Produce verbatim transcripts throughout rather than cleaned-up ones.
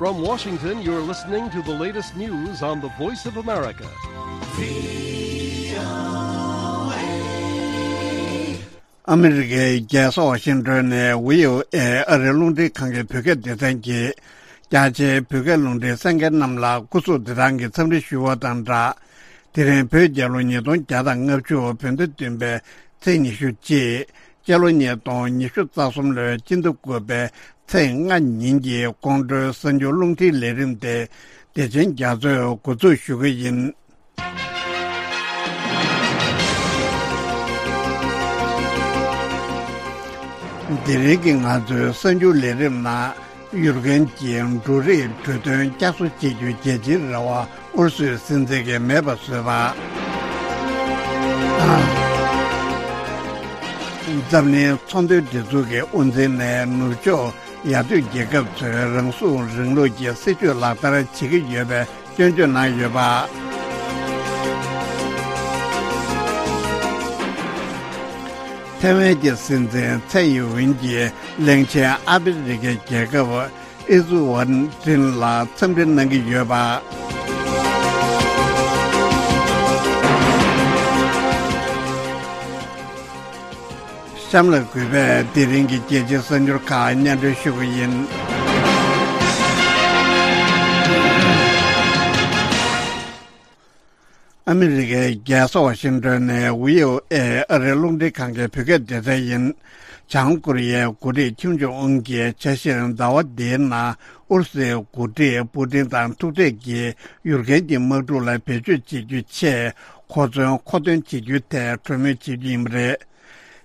From Washington, you're listening to the latest news on the Voice of America. ཨ་མི་རི་ཀའི་རྒྱལ་ས་ཝ་ཤིང་ཏོན་ནས་བྷི་ཨོ་ཨེ་ཨ་རིའི་རླུང་འཕྲིན་ཁང་གི་བོད་སྐད་སྡེ་ཚན་གྱིས། རྒྱ་ཆེའི་བོད་སྐད་རླུང་འཕྲིན་གསན་མཁན་རྣམས་ལ་སྐུ་གཟུགས་བདེ་ཐང་གི་འཚམས་འདྲི་ཞུ་བ་དང་སྦྲགས། དེ་རིང་བོད་རྒྱལ་ལོ་ཉིས་སྟོང་བརྒྱ་དང་ལྔ་བཅུ་བོད་ཟླ་བདུན་པའི་ཚེས་ཉི་ཤུ་གཅིག་སྤྱི་ལོ་ཉིས་སྟོང་ཉི་ཤུ་རྩ་གསུམ་ལོའི་སྤྱི་ཟླ་དགུ་པའི་ཚེས་ལྔ་ཉིན་གྱི་དགོང་དྲོའི་གསར་འགྱུར་རླུང་འཕྲིན་ལས་རིམ་དེ་བདེ་ཆེན་རྒྱ་མཚོས་འགོ་འཛུགས་ཞུ་གི་ཡིན། དེ་རིང་གི་ང་ཚོའི་གསར་འགྱུར་ལས་རིམ་ནང་། ཡུ་རོབ་ཀྱི་འབྲུ་རིགས་གྲོས་མཐུན་བསྐྱར་གསོ་བྱེད་རྒྱུའི་རྒྱལ་སྤྱིའི་རེ་བ་ཨུ་རུ་སུའི་སྲིད་འཛིན་གྱིས་མེད་པར་བཟོས་པ། འཛམ་གླིང་ཚོང་དོན་སྒྲིག་འཛུགས་ཀྱི་དབུ་འཛིན་ནས་ནུབ་ཕྱོགས་ཡར་ཐོན་རྒྱལ་ཁབ་ཚོས་རང་སྲུང་རིང་ལུགས་ཀྱི་སྲིད་བྱུས་ལག་བསྟར་བྱེད་ཀྱི་ཡོད་པའི་སྐྱོན་བརྗོད་གནང་ཡོད་པ། ཐའེ་ཝན་གྱི་སྲིད་འཛིན་ཚའེ་ཡིན་ཝིན་གྱིས་གླིང་ཆེན་ཨ་ཕི་རི་ཀའི་རྒྱལ་ཁབ་ཨི་ཛུ་ཝན་ཏིན་ལ་འཚམས་འདྲི་གནང་གི་ཡོད་པ། གཤམ་ལ་གུས་པས་དེ་རིང་གི་རྒྱལ་སྤྱིའི་གསར་འགྱུར་ཁག་སྙན་སྒྲོན་ཞུ་གི་ཡིན། ཨ་མི་རི་ཀའི་རྒྱལ་ས་ཝ་ཤིང་ཏོན་ནས་བྷི་ཨོ་ཨེ་ཨ་རིའི་རླུང་འཕྲིན་ཁང་གི་བོད་སྐད་སྡེ་ཚན་ཡིན། བྱང་ཀོ་རི་ཡའི་འགོ་ཁྲིད་ཁྱིམ་ཇོ་ཨུན་གྱིས་འཆར་གཞིར་ཟླ་བ་འདིའི་ནང་ཨུ་རུ་སུའི་འགོ་ཁྲིད་པུ་ཏིན་དང་ཐུག་འཕྲད་ཀྱིས་ཡུཀ་རེན་གྱི་དམག་འཁྲུག་ལ་བེད་སྤྱོད་བྱེད་རྒྱུའི་ཆེད་གོ་མཚོན་མཁོ་འདོན་བྱེད་རྒྱུའི་ཐད་གྲོས་མོལ་བྱེད་རྒྱུ་ཡིན་པ་རེད།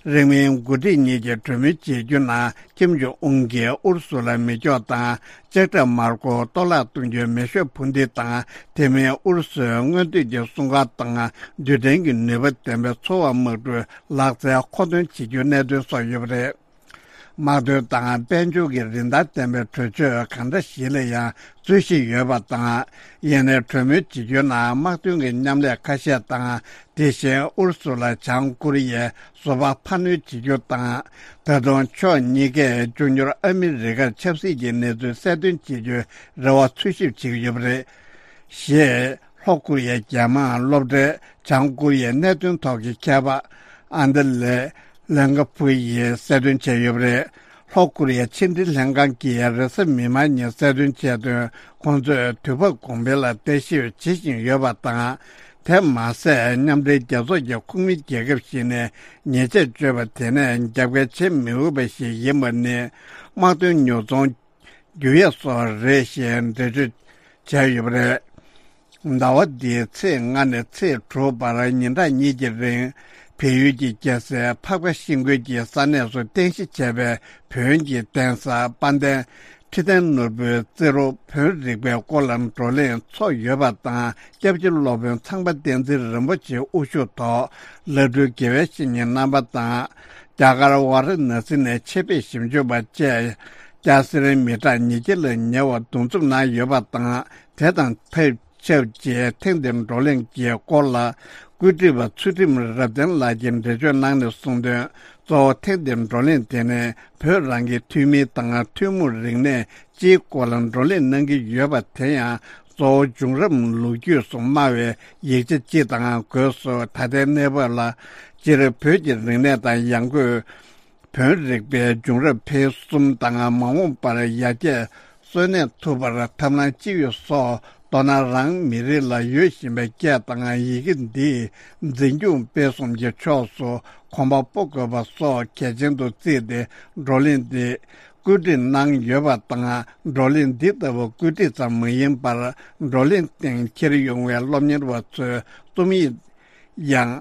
རིང་མིན་འགོ་ཁྲིད་གཉིས་ཀྱིས་གྲོས་མོལ་བྱེད་རྒྱུ་ནང་ཁྱིམ་ཇོ་ཨུན་གྱིས་ཨུ་རུ་སུ་ལ་མེ་སྒྱོགས་དང་ལྕགས་ཁྲབ་དམར་པོ་གཏོར་བརླག་གཏོང་རྒྱུའི་མེ་ཤོག་འཕུར་མདེལ་དང་། དེ་མིན་ཨུ་རུ་སུའི་སྔོན་ཐོན་གྱི་སྲུང་སྐར་དང་རྡུལ་ཕྲན་གྱི་ནུས་པ་ལྡན་པའི་ཚོར་བ་དམག་གྲུའི་ལག་རྩལ་མཁོ་འདོན་བྱེད་རྒྱུའི་གནད་དོན་སོགས་ཡོད་པ་རེད། དམག་དོན་དང་དཔལ་འབྱོར་གྱི་རིན་ཐང་ལྡན་པའི་གྲོས་ཆོད་གང་འདྲ་ཞིག་ལ་ཡང་རྩོད་གཞི་ཡོད་པ་དང་། ཡིན་ནའི་གྲོས་མོལ་བྱེད་རྒྱུའི་ནང་དམག་དོན་གྱི་མཉམ་ལས་ཁ་ཤས་དང་། དེ་བཞིན་ཨུ་རུ་སུ་ལ་བྱང་ཀོ་རི་ཡས་བཟོ་པ་འཕར་སྣོན་བྱེད་རྒྱུ་དང་། ད་དུང་ཕྱོགས་གཉིས་ཀས་མགྱོགས་མྱུར་ཨ་མི་རི་ཀར་ཆབ་སྲིད་ཀྱི་གནས་ཚུལ་གསལ་སྟོན་བྱེད་རྒྱུའི་རེ་བ་འཚོལ་ཞིབ་བྱེད་ཀྱི་ཡོད་པ་རེད། ཞེས་ལྷོ་ཀོ་རི་ཡའི་རྒྱལ་དམངས་སློབ་གྲྭའི་བྱང་ཀོ་རི་ཡའི་གནད་དོན་ཐོག་གི་མཁས་པ་ཨན་ཏི་ལེ་ལན་ཀ་ཕུ་ཡིས་གསལ་སྟོན་བྱས་ཡོད་པ་རེད། ལྷོ་ཀོ་རི་ཡའི་ཕྱི་འབྲེལ་ལྷན་ཁང་གིས་རེས་གཟའ་མིག་དམར་ཉིན་གསལ་སྟོན་བྱས་དོན། ཁོང་ཚོས་དུས་བབ་གོང་འཕེལ་ལ་བརྟག་ཞིབ་བྱེད་བཞིན་ཡོད་པ་དང་། དེ་མ་ཟད་མཉམ་འབྲེལ་རྒྱལ་ཚོགས་ཀྱི་ཁོངས་མི་རྒྱལ་ཁབ་ཞིག་ནས་ཉེས་ཆད་གཅོད་པ་དེ་ནས་རྒྱབ་འགལ་བྱེད་མི་འོས་པ་ཞིག་ཡིན་པ་ནི་དམག་དོན་ཉོ་ཚོང་རྒྱུ་ཡས་སོགས་རེད་ཞེས་འགྲེལ་བརྗོད་བྱས་ཡོད་པ་རེད། ཟླ་བ་འདིའི་ཚེས་ལྔ་ནས་ཚེས་དྲུག་བར་ཉིན་གྲངས་གཉིས་ཀྱི་རིང་བལ་ཡུལ་གྱི་རྒྱལ་སའི་འཕགས་པ་ཤིང་ཀུན་གྱི་ས་གནས་སུ་རྟེན་གཞི་བྱས་པའི་བོན་གྱི་གདན་ས་དཔལ་ལྡན་ཁྲི་བརྟན་ནོར་བུའི་རྩེ་རུ་བོན་རིག་པའི་སྐོར་ལ་བགྲོ་གླེང་ཚོགས་ཡོད་པ་དང་། སྐྱབས་རྗེ་སློབ་དཔོན་ཚངས་པ་བསྟན་འཛིན་རིན་པོ་ཆེ་དབུ་བཞུགས་ཐོག་བླ་སྤྲུལ་དགེ་བའི་བཤེས་གཉེན་རྣམ་པ་དང་། རྒྱ་གར་ཝཱ་ར་ཎ་སི་ནས་ཆེད་ཕེབས་ཞིབ་འཇུག་པ་བཅས་སྐྱ་སེར་མི་གྲངས་ཉིས་བརྒྱ་ལ་ཉེ་བ་འདུ་འཛོམས་གནང་ཡོད་པ་དང་། དེ་དང་ཕེབས་ཆབས་ཅིག་ཐེངས་འདིའི་བགྲོ་གླེང་གི་སྐོར་ལ་བཀོད་སྒྲིག་པ་ཚུལ་ཁྲིམས་རབ་བརྟན་ལགས་ཀྱིས་འགྲེལ་བརྗོད་གནང་ནས་གསུངས་དོན། གཙོ་བོ་ཐེངས་འདིའི་བགྲོ་གླེང་དེ་ནི་བོད་རང་གི་ཐུན་མིན་དང་ཐུན་མོང་རིག་གནས་སྤྱིའི་སྐོར་ལ་བགྲོ་གླེང་གནང་གི་ཡོད་པ་དེ་ཡང་གཙོ་བོ་བྱུང་རབས་ལོ་རྒྱུས་སུ་སྨྲ་བའི་ཡིག་ཆ་སྤྱི་དང་སྒོས་སུ་ད་ལྟའི་གནས་བབ་ལ། སྤྱིར་བོད་ཀྱི་རིག་གནས་དང་ཡང་སྒོས་བོན་རིག་པའི་བྱུང་རབས་འཕེལ་གསུམ་དང་མ་འོངས་པར་ཡར་རྒྱས་གསོན་གནས་ཐུབ་པར་ཐབས་ལམ་ཅི་ཡོད་སོགས། མདོར་ན་རང་མི་རིགས་ལ་ཡོད་བཞིན་པའི་སྐད་དང་ཡི་གེ་འདིས་འཛིན་སྐྱོང་སྤེལ་གསུམ་གྱི་ཕྱོགས་སུ་གོམ་པ་སྤོ་དགོས་པ་སོགས་གལ་ཆེན་དུ་བརྩིས་ཏེ་བགྲོ་གླེང་འདི་བཀོད་སྒྲིག་གནང་ཡོད་པ་དང་། བགྲོ་གླེང་འདི་ལྟ་བུ་བཀོད་སྒྲིག་ཙམ་མ་ཡིན་པར། བགྲོ་གླེང་སྟེང་འཁྱེར་ཡོང་བའི་སློབ་གཉེར་བ་ཚོས་རྩོམ་ཡིག་ཡང་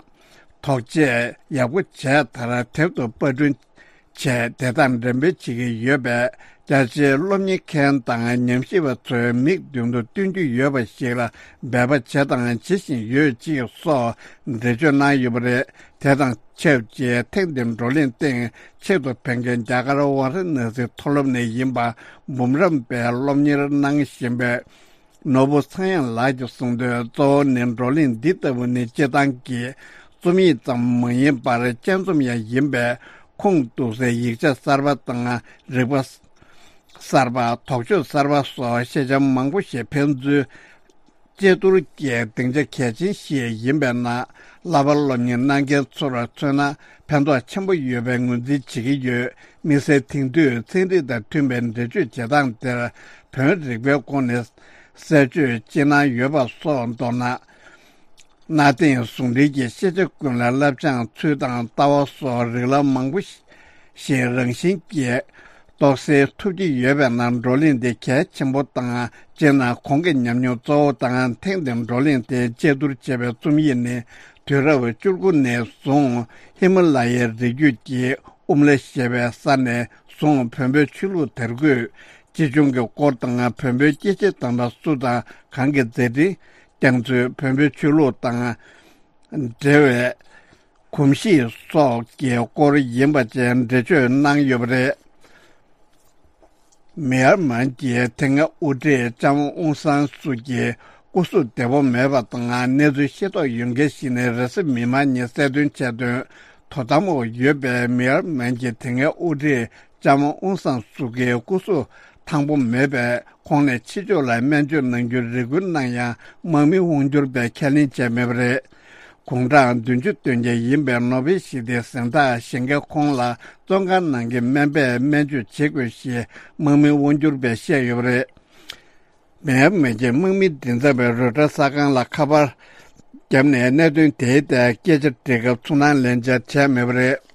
དོགས་དཔྱད་ཡག་པོ་བྱས་མཐར་དེབ་ཏུ་པར་སྐྲུན་བྱས། དེ་དང་འགྲེམས་སྤེལ་བྱེད་ཀྱི་ཡོད་པས། རྒྱ་ཆེའི་སློབ་གཉེར་མཁན་དང་ཉམས་ཞིབ་པ་ཚོའི་མིག་མདུན་དུ་སྟོན་རྒྱུ་ཡོད་པ་ཞིག་ལ་འབད་པ་བྱས་དང་བྱེད་བཞིན་ཡོད་ཅེས་སོགས་འགྲེལ་བརྗོད་གནང་ཡོད་པ་རེད། དེ་དང་ཆབས་ཅིག་ཐེངས་འདིའི་བགྲོ་གླེང་སྟེང་ཆེད་དུ་ཕེབས་མཁན་རྒྱ་གར་ཝཱ་ར་ཎ་སི་མཐོ་སློབ་ནས་ཡིན་པ་འབུམ་རམས་པའི་སློབ་གཉེར་གནང་བཞིན་པའི་ནོར་བུ་ཚངས་དབྱངས་ལགས་ཀྱིས་གསུངས་དོན། གཙོ་བོ་ནི་བགྲོ་གླེང་འདི་ལྟ་བུ་ནི་སྤྱིར་བཏང་གི་རྩོམ་ཡིག་ཙམ་མ་ཡིན་པར་དཔྱད་རྩོམ་ཡང་ཡིན་པས། ཁུངས་གཏུགས་སའི་ཡིག་ཆ་གསར་པ་དང་རིག་པ་ གསར་པ། དོགས་གཅོད་གསར་པ་སོགས་ཤེས་བྱ་མང་པོ་ཞིག་ཕན་ཚུན་དཔྱད་བསྡུར་གྱི་སྡིངས་ཆ་གལ་ཆེན་ཞིག་ཡིན་པས་ན། བསླབ་པ་སློབ་གཉེར་གནང་མཁན་ཚོར་མཚོན་ན་ཕན་ཐོགས་ཆེན་པོ་ཡོད་པའི་ངོས་འཛིན་བྱེད་ཀྱི་ཡོད། དམིགས་བསལ་དེང་དུས་ཚན་རིག་དང་མཐུན་པའི་འགྲེལ་བརྗོད་བྱེད་སྟངས་དེར་བོན་རིག་པའི་སྒོ་ནས་གསལ་བརྗོད་ཅི་གནང་ཡོད་པ་སོགས་མདོར་ན། གནའ་དེང་ཟུང་འབྲེལ་གྱི་ཤེས་བྱ་ཀུན་ལ་བསླབ་སྦྱང་ཚུལ་དང་ལྟ་བ་སོགས་རིགས་ལམ་མང་པོ་ཞིག་རང་བཞིན་གྱིས་རྟོགས་སེལ་ཐུབ་ཀྱི་ཡོད་པས་ན། བགྲོ་གླེང་འདི་གལ་ཆེན་པོ་དང་། སྤྱིར་ན་གོང་གི་ཉམས་མྱོང་གཙོ་བོ་དང་། ཐེངས་འདིའི་བགྲོ་གླེང་དེ་དཔྱད་བསྡུར་བྱས་པའི་རྩོམ་ཡིག་ནི། དུས་རབས་བཅུ་དགུ་ནས་བཟུང་ཧི་མ་ལ་ཡའི་རི་རྒྱུད་ཀྱི་ཨུམ་ལ་ཞེས་པའི་ས་ནས་བཟུང་བོན་པོའི་ཆོས་ལུགས་དར་ཁུལ། སྤྱི་ལྗོངས་ཀྱི་སྐོར་དང་། བོན་པོའི་སྐྱེས་ཆེན་དམ་པ་སུ་དང་གང་གི་མཛད་འཕྲིན། བསྐྱངས་ཚུལ། བོན་པོའི་ཆོས་ལུགས་དང་འབྲེལ་བའི་གོམས་གཤིས་སོགས་ཀྱི་སྐོར་ཡིན་པ་བཅས་འགྲེལ་བརྗོད་གནང་ཡོད་པ་རེད། མེ་ཡར་མན་གྱི་དེ་སྔའི་དབུ་ཁྲིད་ལྕམ་ཨུང་སང་སུ་ཀྱི་སྐུ་གཟུགས་བདེ་པོ་མེད་པ་དང་། གནས་ཚུལ་ཤེས་རྟོགས་ཡོད་མཁན་ཞིག་ནས་རེས་གཟའ་མིག་དམར་ཉིན་གསལ་སྟོན་བྱས་དོན། དོ་དམ་འོག་ཡོད་པའི་མེ་ཡར་མན་གྱི་དེ་སྔའི་དབུ་ཁྲིད་ལྕམ་ཨུང་སང་སུ་ཀའི་སྐུ་གཟུགས་ཐང་པོ་མེད་པས། ཁོང་ནས་ཕྱི་ཕྱོགས་ལ་སྨན་བཅོས་གནང་རྒྱུར་རེ་སྐུལ་གནང་ཡང་། དམག་མི་དབང་སྒྱུར་པས་ཁས་ལེན་བྱས་མེད་པ་རེད། དགུང་གྲངས་བདུན་ཅུ་སྟོན་མཁན་ཡིན་པའི་ནོ་བེལ་ཞི་བདེའི་གཟེངས་རྟགས་བཞེས་མཁན་ཁོང་ལ་བཙོན་ཁང་ནང་གི་སྨན་པས་སྨན་བཅོས་བྱེད་དགོས་ཞེས་དམག་མི་དབང་སྒྱུར་པས་བཤད་ཡོད་པ་རེད། མེ་ཡར་མན་གྱི་དམག་མི་མགྲིན་ཚབ་པས་རོའི་ཊར་གསར་ཁང་ལ་ཁ་པར་བརྒྱབ་ནས་གནད་དོན་དེའི་ཐད་སྐད་ཆ་འདྲི་སྐབས་ཚུར་སྣང་ལེན་བྱ་བྱས་མེད་པ་རེད།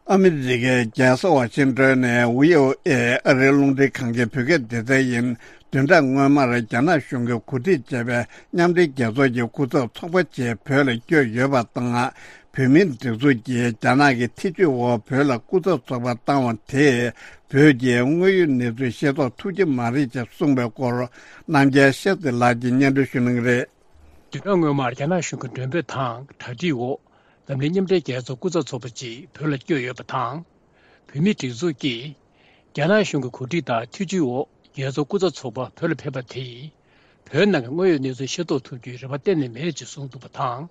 ཨ་མི་རི་ཀའི་རྒྱལ་ས་ཝ་ཤིང་ཏོན་ནས་བྷི་ཨོ་ཨེ་ཨ་རིའི་རླུང་འཕྲིན་ཁང་གི་བོད་སྐད་སྡེ་ཚན་ཡིན། བདུན་ཕྲག་སྔོན་མར་རྒྱ་ནག་གཞུང་གིས་གོ་སྒྲིག་བྱས་པའི་མཉམ་འབྲེལ་རྒྱལ་ཚོགས་ཀྱི་སྐུ་ཚབ་ཚོགས་པ་ཅིག་བོད་ལ་བསྐྱོད་ཡོད་པ་དང་། བོད་མིའི་སྒྲིག་འཛུགས་ཀྱིས་རྒྱ་ནག་གི་ཐེ་ཇུས་འོག་བོད་ལ་སྐུ་ཚབ་ཚོགས་པ་བཏང་བ་དེས་བོད་ཀྱི་དངོས་ཡོད་གནས་ཚུལ་ཤེས་རྟོགས་ཐུབ་ཀྱི་མ་རེད་ཅེས་གསུངས་པའི་སྐོར། རྣམ་རྒྱལ་ཤེས་རྩེ་ལགས་ཀྱིས་སྙན་སྒྲོན་ཞུ་གནང་གི་རེད། བདུན་ཕྲག་སྔོན་མར་རྒྱ་ནག་གཞུང་གི་མགྲོན་འབོད་དང་གྲ་སྒྲིག་འོག་ལམ་ལུགས་མཉམ་འབྲེལ་རྒྱལ་ཚོགས་སྐུ་ཚབ་ཚོགས་པ་ཅིག་བོད་ལ་བསྐྱོད་ཡོད་པ་དང་། བོད་མིའི་སྒྲིག་འཛུགས་ཀྱིས་རྒྱ་ནག་གཞུང་གི་གོ་སྒྲིག་དང་ཐེ་ཇུས་འོག་རྒྱལ་ཚོགས་སྐུ་ཚབ་ཚོགས་པ་བོད་ལ་ཕེབས་པ་དེས། བོད་ནང་གི་དངོས་ཡོད་གནས་ཚུལ་ཤེས་རྟོགས་ཐུབ་རྒྱུའི་རེ་བ་གཏན་ནས་མེད་ཅེས་གསུངས་འདུག་པ་དང་།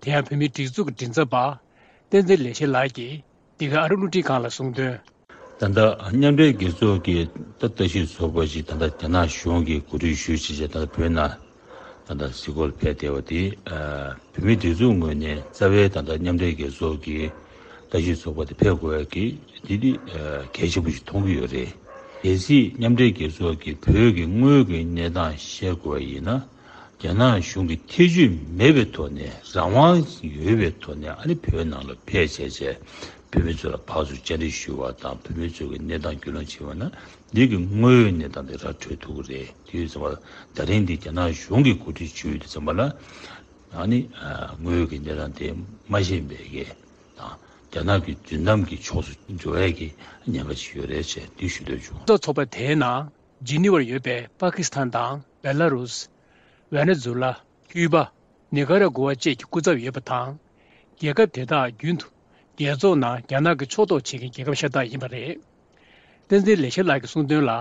དེ་ཡང་བོད་མིའི་སྒྲིག་འཛུགས་ཀྱི་མགྲིན་ཚབ་པ་བསྟན་འཛིན་ལེགས་བཤད་ལགས་ཀྱིས་འདི་ག་ཨ་རི་རླུང་འཕྲིན་ཁང་ལ་གསུངས་དོན། ད་ལྟ་མཉམ་འབྲེལ་རྒྱལ་ཚོགས་ཀྱི་ད་ལྟ་ཞིག་ཚོགས་པ་ཞིག་ད་ལྟ་རྒྱ་ནག་གཞུང་གིས་གོ་སྒྲིག་ཞུས་བྱས་བྱས་ད་ལྟ་བོད་ནང་ད་ལྟ་གཟིགས་སྐོར་ཕེབས་བསྡད་པ་དེ། བོད་མིའི་སྒྲིག་འཛུགས་ངོས་ནས་རྩ་བའི་ད་ལྟ་མཉམ་འབྲེལ་རྒྱལ་ཚོགས་ཀྱི་ད་ཞིག་ཚོགས་པ་དེ་ཕེབས་དགོས་ཡ་གི་འདི་འདི་གལ་ཆེན་པོ་ཞིག་མཐོང་གི་ཡོད་རེད། གལ་སྲིད་མཉམ་འབྲེལ་རྒྱལ་ཚོགས་ཀྱིས་བོད་ཀྱི་དངོས་ཀྱི་གནས་སྟངས་བཤད་དགོས་པ་ཡིན་ན། རྒྱ་ནག་གཞུང་གི་ཐེ་ཇུས་མེད་པའི་ཐོག་ནས་རང་དབང་ཡོད་པའི་ཐོག་ནས་ཨ་ནི་བོད་ནང་ལ་ཕེབས་བྱས་བྱས་བོད་མི་ཚོ་ལ་ཕར་ཚུར་བཅར་འདྲི་ཞུ་བ་དང་བོད་མི་ཚོ་གི་གནས་སྟངས་རྒྱུས་ལོན་བྱེད་པ་ན་འདི་གི་དངོས་ཡོད་གནས་སྟངས་དེ་ར་འཕྲོད་ཐུབ་ཀྱི་རེད། དེ་ཡོད་ཙང་མ་ད་རིང་འདི་རྒྱ་ནག་གཞུང་གིས་གོ་སྒྲིག་ཞུས་ཡོད་དུས་ཙམ་པ་ལ་ཨ་ནི་དངོས་ཡོད་ཀྱི་གནས་སྟངས་དེ་མ་ཤེས་པའི་གི་དང་རྒྱ་ནག་གི་མདུན་ལམ་གྱི་ཕྱོགས་སུ་འགྲོ་ཡས་ཀྱི་ཉེན་ཁ་ཅིག་ཡོད་རེད་ཅེས་འདི་ཞུ་འདོད་བྱུང་། ཚོགས་པ་དེའི་ནང་། ཇི་ནི་ཝར་ཡོད་པའི་པ་ཀི་སི་ཐན་དང་བེ་ལ་རུས། ཝེ་ནེ་ཛུ་ལ། ཀུའུ་པ། ནི་ཀ་ར་གུ་ཝ་བཅས་ཀྱི་སྐུ་ཚབ་ཡོད་པ་དང་། རྒྱལ་ཁབ་དེ་དག་རྒྱུན་དུ་རྒྱལ་ཚོགས་ནང་རྒྱ་ནག་གི་ཕྱོགས་གཏོགས་བྱེད་མཁན་རྒྱལ་ཁབ་ཤ་སྟག་ཡིན་པ་རེད། བསྟན་འཛིན་ལེགས་བཤད་ལགས་ཀྱིས་གསུངས་དོན་ལ།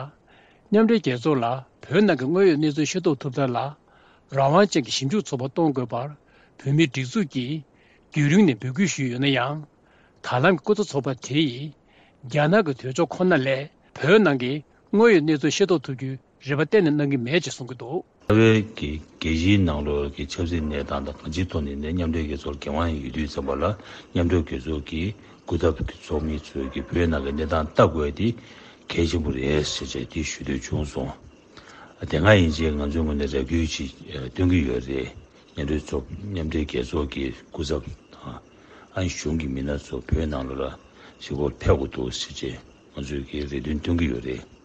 མཉམ་འབྲེལ་རྒྱལ་ཚོགས་ལ་བོད་ནང་གི་དངོས་ཡོད་གནས་ཚུལ་ཤེས་རྟོགས་ཐུབ་ཐབས་ལ། རང་དབང་ཅན་གྱི་ཞིབ་འཇུག་ཚོགས་པ་གཏོང་དགོས་པར་བོད་མིའི་སྒྲིག་འཛུགས་ཀྱིས་རྒྱུན་རིང་ནས་འབོད་སྐུལ་ཞུས་ཡོད་ན་ཡང་། ད་ལམ་གྱི་སྐུ་ཚབ་ཚོགས་པ་དེ་ཡིས་རྒྱ་ནག་གི་འདོད་ཕྱོགས་ཁོ་ན་ལས་བོད་ནང་གི་དངོས་ཡོད་གནས་ཚུལ་ཤེས་རྟོགས་ཐུབ་རྒྱུའི་རེ་བ་གཏན་ནས་གནང་གི་མེད་ཅེས་གསུང་གི་འདུག། རྩ་བའི་གི་རྒྱལ་སྤྱིའི་ནང་ལོགས་ཀྱི་ཆབ་སྲིད་གནས་སྟངས་དང་གང་ཅིའི་ཐོག་ནས་ནས་མཉམ་འབྲེལ་རྒྱལ་ཚོགས་ལ་འགན་དབང་ཡོད་དུས་ཙམ་པ་ལ་མཉམ་འབྲེལ་རྒྱལ་ཚོགས་ཀྱི་སྐུ་ཚབ་ཀྱི་ཚོགས་མི་ཚོས་ཀྱི་བོད་ནང་གི་གནས་སྟངས་ལྟ་དགོས་དེ་གལ་ཆེན་པོ་རེད་ཟེར་བྱས་དེ་ཞུ་འདོད་བྱུང་སོང་། དེ་སྔ་ཡིན་ཕྱིན་ང་ཚོའི་ངོས་ནས་རེ་སྐུལ་ཅིག་སྟོན་གྱི་ཡོད་རེད། མཉམ་འབྲེལ་ཚོགས་མཉམ་འབྲེལ་རྒྱལ་ཚོགས་ཀྱི་སྐུ་ཚབ་དང་ཨ་ནི་གཞུང་གི་མི་སྣ་ཚོ་བོད་ནང་ལོགས་ལ་ཞིབ་སྐོར་ཕེབས་དགོས་འདུག་ཟེར་བྱས་ང་ཚོས་ཀྱི་རེ་འདུན་སྟོན་གྱི་ཡོད་རེད།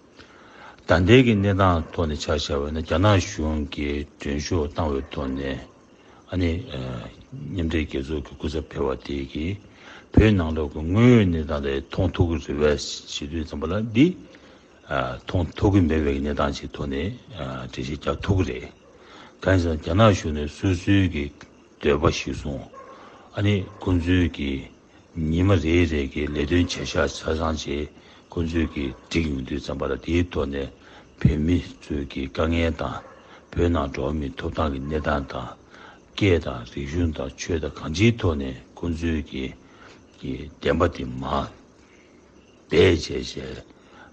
ད་ལྟའི་གི་གནས་སྟངས་ཐོག་ནས་ཆ་བཞག་པ་ཡིན་ན་རྒྱ་ནག་གཞུང་གིས་མགྲོན་ཤོག་བཏང་བའི་ཐོག་ནས་ཨ་ནི་མཉམ་འབྲེལ་རྒྱལ་ཚོགས་ཀྱི་སྐུ་ཚབ་ཕེབས་པ་དེ་གིས་བོད་ནང་ལོགས་ཀྱི་དངོས་ཡོད་གནས་སྟངས་དེ་མཐོང་ཐུབ་ཀྱི་རེད་པས་ཞུ་དུས་ཙམ་པ་ལ་འདི་མཐོང་ཐུབ་ཀྱི་མེད་པའི་གནས་སྟངས་ཅིག་ཐོག་ནས་འགྲེལ་བཤད་རྒྱག་ཐུབ་ཀྱི་རེད། གང་ཡིན་ཟེར་ན་རྒྱ་ནག་གཞུང་ནས་སོ་སོའི་གི་འདོད་པ་ཞིག་བཟུང་། ཨ་ནི་ཁོང་ཚོའི་གི་ཉི་མ་རེ་རེ་གི་ལས་དོན་བྱ་གཞག་ཆ་ཚང་བྱས། ཁོང་ཚོའི་གི་འགྲིག་ཡོང་དུས་ཙམ་པ་ལ་དེའི་ཐོག་ནས་བོད་མི་ཚོའི་གི་དཀའ་ངལ་དང་། བོད་ནང་འགྲོ་བ་མིའི་ཐོབ་ཐང་གི་གནས་སྟངས་དང་། སྐད་དང་རིག་གཞུང་དང་ཆོས་དང་གང་ཅིའི་ཐོག་ནས་ཁོང་ཚོའི་གི་གི་བདེན་པ་དེ་མར་སྦས་བྱས་བྱས།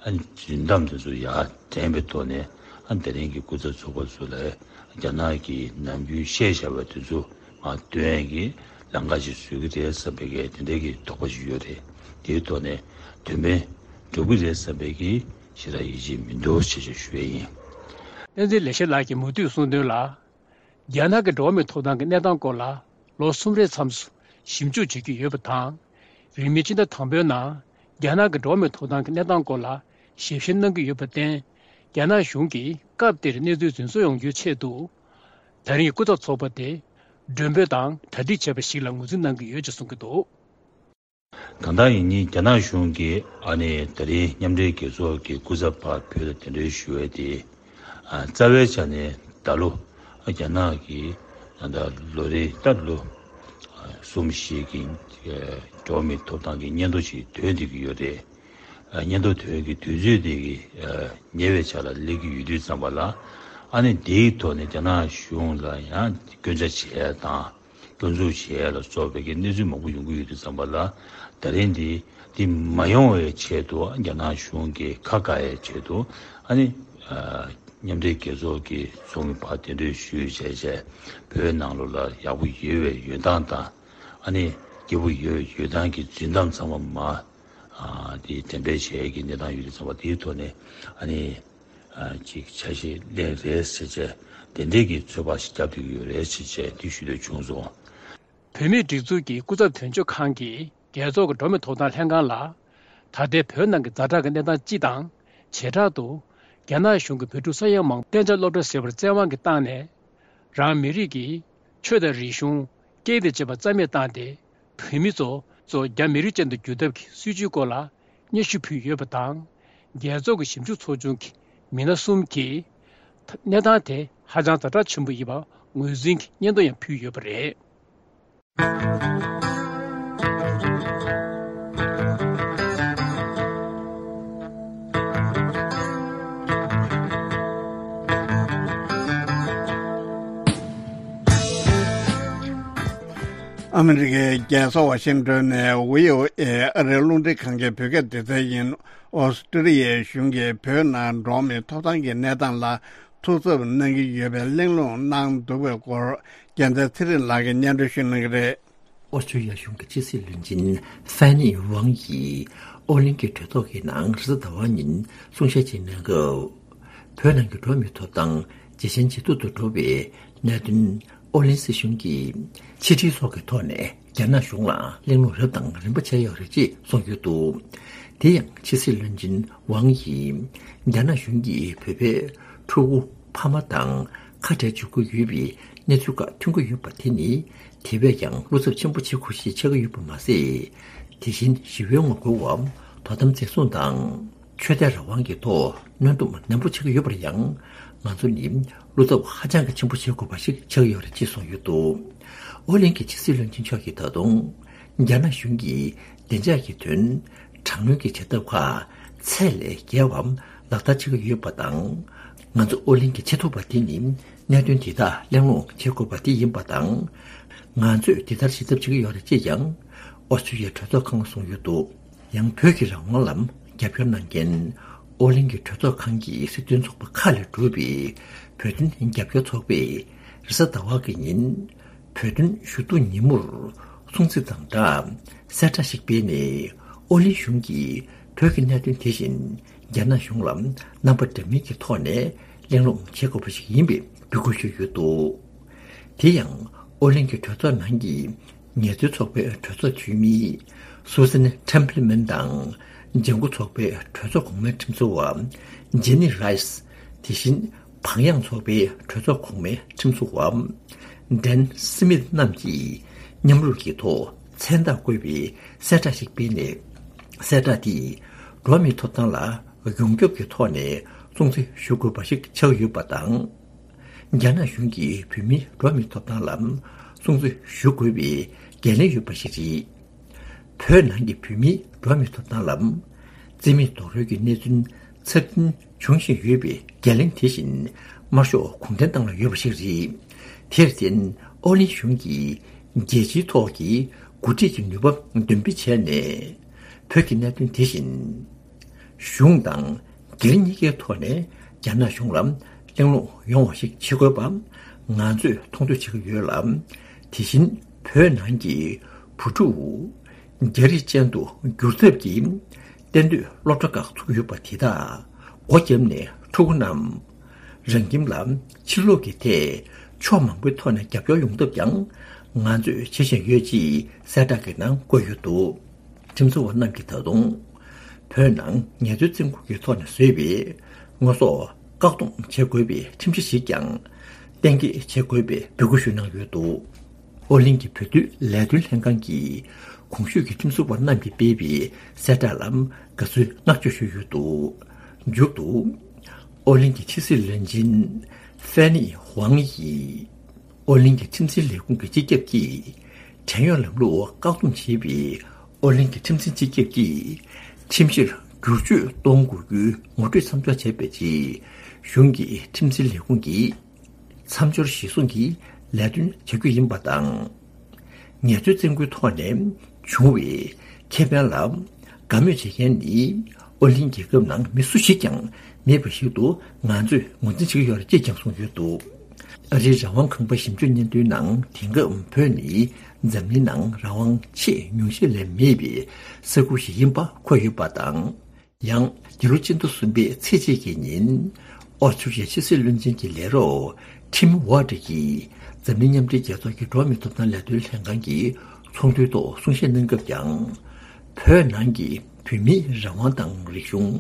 ཨ་ནི་རྫུན་གཏམ་དེ་ཚོ་ཡར་འདྲེན་པའི་ཐོག་ནས། ཨ་ནི་དེ་རིང་གི་སྐུ་ཚབ་ཚོགས་པ་ཚོ་ལ་རྒྱ་ནག་གིས་ནམ་རྒྱུན་བཤད་བཞག་པ་དེ་ཚོ་མར་སྟོན་ཡས་ཀྱི་ལམ་ཁ་ཞིག་བཟོ་གི་རེད་བསམ་པའི་གི་དེ་འདྲའི་གི་དོགས་པ་ཞིག་ཡོད་རེད། དེའི་ཐོག་ནས་དོན་ཕན་འགྲུབ་ཀྱི་རེད་བསམ་པའི་གི་ཞེ་དྲག་ཡིད་ཆེས་མི་འདུག་ཅེས་ཞུ་ཡས་ཡིན། བསྟན་འཛིན་ལེགས་བཤད་ལགས་ཀྱིས་མུ་མཐུད་གསུངས་དོན་ལ། རྒྱ་ནག་གི་འགྲོ་བ་མིའི་ཐོབ་ཐང་གི་གནས་སྟངས་སྐོར་ལ་ལོ་གསུམ་རེའི་མཚམས་སུ་ཞིབ་འཇུག་བྱེད་ཀྱི་ཡོད་པ་དང་། རིང་མིན་ཕྱི་ཟླ་དང་པོའི་ནང་རྒྱ་ནག་གི་འགྲོ་བ་མིའི་ཐོབ་ཐང་གི་གནས་སྟངས་སྐོར་ལ་ཞིབ་བཤེར་གནང་གི་ཡོད་པར་བརྟེན། རྒྱ་ནག་གཞུང་གིས་སྐབས་དེར་གནས་ཚུལ་རྫུན་བཟོ་ཡོང་རྒྱུའི་ཆེད་དུ། ད་རིང་གི་སྐུ་ཚབ་ཚོགས་པ་དེ་མགྲོན་འབོད་དང་གྲ་སྒྲིག་བྱས་པ་ཞིག་ལ་ངོས་འཛིན་གནང་གི་ཡོད་ཅེས་གསུང་གི་འདུག། གང་ལྟར་ཡིན་ནའི་རྒྱ་ནག་གཞུང་གིས་ཨ་ནི་དེ་རིང་མཉམ་འབྲེལ་རྒྱལ་ཚོགས་ཀྱི་སྐུ་ཚབ་ཕར་བོད་ལ་གདན་འདྲེན་ཞུ་བའི་དེ། ཨ་རྩ་བའི་ཆ་ནས་ད་ལོ་རྒྱ་ནག་གི་ད་ལྟ་ལོ་རེའི་ལྟར་ལོ་གསུམ་བཞི་གི་འགྲོ་བ་མིའི་ཐོབ་ཐང་གི་སྙན་ཐོ་ཞིག་ཐོན་བསྡད་ཀྱི་ཡོད་རེད། ཨ་སྙན་ཐོ་ཐོན་གྱི་དུས་ཚོད་དེ་གི་ཉེ་བའི་ཆར་ལ་སླེབས་ཀྱི་ཡོད་དུས་ཙམ་པ་ལ། ཨ་ནི་དེའི་ཐོག་ནས་རྒྱ་ནག་གཞུང་ལ་ཡང་སྐྱོན་ཆ་བྱས་དང་། སྐྱོན་འཛུགས་བྱས་ལ་སོགས་པའི་གི་གནས་ཚུལ་མང་པོ་ཡོང་གི་ཡོད་དུས་ཙམ་པ་ལ། ད་རིང་འདི་འདི་མ་ཡོང་བའི་ཆེད་དུ་རྒྱ་ནག་གཞུང་གིས་ཁ་བཀག་ཡའི་ཆེད་དུ། ཨ་ནི་ཨ་མཉམ་འབྲེལ་རྒྱལ་ཚོགས་ཀྱི་ཚོགས་མི་ཕར་གདན་འདྲེན་ཞུས་བྱས་བྱས། བོད་ནང་ལོགས་ལ་ཡག་པོ་ཡོད་པའི་ཡོད་སྟངས་དང་། ཨ་ནི་སྐྱིད་པོ་ཡོད་ཡོད་སྟངས་ཀྱི་རྫུན་གཏམ་ཚང་མ་མར་ཨ་དེ་འགྲེམས་སྤེལ་བྱས་ཀྱི་གནས་སྟངས་ཡོད་དུས་ཙམ་པ། དེའི་ཐོག་ནས་ཨ་ནི་ཨ་ཅིག་འཆར་གཞི་ལེན་རེད་ཟེར་བྱས། དེ་འདྲས་ཀྱི་ཚོད་དཔག་ཞིག་བརྒྱབ་བསྡད་ཀྱི་ཡོད་རེད་ཅེས་བྱས་འདི་ཞུ་འདོད་བྱུང་སོང་། བོད་མིའི་སྒྲིག་འཛུགས་ཀྱི་སྐུ་ཚབ་དོན་གཅོད་ཁང་གིས་རྒྱལ་ཚོགས་ཀྱི་འགྲོ་བ་མིའི་ཐོབ་ཐང་ལྷན་ཁང་ལ། ད་ལྟའི་བོད་ནང་གི་ཛ་དྲག་གི་གནས་སྟངས་སྤྱི་དང་། བྱེ་བྲག་ཏུ་རྒྱ་ནག་གཞུང་གིས་བོད་ཕྲུག་ས་ཡོམ་མང་པོ་གཏན་འཇགས་སློབ་གྲྭར་བསྐྱལ་བར་བཙན་དབང་གིས་བཏང་ནས། རང་མི་རིགས་ཀྱི་ཆོས་དང་རིག་གཞུང་། སྐད་དང་བཅས་པ་རྩ་མེད་བཏང་སྟེ། བོད་མི་ཚོ་ཚོ་རྒྱ་མི་རིགས་ཅན་དུ་བསྒྱུར་ཐབས་ཀྱི་སྲིད་བྱུས་སྐོར་ལ་སྙན་ཞུ་ཕུལ་ཡོད་པ་དང་། རྒྱལ་ཚོགས་ཀྱི་ཞིབ་འཇུག་ཚོགས་ཆུང་གི་མི་སྣ་གསུམ་གྱིས་གནས་སྟངས་དེ་ཧ་ཅང་ཛ་དྲག་ཆེན་པོ་ཡིན་པ་ངོས་འཛིན་གྱི་སྙན་ཐོ་ཡང་ཕུལ་ཡོད་པ་རེད། ཨ་མི་རི་ཀའི་རྒྱལ་ས་ཝ་ཤིང་ཏོན་ནས་བྷི་ཨོ་ཨེ་ཨ་རིའི་རླུང་འཕྲིན་ཁང་གི་བོད་སྐད་སྡེ་ཚན་ཡིན། ཨོ་སི་ཀྲི་ལི་ཡའི་གཞུང་གིས་བོད་ནང་འགྲོ་བ་མིའི་ཐོབ་ཐང་གི་གནས་སྟངས་ལ་ཐུགས་འཚབ་གནང་གི་ཡོད་པའི་གླེང་སློང་གནང་འདུག་པའི་སྐོར། རྒྱལ་མཚན་ཚེ་རིང་ལགས་ཀྱིས་སྙན་སྒྲོན་ཞུ་གནང་གི་རེད། ཨོ་སི་ཀྲི་ལི་ཡ་གཞུང་གི་ཕྱི་སྲིད་བློན་ཆེན་ཧྥན་ནི་ཝང་ཡིས་ཨོ་གླིང་གི་གྲོས་ཚོགས་ཀྱི་ནང་རེས་གཟའ་ཟླ་བ་ཉིན་གསུང་བཤད་ཅིག་གནང་སྐབས། བོད་ནང་གི་འགྲོ་བ་མིའི་ཐོབ་ཐང་ཇེ་ཞན་ཇེ་སྡུག་ཏུ་འགྲོ་བའི་གནད་དོན་ཨོ་གླིང་སྲིད་གཞུང་གིས་ཕྱི་དྲིལ་སོགས་ཀྱི་ཐོག་ནས་རྒྱ་ནག་གཞུང་ལ་གླེང་སློང་རབ་དང་རིམ་པ་བྱས་ཡོད་རེད་ཅེས་གསུངས་ཡོད་འདུག། དེ་ཡང་ཕྱི་སྲིད་བློན་ཆེན་ཝང་ཡིས་རྒྱ་ནག་གཞུང་གིས་བོད་པའི་ཕྲུ་གུ་ཕ་མ་དང་ཁ་བྲལ་འཇུག་གི་ཡོད་པའི་གནས་ཚུལ་ཁག་ཐོན་གྱི་ཡོད་པ་དེ་ནི་དེ་བས་ཀྱང་བློ་འཚབ་ཆེན་པོ་བྱེད་དགོས་ཤེས་ཆགས་ཀྱི་ཡོད་པ་མ་ཟད། དེ་བཞིན་ཞི་བའི་ངོ་རྒོལ་བ་དོ་དམ་འཛིན་བཟུང་དང་། ཆོས་དད་རང་དབང་གི་ཐོག་གནོན་སྡོམ་ནན་པོ་བྱེད་ཀྱི་ཡོད་པར་ཡང་། ང་ཚོ་ནི་བློ་འཚབ་ཧ་ཅང་གི་ཆེན་པོ་བྱེད་དགོས་པ་ཞིག་ཆགས་ཡོད་རེད་ཅེས་གསུངས་ཡོད་འདུག། ཨོ་གླིང་གི་ཕྱི་སྲིད་བློན་ཆེན་མཆོག་གིས་ད་དུང་། རྒྱ་ནག་གཞུང་གིས་བདེ་འཇགས་ཀྱི་དོན་དྲག་གནོན་གྱི་བྱེད་ཐབས་ཁག་ཚད་ལས་བརྒལ་བ་ལག་བསྟར་བྱེད་ཀྱི་ཡོད་པ་དང་། ང་ཚོ་ཨོ་གླིང་གི་ཆེས་མཐོ་བ་དེ་ནི་གནད་དོན་དེ་དག་གླེང་སློང་བྱེད་དགོས་པ་དེ་ཡིན་པ་དང་། ང་ཚོས་དེ་ལྟར་བྱེད་ཐབས་བྱེད་ཀྱི་ཡོད་རེད་ཅེས་ཀྱང་ཨོ་སི་ཀྲི་ལི་ཡའི་གྲོས་ཚོགས་ཁང་ལ་གསུངས་ཡོད་འདུག། ཡང་བོད་ཀྱི་རང་དབང་ལ་རྒྱབ་སྐྱོར་གནང་མཁན་ཨོ་གླིང་གི་གྲོས་ཚོགས་ཁང་གི་སྲིད་དོན་ཚོགས་པ་ཁག་ལས་གྲུབ་པའི་བོད་དོན་རྒྱབ་སྐྱོར་ཚོགས་པས་རེས་གཟའ་ཟླ་བ་གི་ཉིན་བོད་དོན་ཞུ་གཏུག་ཉིན་མོར་སྲུང་བརྩི་དང་སྦྲགས་གསལ་བསྒྲགས་ཤིག་སྤེལ་ནས། ཨོ་གླིང་གཞུང་གིས་བོད་ཀྱི་གནད་དོན་དེ་བཞིན་རྒྱ་ནག་གཞུང་ལ་རྣམ་པ་འདྲ་མིན་གྱི་ཐོག་ནས་གླེང་སློང་བྱེད་དགོས་པ་ཞིག་ཡིན་པའི་འབོད་སྐུལ་ཞུས་ཡོད་འདུག། དེ་ཡང་ཨོ་གླིང་གི་གྲོས་ཚོགས་ནང་གི་ངལ་རྩོལ་ཚོགས་པའི་གྲོས་ཚོགས་འཐུས་མི་སུ་སན་ཁྲེམ་པི་ལི་མན་དང་། ལྗང་ཁུ་ཚོགས་པའི་གྲོས་ཚོགས་གོང་མའི་ཁྲིམས་བཟོ་བ་ཇེ་ནི་རའི་སི། དེ་བཞིན་བག་ཡངས་ཚོགས་པའི་གྲོས་ཚོགས་གོང་མའི་ཁྲིམས་བཟོ་བ་ཌན་སི་མིད་རྣམས་ཀྱིས་མཉམ་རུབ་ཀྱི་ཐོག་མཚན་རྟགས་བཀོད་པའི་གསལ་བསྒྲགས་ཤིག་སྤེལ་ནས། གསལ་བསྒྲགས་དེས་འགྲོ་བ་མིའི་ཐོབ་ཐང་ལ་ཡོངས་ཁྱབ་ཀྱི་ཐོག་ནས་སྲུང་བརྩི་ཞུ་དགོས་པ་ཞིག་ཆགས་ཡོད་པ་དང་། རྒྱ་ནག་གཞུང་གིས་བོད་མིའི་འགྲོ་བ་མིའི་ཐོབ་ཐང་ལ་སྲུང་བརྩི་ཞུ་དགོས་པའི་འགན་ལེན་ཡོད་པ་ཞིག་རེད། བོད་ནང་གི་བོད་མིའི་འགྲོ་བ་མིའི་ཐོབ་ཐང་ལ་རྩིས་མེད་རྡོག་རོལ་གྱི་གནས་ཚུལ་ཚབས་ཆེན་འབྱུང་བཞིན་ཡོད་པའི་འགན་ལེན་དེ་བཞིན་དམར་ཤོག་གུང་ཁྲན་ཏང་ལ་ཡོད་པ་ཞིག་རེད། དེར་བརྟེན། ཨོ་གླིང་གཞུང་གིས་རྒྱལ་སྤྱིའི་ཐོག་གི་འགོ་ཁྲིད་ཀྱི་ནུས་པ་འདོན་སྤེལ་བྱས་ནས། བོད་ཀྱི་གནད་དོན་དེ་བཞིན་གཞུང་དང་སྒེར་གཉིས་ཀའི་ཐོག་ནས་རྒྱ་ནག་གཞུང་ལ་གླེང་སློང་ཡོང་བ་ཞིག་བྱེད་དགོས་པ་ང་ཚོས་མཐོང་ཐོས་བྱེད་ཀྱི་ཡོད་ལ། དེ་བཞིན་བོད་ནང་གི་བུ་ཕྲུག་རྒྱ་རིགས་ཅན་དུ་བསྒྱུར་ཐབས་ཀྱི་གཏན་སྡོད་སློབ་གྲྭ་ཁག་ཚུགས་ཀྱི་ཡོད་པ་དེ་དག་སྒོ་བརྒྱབ་ནས་ཕྲུ་གུ་རྣམས་རང་ཁྱིམ་ལ་ཕྱིར་ལོག་གི་ཐད་ཕྱོགས་མང་པོའི་ཐོག་ནས་རྒྱབ་སྐྱོར་ཡོང་ཐབས་ཀྱང་ང་ཚོས་བྱེད་བཞིན་ཡོད་ཅེས་གསལ་བསྒྲགས་ཀྱི་ནང་བཀོད་ཡོད་འདུག་ཁྲིམས་བཟོ་བ་རྣམས་ཀྱིས་ད་དུང་བོད་ནང་ངལ་རྩོལ་བཙོན་ཁང་གི་ཐོག་ནས་བཟོས་པའི་དངོས་ཟོག་བཀག་སྡོམ་བྱེད་དགོས་པའི་ཁྲིམས་གཞི་ཞིག་ཀྱང་གཏན་འཁེལ་བྱེད་དགོས་པའི་འབོད་སྐུལ་ཞུ་གནང་ཡོད་འདུག་ཨོ་གླིང་གི་བོད་དོན་ལས་དོན་ལྷན་ཁང་གིས་གོང་ཞུས་ཀྱི་ཁྲིམས་བཟོ་བ་རྣམས་ཀྱིས་སྤེལ་བའི་གསལ་བསྒྲགས་ལ་དགའ་བསུའི་བསྔགས་བརྗོད་ཞུས་ཡོད་འདུག་མཇུག་ཏུ་ཨོ་གླིང་གི་ཕྱི་སྲིད་བློན་ཆེན་ཧྥེ་ནི་ཧུའང་ཡིས། ཨོ་གླིང་གི་ཁྲིམས་འཛིན་ལས་ཁུངས་ཀྱི་སྤྱི་ཁྱབ་ཀྱིས་བྲན་གཡོག་ལམ་ལུགས་བཀག་སྡོམ་བྱས་པའི་ཨོ་གླིང་གི་ཁྲིམས་འཛིན་སྤྱི་ཁྱབ་ཀྱིས་ཁྲིམས་གཞིར་བསྒྱུར་བཅོས་གཏོང་དགོས་རྒྱུའི་ངོ་སྤྲོད་མཚམས་འཇོག་བྱས་པའི་རྗེས་གཞུང་གི་ཁྲིམས་འཛིན་ལས་ཁུངས་ཀྱིས་མཚམས་སྦྱོར་གཞིར་བཟུང་གིས་ལས་དོན་བྱ་རྒྱུ་ཡིན་པ་དང་། ངལ་རྩོལ་བཙོན་ཁང་ཐོག་ནས་བྱུང་བའི་ཁེ་ཕན་ལ་དགའ་མོས་བྱེད་མཁན་ནི་ཨོ་གླིང་རྒྱལ་ཁབ་ནང་མི་སུ་ཞིག་ཀྱང་མེད་པ་ཞིག་ཏུ་ང་ཚོས་ངོས་འཛིན་བྱེད་ཀྱི་ཡོད་རེད་ཅེས་ཀྱང་གསུངས་ཡོད་འདུག་ཨ་རིའི་རང་དབང་ཁང་པ་ཞིབ་འཇུག་སྙན་ཐོའི་ནང་དེང་སྐབས་བོད་ནི་འཛམ་གླིང་ནང་རང་དབང་ཆེས་ཉུང་ཤས་ལས་མེད་པའི་ས་ཁུལ་ཞིག་ཡིན་པ་འཁོད་ཡོད་པ་དང་། ཡང་འདི་ལོ་སྤྱི་ཟླ་གསུམ་པའི་ཚེས་གཅིག་གི་ཉིན་ཨོ་སི་ཀྲི་ལི་ཡའི་ཕྱི་སྲིད་བློན་ཆེན་གྱི་ལས་རོགས་ཊིམ་ཝར་ཏི་གིས་འཛམ་གླིང་མཉམ་འབྲེལ་རྒྱལ་ཚོགས་ཀྱི་འགྲོ་བ་མིའི་ཐོབ་ཐང་ལས་དོན་ལྷན་ཁང་གི་ཚོགས་འདུའི་ཐོག་གསུང་བཤད་གནང་སྐབས་ཀྱང་། བོད་ནང་གི་བོད་མིའི་རང་དབང་དང་རིག་གཞུང་།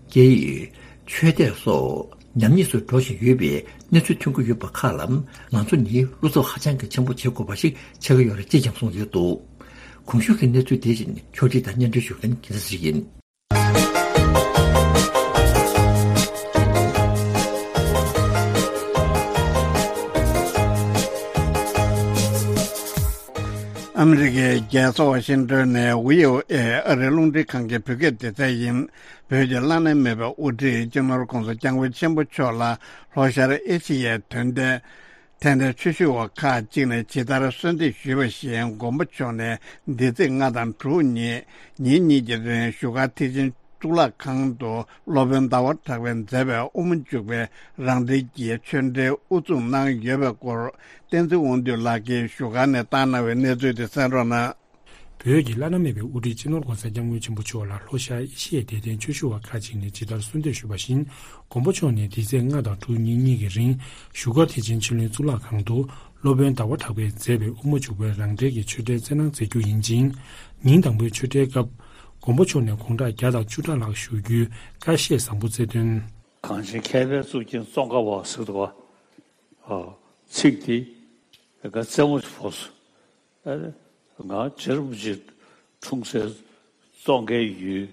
སྐད་ཡིག་ཆོས་དད་སོགས་ཉམས་ཉེས་སུ་འགྲོ་བཞིན་ཡོད་པའི་གནས་ཚུལ་ཐོན་གྱི་ཡོད་པ་ཁག་ལ་ང་ཚོ་ནི་བློ་འཚབ་ཧ་ཅང་གི་ཆེན་པོ་བྱེད་དགོས་པ་ཞིག་ཆགས་ཀྱི་ཡོད་རེད་ཅེས་ཀྱང་གསུངས་ཡོད་འདུག་གོང་ཞུས་ཀྱི་གནས་ཚུལ་དེ་བཞིན་ཕྱོགས་སྒྲིག་དང་སྙན་སྒྲོན་ཞུ་མཁན་རྒྱལ་མཚན་ཞིག་ཡིན། ཨ་མི་རི་ཀའི་རྒྱལ་ས་ཝ་ཤིང་ཏོན་ནས་ཝི་ཨོ་ཨེ་ཨ་རིའི་རླུང་འཕྲིན་ཁང་གི་བོད་སྐད་སྡེ་ཚན་ཡིན། བོད་ཀྱི་བླ་ན་མེད་པའི་དབུ་ཁྲིད་སྤྱི་ནོར་༧གོང་ས་༧སྐྱབས་མགོན་ཆེན་པོ་མཆོག་ལ་ལྷོ་ཤར་ཨེ་ཤི་ཡའི་དོན་ལྡན་ཐན་ལྡན་ཆོས་ཞུ་བ་ཁག་ཅིག་ནས་ཇི་ལྟར་གསོལ་འདེབས་ཞུས་པ་བཞིན། མགོན་པོ་མཆོག་ནས་འདི་ཚེས་ལྔ་དང་དྲུག་ཉིན་ཉིན་གཉིས་ཀྱི་རིང་བཞུགས་སྒར་ཐེག་ཆེན་གཙུག་ལག་ཁང་དུ་སློབ་དཔོན་ཟླ་བ་གྲགས་པས་མཛད་པའི་དབུ་མ་འཇུག་པའི་རང་འགྲེལ་གྱི་ཆོས་འབྲེལ་དབུ་འཛུགས་གནང་ཡོད་པའི་སྐོར། བསྟན་འཛིན་དབང་འདུས་ལགས་ཀྱིས་བཞུགས་སྒར་ནས་བཏང་གནང་བའི་གནས་ཚུལ་དེ་གསན་རོགས་གནང་། བོད་ཀྱི་བླ་ན་མེད་པའི་དབུ་ཁྲིད་སྤྱི་ནོར་༧གོང་ས་༧སྐྱབས་མགོན་ཆེན་པོ་མཆོག་ལ་ལྷོ་ཤར་ཨེ་ཤི་ཡའི་དད་ལྡན་ཆོས་ཞུ་བ་ཁག་ཅིག་ནས་ཇི་ལྟར་གསོལ་འདེབས་ཞུས་པ་བཞིན། མགོན་པོ་མཆོག་ནས་འདི་ཚེས་ལྔ་དང་དྲུག་ཉིན་གཉིས་ཀྱི་རིང་བཞུགས་སྒར་ཐེག་ཆེན་ཆོས་གླིང་གཙུག་ལག་ཁང་དུ་སློབ་དཔོན་ཟླ་བ་གྲགས་པས་མཛད་པའི་དབུ་མ་འཇུག་པའི་རང་འགྲེལ་གྱི་ཆོས་འབྲེལ་སྩལ་གནང་མཛད་རྒྱུ་ཡིན་ཅིང་། ཉིན་དང་པོའི་ཆོས་འབྲེལ་སྐབས། མགོན་པོ་མཆོག་ནས་དགུང་གྲངས་བརྒྱ་དང་བཅུ་ཕྲག་ལྷག་བཞུགས་རྒྱུའི་བཀའ་བཤད་བཟང་པོ་སྩལ་དོན། གངས་ཅན་མཁས་པའི་གཙུག་རྒྱན་ཙོང་ཁ་པ་ཟེར་འདུག་ག་ཚིག་དེ་ང་རྩེད་མོ་ཕོག་སོང་། ཨ་ང་རྗེ་རིན་པོ་ཆེ་འཁྲུངས་སའི་ཙོང་ཁའི་ཡུལ།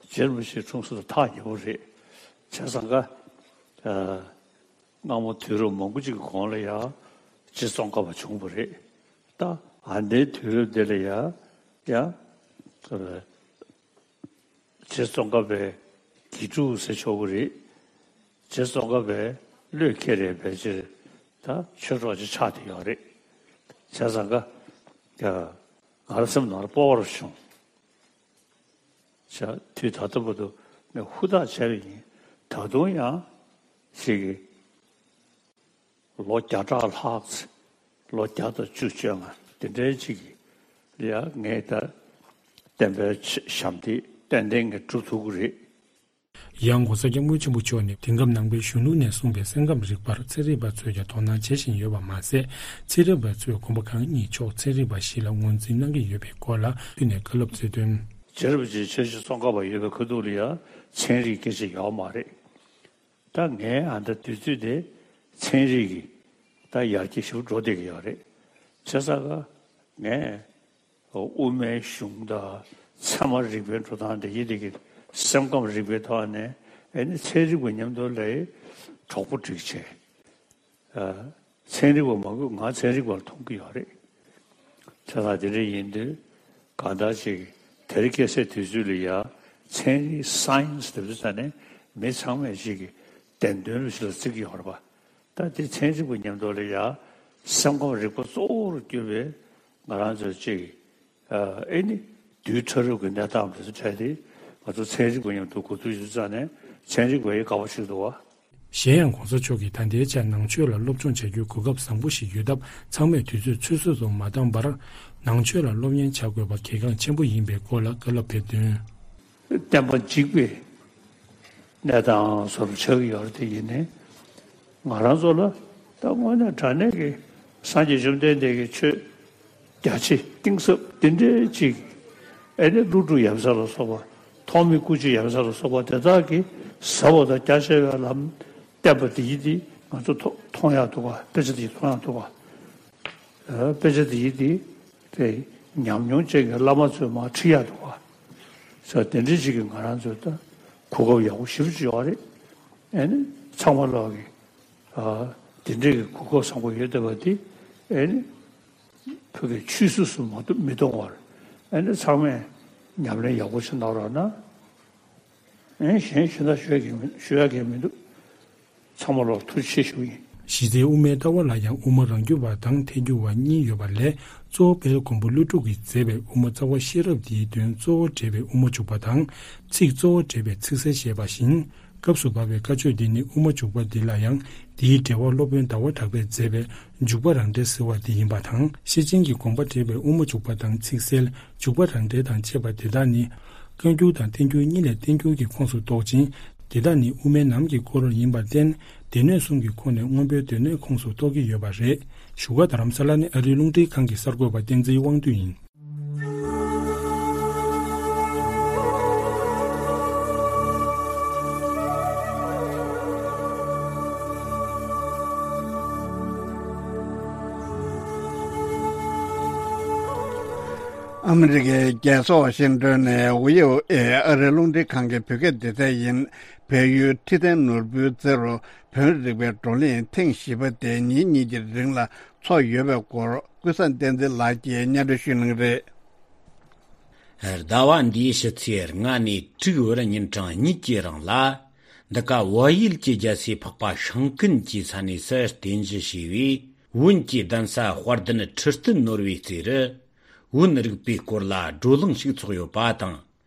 རྗེ་རིན་པོ་ཆེ་འཁྲུངས་ས་དང་ཐག་ཉེ་པོ་རེད། བྱས་ཙང་ཀ་ཨ་སྔ་མོ་དུས་རབས་མང་པོ་ཅིག་གི་གོང་ལ་ཡང་རྗེ་ཙོང་ཁ་པ་བྱུང་བ་རེད། ད་ཨ་ནེའི་དུས་རབས་འདི་ལ་ཡང་ཡང་རྗེ་ཙོང་ཁ་པའི་དགེ་ཕྲུག་ཟེར་ཆོག་གི་རེད། རྗེ་ཙོང་ཁ་པའི་བློས་འཁེལ་རེད། ཕལ་ཆེར་ད་ཆོས་གྲོགས་ཅིག་ཆགས་བསྡད་ཡོད་རེད། བྱས་ཙང་ཀ་ང་རང་སེམས་ནང་ལ་སྤོབས་པ་རུ་བྱུང་། བྱས་དུས་ད་ལྟ་བར་དུ་ངས་ཧུར་ཐག་བྱས་པ་ཡིན། ད་དུང་ཡང་ཞིག་གིས་ལོ་བརྒྱ་ཕྲག་ལྷག་ཙམ། ལོ་བརྒྱ་དང་བཅུ་བཅོ་ལྔ་དེ་འདྲའི་ཅིག་གི་ལ་ཡང་ངས་ད་བསྟན་པའི་ཞབས་འདེགས་ཏན་ཏན་ངས་སྒྲུབ་ཐུབ་ཀྱི་རེད། ཡང་༧གོང་ས་༧སྐྱབས་མགོན་ཆེན་པོ་མཆོག་ནས་དེང་སྐབས་ནང་པའི་གཞོན་ནུ་ནས་གསུངས་པའི་སེམས་ཁམས་རིག་པར་ཚན་རིག་པ་ཚོས་ཀྱང་དོ་སྣང་བྱེད་བཞིན་ཡོད་པ་མ་ཟད། ཚན་རིག་པ་ཚོས་གོམ་པ་གང་གཉིས་ཕྱོགས་ཚན་རིག་པ་ཞིག་ལ་ངོས་འཛིན་གནང་གི་ཡོད་པའི་སྐོར་ལ་ཕུལ་ནས་བཀའ་སློབ་སྩལ་དོན། རྗེ་རིན་པོ་ཆེ་ཆོས་རྗེ་ཙོང་ཁ་པ་ཡོད་པའི་ཁ་ཐུག་ལ་ཡང་ཚན་རིག་སྐད་ཆ་ཡོད་མ་རེད། ད་ངའི་ཨ་ད་དུས་ཚོད་དེ་ཚན་རིག་གི་ད་ཡར་རྒྱས་ཞེ་པོ་འགྲོ་བསྡད་ཀྱི་ཡོད་རེད། བྱས་ཙང་ཀ་ངས་དབུ་མའི་གཞུང་དང་ཚད་མ་རིག་པའི་འགྲོ་སྟངས་དེ་ཡི་དེ་གི་སེམས་ཁམས་རིག་པའི་ཐོག་ནས་ཨེ་ནི་ཚན་རིག་པ་མཉམ་དུ་ལས་གྲོགས་པོ་སྒྲིག་བྱས། ཚན་རིག་པ་མང་པོས་ང་ཚན་རིག་པར་མཐོང་གི་ཡོད་རེད། བྱས་ཙང་དེ་འདྲ་ཡིན་དུས་གང་ལྟར་ཅིག་དེ་རིང་ཁ་སང་དུས་ཚོད་ལ་ཡ་ཚན་རིག་སའེན་སི་དེ་ཚོ་ད་ནི་མི་ཚང་མས་ཅིག་གི་བདེན་དོན་རུ་ཞིག་ལ་བརྩི་གི་ཡོད་རེད་པ། ད་དེ་ཚན་རིག་པ་མཉམ་དུ་ལ་ཡ་ སེམས་ཁམས་རིག་པ་གཙོ་བོར་གྱུར་པའི་ང་རང་ཚོའི་ཅིག་ཨ་ཨེ་ནི་དུས་ཕྲ་རབ་ཀྱི་གནས་སྟངས་དེ་ཚོ་འཕྲད་དེ་ང་ཚོ་ཚན་རིག་པ་མཉམ་དུ་གོ་བསྡུར་ཞུ་ཙང་ནས་ཚན་རིག་པ་ཡི་དགའ་པོ་ཞིག་འདུག་བ། གཞན་ཡང་གོང་ས་མཆོག་གིས་ད་ལྟའི་ཆར་ནང་ཆོས་ལ་སློབ་སྦྱོང་བྱ་རྒྱུའི་གོ་སྐབས་བཟང་པོ་ཞིག་ཡོད་སྟབས་ཚང་མས་དུས་ཚོད་ཚོད་བསྲེ་དུ་མ་བཏང་བར་ནང་ཆོས་ལ་སློབ་གཉེར་བྱ་དགོས་པ་གལ་འགངས་ཆེན་པོ་ཡིན་པའི་སྐོར་ལ་བཀའ་སློབ་ཕེབས་དོན། བསྟན་པ་འཇིག་པའི་གནས་སྟངས་སོར་ཆགས་ཀྱི་ཡོད་རེད་དེ་ཡིན་ནའི་ང་རང་ཚོ་ལ་ད་དངོས་གནས་དྲང་གནས་ཀྱི་སངས་རྒྱས་བཅོམ་ལྡན་འདས་ཀྱི་ཆོས་རྒྱ་ཆེ་གཏིང་ཟབ་འདི་འདྲའི་ཅིག་ཨེ་ནི་ཀླུ་སྒྲུབ་ཡབ་སྲས་ལ་སོགས་པ་ཐོགས་མེད་སྐུ་མཆེད་ཡབ་སྲས་ལ་སོགས་པ་དེ་དག་གིས་ཟབ་པ་དང་རྒྱ་ཆེ་བའི་ལམ་བསྟན་པ་འདི་ཡིན་འདི་ང་ཚོ་མཐོང་མཐོང་ཡག་འདུག་ག་དཔེ་ཆ་འདི་མཐོང་ཡག་འདུག་ག་དཔེ་ཆ་འདི་ཡིན་འདི་དེ་ཉམས་མྱོང་ཅན་གྱི་བླ་མ་ཚོས་མར་ཁྲིད་ཡག་འདུག་ག་ས་དེ་འདྲའི་ཅིག་གིས་ང་རང་ཚོའི་ད་གོ་སྐབས་ཡག་པོ་ཞེ་པོ་ཅིག་ཡོད་རེད། ཨེ་ནི་ཚང་མ་ལོག་གི་ཨ་དེ་འདྲའི་གི་གོ་སྐབས་བཟང་པོ་ཡོད་བསྡད་པ་འདི་ཨེ་ནི་བོད་ཀྱི་ཆོས་སྲིད་སུ་མ་གཏོགས་མི་གཏོང་བར་ཨེ་ནི་ཚང་མས་ཉམས་ལེན་ཡག་པོ་ཞིག་གནང་རོགས་གནང་། ཨེ་གཞན་ཞུ་ན་ཞུ་ཡག་གི་མི་ཞུ་ཡག་གི་མི་འདུག་ཚང་མ་ལོག་ཐུགས་རྗེ་ཆེ་ཞུ་ཡིན། གཞི་རྩའི་དབུ་མའི་ལྟ་བ་ལ་ཡང་དབུ་མ་རང་རྒྱུད་པ་དང་ཐལ་འགྱུར་བ་གཉིས་ཡོད་པ་ལས་གཙོ་བོ་དཔལ་མགོན་པོ་ཀླུ་སྒྲུབ་ཀྱིས་མཛད་པའི་དབུ་མ་རྩ་བ་ཤེས་རབ་འདིའི་དོན་གཙོ་བོ་འགྲེལ་བའི་དབུ་མ་འཇུག་པ་དང་ཚིག་གཙོ་བོ་འགྲེལ་བའི་ཚིག་གསལ་ཞེས་པ་བཞིན། སྐབས་སུ་བབས་པའི་བཀའ་ཆོས་འདི་ནི་དབུ་མ་འཇུག་པ་འདི་ལ་ཡང་འདིའི་འགྲེལ་བ་སློབ་དཔོན་ཟླ་བ་གྲགས་པས་མཛད་པའི་འཇུག་པ་རང་འགྲེལ་ཟེར་བ་འདི་ཡིན་པ་དང་ཤེར་ཕྱིན་གྱི་དགོངས་པ་འགྲེལ་བའི་དབུ་མ་འཇུག་པ་དང་ཚིག་གསལ་འཇུག་པ་རང་འགྲེལ་དང་བཅས་པ་འདི་དག་ནི་བཀའ་འགྱུར་དང་བསྟན་འགྱུར་གཉིས་ལས་བསྟན་འགྱུར་གྱི་ཁོངས་སུ་གཏོགས་ཅིང་འདི་དག་ནི་དབུ་མའི་ནང་གི་སྐོར་ཡིན་པར་བརྟེན་སྡེ་སྣོད་གསུམ་གྱི་ཁོངས་ནས་སྔོན་པོའི་སྡེ་སྣོད་ཁོངས་སུ་གཏོགས་ཀྱི་ཡོད་པ་རེད། བཞུགས་སྒར་རྡ་རམ་ས་ལ་ནི་ཨ་རིའི་རླུང་འཕྲིན་ཁང་གི་གསར་འགོད་པ་བསྟན་འཛིན་དབང་འདུས་ཡིན། ཨ་མི་རི་ཀའི་རྒྱལ་ས་ཝ་ཤིང་ཏོན་ནས་ཝི་ཨོ་ཨེ་ཨ་རིའི་རླུང་འཕྲིན་ཁང་གི་བོད་སྐད་སྡེ་ཚན་ཡིན། བལ་ཡུལ་ཁྲི་བཙན་ནོར་བུའི་རྩེ་རུ་བོན་རིག་པའི་བགྲོ་གླེང་ཐེངས་བཞི་པ་དེ་ཉིན་གཉིས་ཀྱི་རིང་ལ་ཚོགས་ཡོད་པའི་སྐོར་ཀུན་བཟང་བསྟན་འཛིན་ལགས་ཀྱིས་སྙན་སྒྲོན་ཞུ་གནང་གི་རེད། ཟླ་བ་འདིའི་ཕྱི་ཚེས་ལྔ་ནས་དྲུག་བར་ཉིན་གྲངས་གཉིས་ཀྱི་རིང་ལ། འདི་ག་བལ་ཡུལ་གྱི་རྒྱལ་སའི་འཕགས་པ་ཤིང་ཀུན་གྱི་ས་གནས་སུ་རྟེན་གཞི་བྱས་པའི་བོན་གྱི་གདན་ས་དཔལ་ལྡན་ཁྲི་སྟེང་ནོར་བུའི་རྩེ་རུ་བོན་རིག་པའི་སྐོར་ལ་བགྲོ་གླེང་ཞིག་ཚོགས་ཡོད་པ་དང་།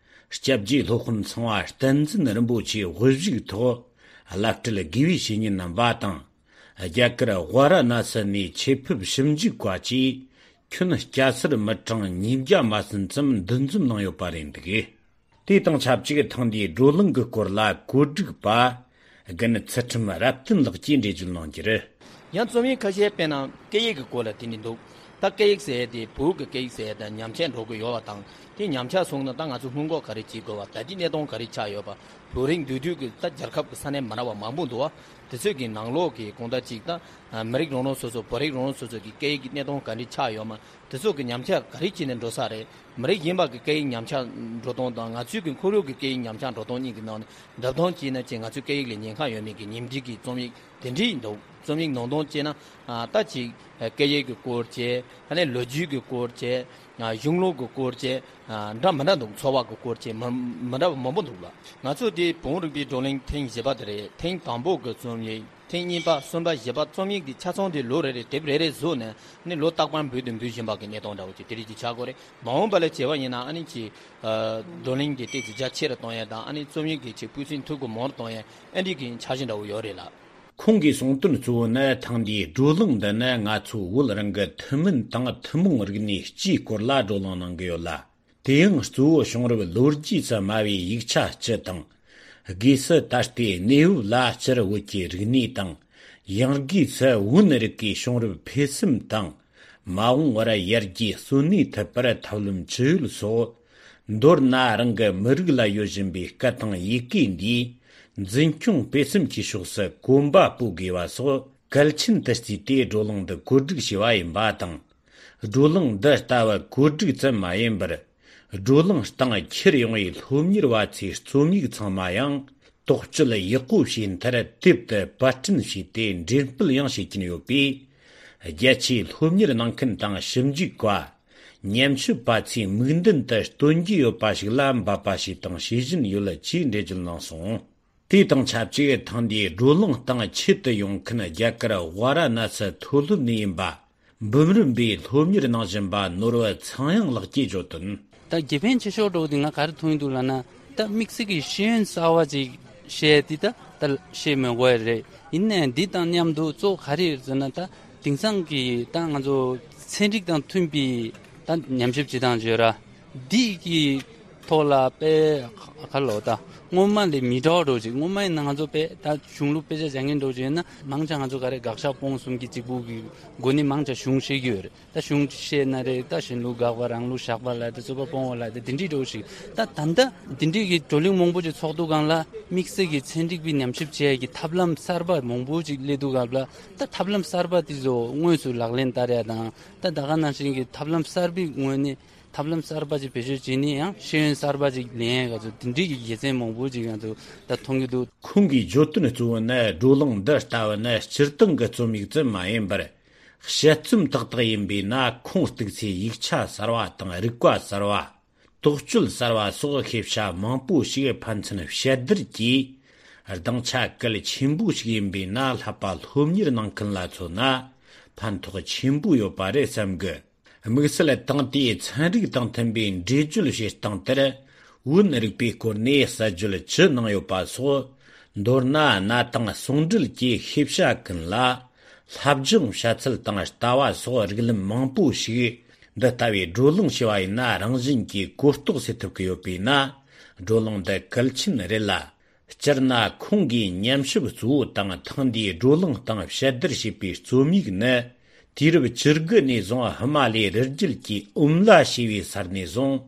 སྐྱབས་རྗེ་སློབ་དཔོན་ཚངས་པ་བསྟན་འཛིན་རིན་པོ་ཆེའི་དབུ་བཞུགས་ཐོག་བླ་སྤྲུལ་དགེ་བའི་བཤེས་གཉེན་རྣམ་པ་དང་། རྒྱ་གར་ཝཱ་ར་ཎ་སི་ནས་ཆེད་ཕེབས་ཞིབ་འཇུག་པ་བཅས་ཁྱོན་སྐྱ་སེར་མི་གྲངས་ཉིས་བརྒྱ་མ་ཟིན་ཙམ་འདུ་འཛོམས་གནང་ཡོད་པ་རེད་འདུག་དེ་དང་ཆབས་ཅིག་ཐེངས་འདིའི་བགྲོ་གླེང་གི་སྐོར་ལ་གོ་སྒྲིག་པ་རྒན་ཚུལ་ཁྲིམས་རབ་བརྟན་ལགས་ཀྱིས་འགྲེལ་བརྗོད་གནང་རྒྱུར། ཡང་རྩོམ་ཡིག་ཁ་ཤས་དཔེར་ན་སྐད་ཡིག་གི་སྐོར་ལ་དེ་ནི་འདུག་ད་སྐད་ཡིག་ཟེར་ཡས་དེ་བོད་ཀྱི་སྐད་ཡིག་ཟེར་ཡས་དང་ཉམས་ཆག་འགྲོ་གི་ཡོད་པ་དང་དེ་ཉམས་ཆག་སོང་ན་ད་ང་ཚོ་སྔོན་འགོག་ག་རེ་བྱེད་དགོས་པ་ད་ལྟའི་གནས་སྟངས་ག་རེ་ཆགས་ཡོད་པ་བོད་རིགས་འདུས་སྡོད་ཀྱི་ད་རྒྱལ་ཁབ་ཀྱི་ས་གནས་མ་འདྲ་བ་མང་པོ་འདུག་བ་དེ་ཚོའི་གི་ནང་ལོགས་ཀྱི་གང་ལྟར་ཅིག་ད་མི་རིགས་རང་རང་སོ་སོ་བོད་རིགས་རང་རང་སོ་སོ་གི་སྐད་ཡིག་གི་གནས་སྟངས་ག་རེ་ཆགས་ཡོད་མ། དེ་ཚོ་གི་ཉམས་ཆག་ག་རེ་བྱས་ནས་འགྲོ་ས་རེད། མི་རིགས་གཞན་པ་གི་སྐད་ཡིག་ཉམས་ཆག་འགྲོ་སྟངས་དང་ང་ཚོའི་གི་ཁོར་ཡུག་གི་སྐད་ཡིག་ཉམས་ཆག་འགྲོ་སྟངས་གཉིས་ཀྱི་ནང་ནས་འདྲ་མཚུངས་བྱས་ན་ཅིག་ང་ཚོའི་སྐད་ཡིག་ལ་ཉེན་ཁ་ཡོད་མེད་ཀྱི་ཉིན་བསྒྲིགས་ཀྱི་རྩོམ་ཡིག་དེ་འདྲ་ཡིན་འདུག་རྩོམ་ཡིག་ནང་དོན་བྱས་ན་ཨ་ད་ཅིག་སྐད་ཡིག་གི་སྐོར་བྱས་ཨ་ནི་ལོ་རྒྱུས་ཀྱི་སྐོར་བྱས་གཞུང་ལུགས་ཀྱི་སྐོར་བྱས་འདྲ་མི་འདྲ་འདུག་འཚོ་བ་གི་སྐོར་བྱས་མི་མི་འདྲ་བ་མང་པོ་འདུག་ལ། ང་ཚོ་དེ་བོན་རིག་པའི་བགྲོ་གླེང་ཐེངས་བཞི་པ་དེ་རེད། ཐེངས་དང་པོ་གི་རྩོམ་ཡིག་ཐེངས་གཉིས་པ་གསུམ་པ་བཞི་པ་རྩོམ་ཡིག་འདི་ཆ་ཚང་དེ་ལོ་རེ་རེ་དེབ་རེ་རེ་བཟོས་ནས་ནི་ལོ་རྟག་པར་འབུལ་དུ་འབུལ་བཞིན་པ་གི་གནས་སྟངས་འདྲ་བོ་ཅིག་དེ་རིགས་ཀྱི་ཆགས་ཀྱི་རེད། མ་འོངས་པ་ལ་བྱས་པ་ཡིན་ན་ཨ་ནི་ཅིག་བགྲོ་གླེང་གི་ཏོག་ཙམ་རྒྱ་ཆེ་རུ་གཏོང་ཡས་དང་ཨ་ནི་རྩོམ་ཡིག་གི་ཅིག་སྤུས་ཚད་མཐོ་རུ་མང་རུ་གཏོང་ཡས་ཨ་འདྲ་གི་འཆར་གཞི་འདྲ་བོ་ཡོད་རེད་ལ། ཁོང་གིས་གསུངས་དོན་གཙོ་བོ་ནི་ཐེངས་འདིའི་བགྲོ་གླེང་འདི་ནི་ང་ཚོ་བོད་རང་གི་ཐུན་མིན་དང་ཐུན་མོང་རིག་གནས་སྤྱིའི་སྐོར་ལ་བགྲོ་གླེང་གནང་གི་ཡོད་ལ། དེ་ཡང་གཙོ་བོ་བྱུང་རབས་ལོ་རྒྱུས་སུ་སྨྲ་བའི་ཡིག་ཆ་སྤྱི་དང་། སྒོས་སུ་ད་ལྟའི་གནས་བབ་ལ་སྤྱིར་བོད་ཀྱི་རིག་གནས་དང་། ཡང་སྒོས་སུ་བོན་རིག་གི་བྱུང་རབས་འཕེལ་སེམས་དང་། མ་འོངས་པར་ཡར་རྒྱས་གཙོ་གནད་ཐུབ་པར་ཐབས་ལམ་ཇི་ཡོད་སོགས། མདོར་ན་རང་གི་མི་རིགས་ལ་ཡོད་བཞིན་པའི་སྐད་དང་ཡི་གེ་འདིའི་འཛིན་སྐྱོང་སྤེལ་གསུམ་གྱི་ཕྱོགས་སུ་གོམ་པ་སྤོ་དགོས་པ་སོགས་གལ་ཆེན་དུ་བརྩིས་ཏེ་བགྲོ་གླེང་འདི་གོ་སྒྲིག་བྱས་པ་ཡིན་པ་དང་། བགྲོ་གླེང་འདི་ལྟ་བུ་གོ་སྒྲིག་ཙམ་མ་ཡིན་པར། བགྲོ་གླེང་སྟེང་འཁྱེར་ཡོང་བའི་སློབ་གཉེར་བ་ཚོའི་རྩོམ་ཡིག་ཚང་མ་ཡང་དོགས་གཅོད་ཡག་པོ་བྱས་མཐར་དེབ་ཏུ་པར་སྐྲུན་བྱས་ཏེ་འགྲེམས་སྤེལ་ཡང་བྱེད་ཀྱིན་ཡོད་པས། རྒྱ་ཆེའི་སློབ་གཉེར་གནང་མཁན་དང་ཞིབ་འཇུག་པ། ཉམས་ཞིབ་པ་ཚོས་མིག་མདུན་དུ་སྟོན་རྒྱུ་ཡོད་པ་ཞིག་ལ་འབད་པ་བྱས་དང་བྱེད་བཞིན་ཡོད་ཅེས་འགྲེལ་བརྗོད་གནང་སོང་། དེ་དང་ཆབས་ཅིག་ཐེངས་འདིའི་བགྲོ་གླེང་སྟེང་ཆེད་དུ་ཡོང་མཁན་རྒྱ་གར་ཝཱ་ར་ཎ་སི་མཐོ་སློབ་ནས་ཡིན་པ་ འབུམ་རམས་པའི་སློབ་གཉེར་གནང་བཞིན་པ་ནོར་བུ་ཚངས་དབྱངས་ལགས་ཀྱིས་བརྗོད་དོན། ད་དགེ་ཕན་ཆེ་ཤོས་འགྲོ་དེ་ང་ག་རེ་མཐོང་ཡི་འདུག་ལབ་ན། ད་དམིགས་བསལ་གྱི་ཤེས་ཡོན་གསར་བ་ཅིག་བཤད་དེ་ད་ད་བཤད་མི་དགོས་རེད། ཡིན་ནའི་འདི་དང་མཉམ་དུ་གཙོ་བོ་ག་རེ་རེད་ཟེར་ན། ད་དེང་སང་གི་ད་ང་ཚོ་ཚན་རིག་དང་མཐུན་པའི་ད་ཉམས་ཞིབ་བྱེད་སྟངས་བརྗོད་ར། འདི་གི་ཐོག་ལ་དཔེ་ག་ལོ་ད་སྔོན་མ་ལས་མི་འདྲ་བ་འགྲོ་ཅིག་སྔོན་མ་ཡིན་ན་ང་ཚོ་དཔེ་ད་གཞུང་ལུགས་དཔེ་ཆ་སྦྱང་མཁན་འགྲོ་ཅིག་ཡིན་ན། མང་ཆེ་ང་ཚོ་ག་རེ་དགག་བཞག་སྤོང་གསུམ་གྱི་གཅིག་པུ་གི་སྒོ་ནས་མང་ཆེ་གཞུང་ཤེས་ཀྱི་ཡོད་རེད། ད་གཞུང་ཤེས་ན་རེད། ད་གཞན་ལུགས་དགག་པ་རང་ལུགས་བཞག་པ་ལ་ད་རྩོད་པ་སྤོང་བ་ལ་ད་དེ་འདྲའི་འགྲོ་ཞིག་ད་ད་ལྟ་དེ་འདྲའི་གི་བགྲོ་གླེང་མང་པོ་ཅིག་ཚོགས་འདུ་སྒང་ལ་དམིགས་བསལ་གྱི་ཚན་རིག་པའི་ཉམས་ཞིབ་བྱེད་ཡ་གི་ཐབས་ལམ་གསར་པ་མང་པོ་ཅིག་སླེབས་འདུག་སྐབས་ལ། ད་ཐབས་ལམ་གསར་པ་དེ་ཚོ་དངོས་སུ་ལག་ལེན་བསྟར་ཡ་དང་། ད་ད་ག་ནང་བཞིན་གྱི་ཐབས་ལམ་གསར་པའི་ངོས་ནས་ཐབས་ལམ་གསར་པ་ཅིག་བེད་སྤྱོད་བྱས་ནས་ཡང་ཤེས་ཡོན་གསར་པ་ཅིག་ལེན་ཡ་ག་ཚོད་དེ་འདྲའི་གི་དགེ་མཚན་མང་པོ་ཅིག་ང་ཚོ་ད་མཐོང་གི་འདུག་ཁོང་གིས་བརྗོད་དོན་གཙོ་བོ་ནི་བགྲོ་གླེང་འདི་ལྟ་བུ་ནི་སྤྱིར་བཏང་གི་རྩོམ་ཡིག་ཙམ་མ་ཡིན་པར། དཔྱད་རྩོམ་ཏག་ཏག་ཡིན་པས་ན། ཁུངས་གཏུགས་ཚེ་ཡིག་ཆ་གསར་བ་དང་རིག་པ་གསར་བ། དོགས་གཅོད་གསར་བ་སོགས་ཤེས་བྱ་མང་པོ་ཞིག་ཕན་ཚུན་དཔྱད་བསྡུར་གྱིས། སྡིངས་ཆ་གལ་ཆེན་པོ་ཞིག་ཡིན་པས་ན། བསླབ་པ་སློབ་གཉེར་གནང་མཁན་ལ་མཚོན་ན་ཕན་ཐོགས་ཆེན་པོ་ཡོད་པ་རེད་བསམ་གི། དམིགས་བསལ་ཏང་དེའི་ཚན་རིག་དང་མཐུན་པའི་འགྲེལ་བརྗོད་བྱེད་སྟངས་དེར། བོན་རིག་པའི་སྐོར་ནས་གསལ་བརྗོད་ཅི་གནང་ཡོད་པ་སོགས། མདོར་ན་གནའ་དེང་ཟུང་འབྲེལ་གྱིས་ཤེས་བྱ་ཀུན་ལ་བསླབ་སྦྱོང་བྱ་ཚུལ་དང་ལྟ་བ་སོགས་རིགས་ལམ་མང་པོ་ཞིག་འདི་ལྟ་བུའི་བགྲོ་གླེང་བྱས་པ་ཡིན་ན། རང་བཞིན་གྱིས་གོ་རྟོགས་སེལ་ཐུབ་ཀྱི་ཡོད་པས་ན། བགྲོ་གླེང་འདི་གལ་ཆེན་རེད་ལ། སྤྱིར་ན་ཁོང་གིས་ཉམས་ཞིབ་གཙོ་བོ་དང་ཐེངས་འདིའི་བགྲོ་གླེང་སྟེང་ཞིབ་བསྡུར་བྱས་པའི་རྩོམ་ཡིག་ནི། དུས་རབས་བཅུ་དགུ་ནས་བཟུང་ཧི་མ་ལའི་རི་རྒྱུད་ཀྱི་ཨུམ་ལ་ཞེས་པའི་ས་ནས་བཟུང་།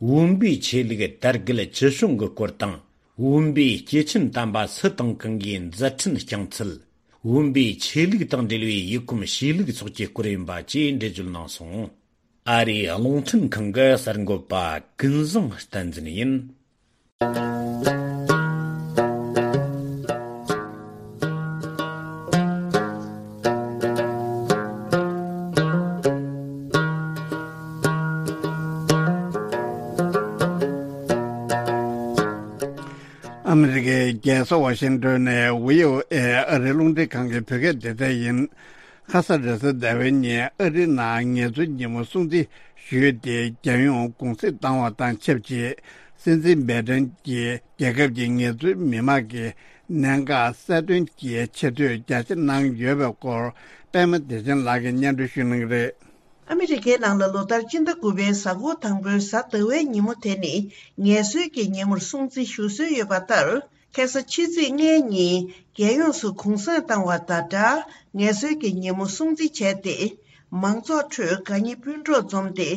བོན་པོའི་ཆོས་ལུགས་དར་རྒུད་ཅི་བྱུང་གི་སྐོར་དང་། བོན་པོའི་སྐྱེས་ཆེན་དམ་པ་སུ་དང་གང་གིས་མཛད་འཕྲིན་བསྐྱངས་ཚུལ། བོན་པོའི་ཆོས་ལུགས་དང་འབྲེལ་བའི་ཡུལ་གོམས་གཤིས་ལུགས་སོགས་ཀྱི་སྐོར་ཡིན་པ་བཅས་འགྲེལ་བརྗོད་གནང་སོང་། ཨ་རིའི་རླུང་འཕྲིན་ཁང་གི་གསར་འགོད་པ་ཀུན་བཟང་བསྟན་འཛིན་ཡིན། ཨ་མི་རི་ཀའི་རྒྱལ་ས་ཝ་ཤིང་ཏོན་ནས་བྷི་ཨོ་ཨེ་ཨ་རིའི་རླུང་འཕྲིན་ཁང་གི་བོད་སྐད་སྡེ་ཚན་ཡིན། ཁ་ས་རེས་གཟའ་ཟླ་བའི་ཉིན་ཨ་རིའི་ནང་ངལ་རྩོལ་ཉིན་མོ་སྲུང་བརྩི་ཞུས་ཏེ། རྒྱལ་ཡོངས་གུང་སེང་བཏང་བ་དང་ཆབས་ཅིག་སྲིད་འཛིན་སྦེ་ཏན་གྱིས་རྒྱལ་ཁབ་ཀྱི་ངལ་རྩོལ་མི་དམངས་ཀྱི་གནད་འགག་གསལ་སྟོན་གྱི་ཆེ་བསྟོད་རྒྱ་ཆེ་གནང་ཡོད་པའི་སྐོར། པད་མ་བདེ་ཆེན་ལགས་ཀྱིས་སྙན་སྒྲོན་ཞུ་གནང་གི་རེད། ཨ་མི་རི་ཀའི་ནང་ལ་ལོ་ལྟར་སྤྱི་ཟླ་དགུ་པའི་གཟའ་འཁོར་དང་པོའི་གཟའ་ཟླ་བའི་ཉིན་མོ་དེ་ནི་ངལ་གསོའི་གི་ཉིན་མོར་སྲུང་བརྩི་ཞུ་སྲོལ་ཡོད་པ་ལྟར། ཁ་སང་ཕྱི་ཚེས་ལྔའི་ཉིན་རྒྱལ་ཡོངས་སུ་གུང་སེང་བཏང་བ་དང་སྦྲགས། ངལ་གསོའི་གི་ཉིན་མོ་སྲུང་བརྩི་བྱས་ཏེ། མང་ཚོགས་ཁྲོད་དགའ་ཉེ་སྤུན་གྲོགས་འཛོམས་ཏེ་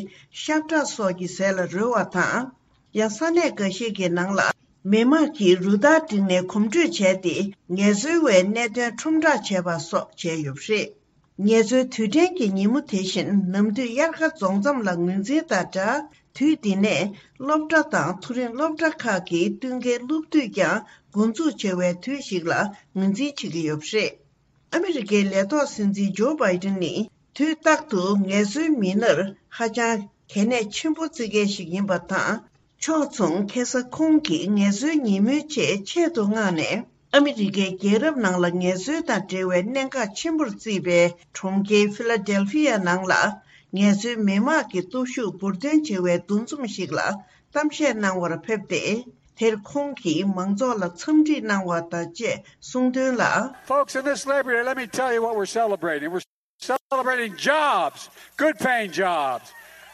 ཤ་ཁྲག་སོགས་ཀྱི་ཟས་ལ་རོལ་བ་དང་། ཡང་ས་གནས་འགའ་ཤས་ཀྱི་ནང་ལ་མི་དམངས་ཀྱིས་རུ་སྟར་བསྒྲིགས་ནས་གོམ་བགྲོད་བྱས་ཏེ། ངལ་རྩོལ་བའི་གནད་དོན་ཁྲོམ་བསྒྲགས་བྱས་པ་སོགས་བྱས་ཡོད་པ་རེད། ངལ་རྩོལ་དུས་དྲན་གྱི་ཉིན་མོ་དེ་བཞིན་ནམ་དུས་དབྱར་ཁ་རྫོང་མཚམས་ལ་ངོས་འཛིན་དང་སྦྲགས། དུས་འདི་ནས་སློབ་གྲྭ་དང་མཐོ་རིམ་སློབ་གྲྭ་ཁག་གི་བསྟུན་མཁས་སློབ་དུས་ཀྱང་འགོ་འཛུགས་བྱེད་པའི་དུས་ཤིག་ལ་ངོས་འཛིན་བྱེད་ཀྱི་ཡོད་པ་རེད། ཨ་མི་རི་ཀའི་ལས་ཐོག་སྲིད་འཛིན་ཇོ་བྷའི་ཏིན་ནི་དུས་རྟག་ཏུ་ངལ་རྩོལ་མི་སྣར་ཧ་ཅང་གལ་གནད་ཆེན་པོ་བརྩི་མཁན་ཞིག་ཡིན་པ་དང་། ཕྱོགས་མཚུངས་ཁ་སང་ཁོང་གིས་ངལ་རྩོལ་ཉིན་མོའི་ཆེད་ཆེད་དུ་མངགས་ནས། ཨ་མི་རི་ཀའི་རྒྱལ་རབས་ནང་ལ་ངལ་རྩོལ་དང་འབྲེལ་བའི་གནད་འགག་ཆེན་པོར་བརྩིས་པའི་གྲོང་ཁྱེར་ཕི་ལ་ཌེལ་ཕི་ཡ་ནང་ལ། ངལ་རྩོལ་མི་དམངས་ཀྱི་སྟོབས་ཤུགས་འབུར་འདོན་བྱེད་པའི་འདུ་འཛོམས་ཤིག་ལ་གཏམ་བཤད་གནང་བར་ཕེབས་ཏེ། དེར་ཁོང་གིས་མང་ཚོགས་ལ་འཚམས་འདྲི་གནང་བ་དང་བཅས་གསུངས་དོན་ལ། Folks, in this Labor Day, let me tell you what we're celebrating. We're celebrating jobs, good paying jobs,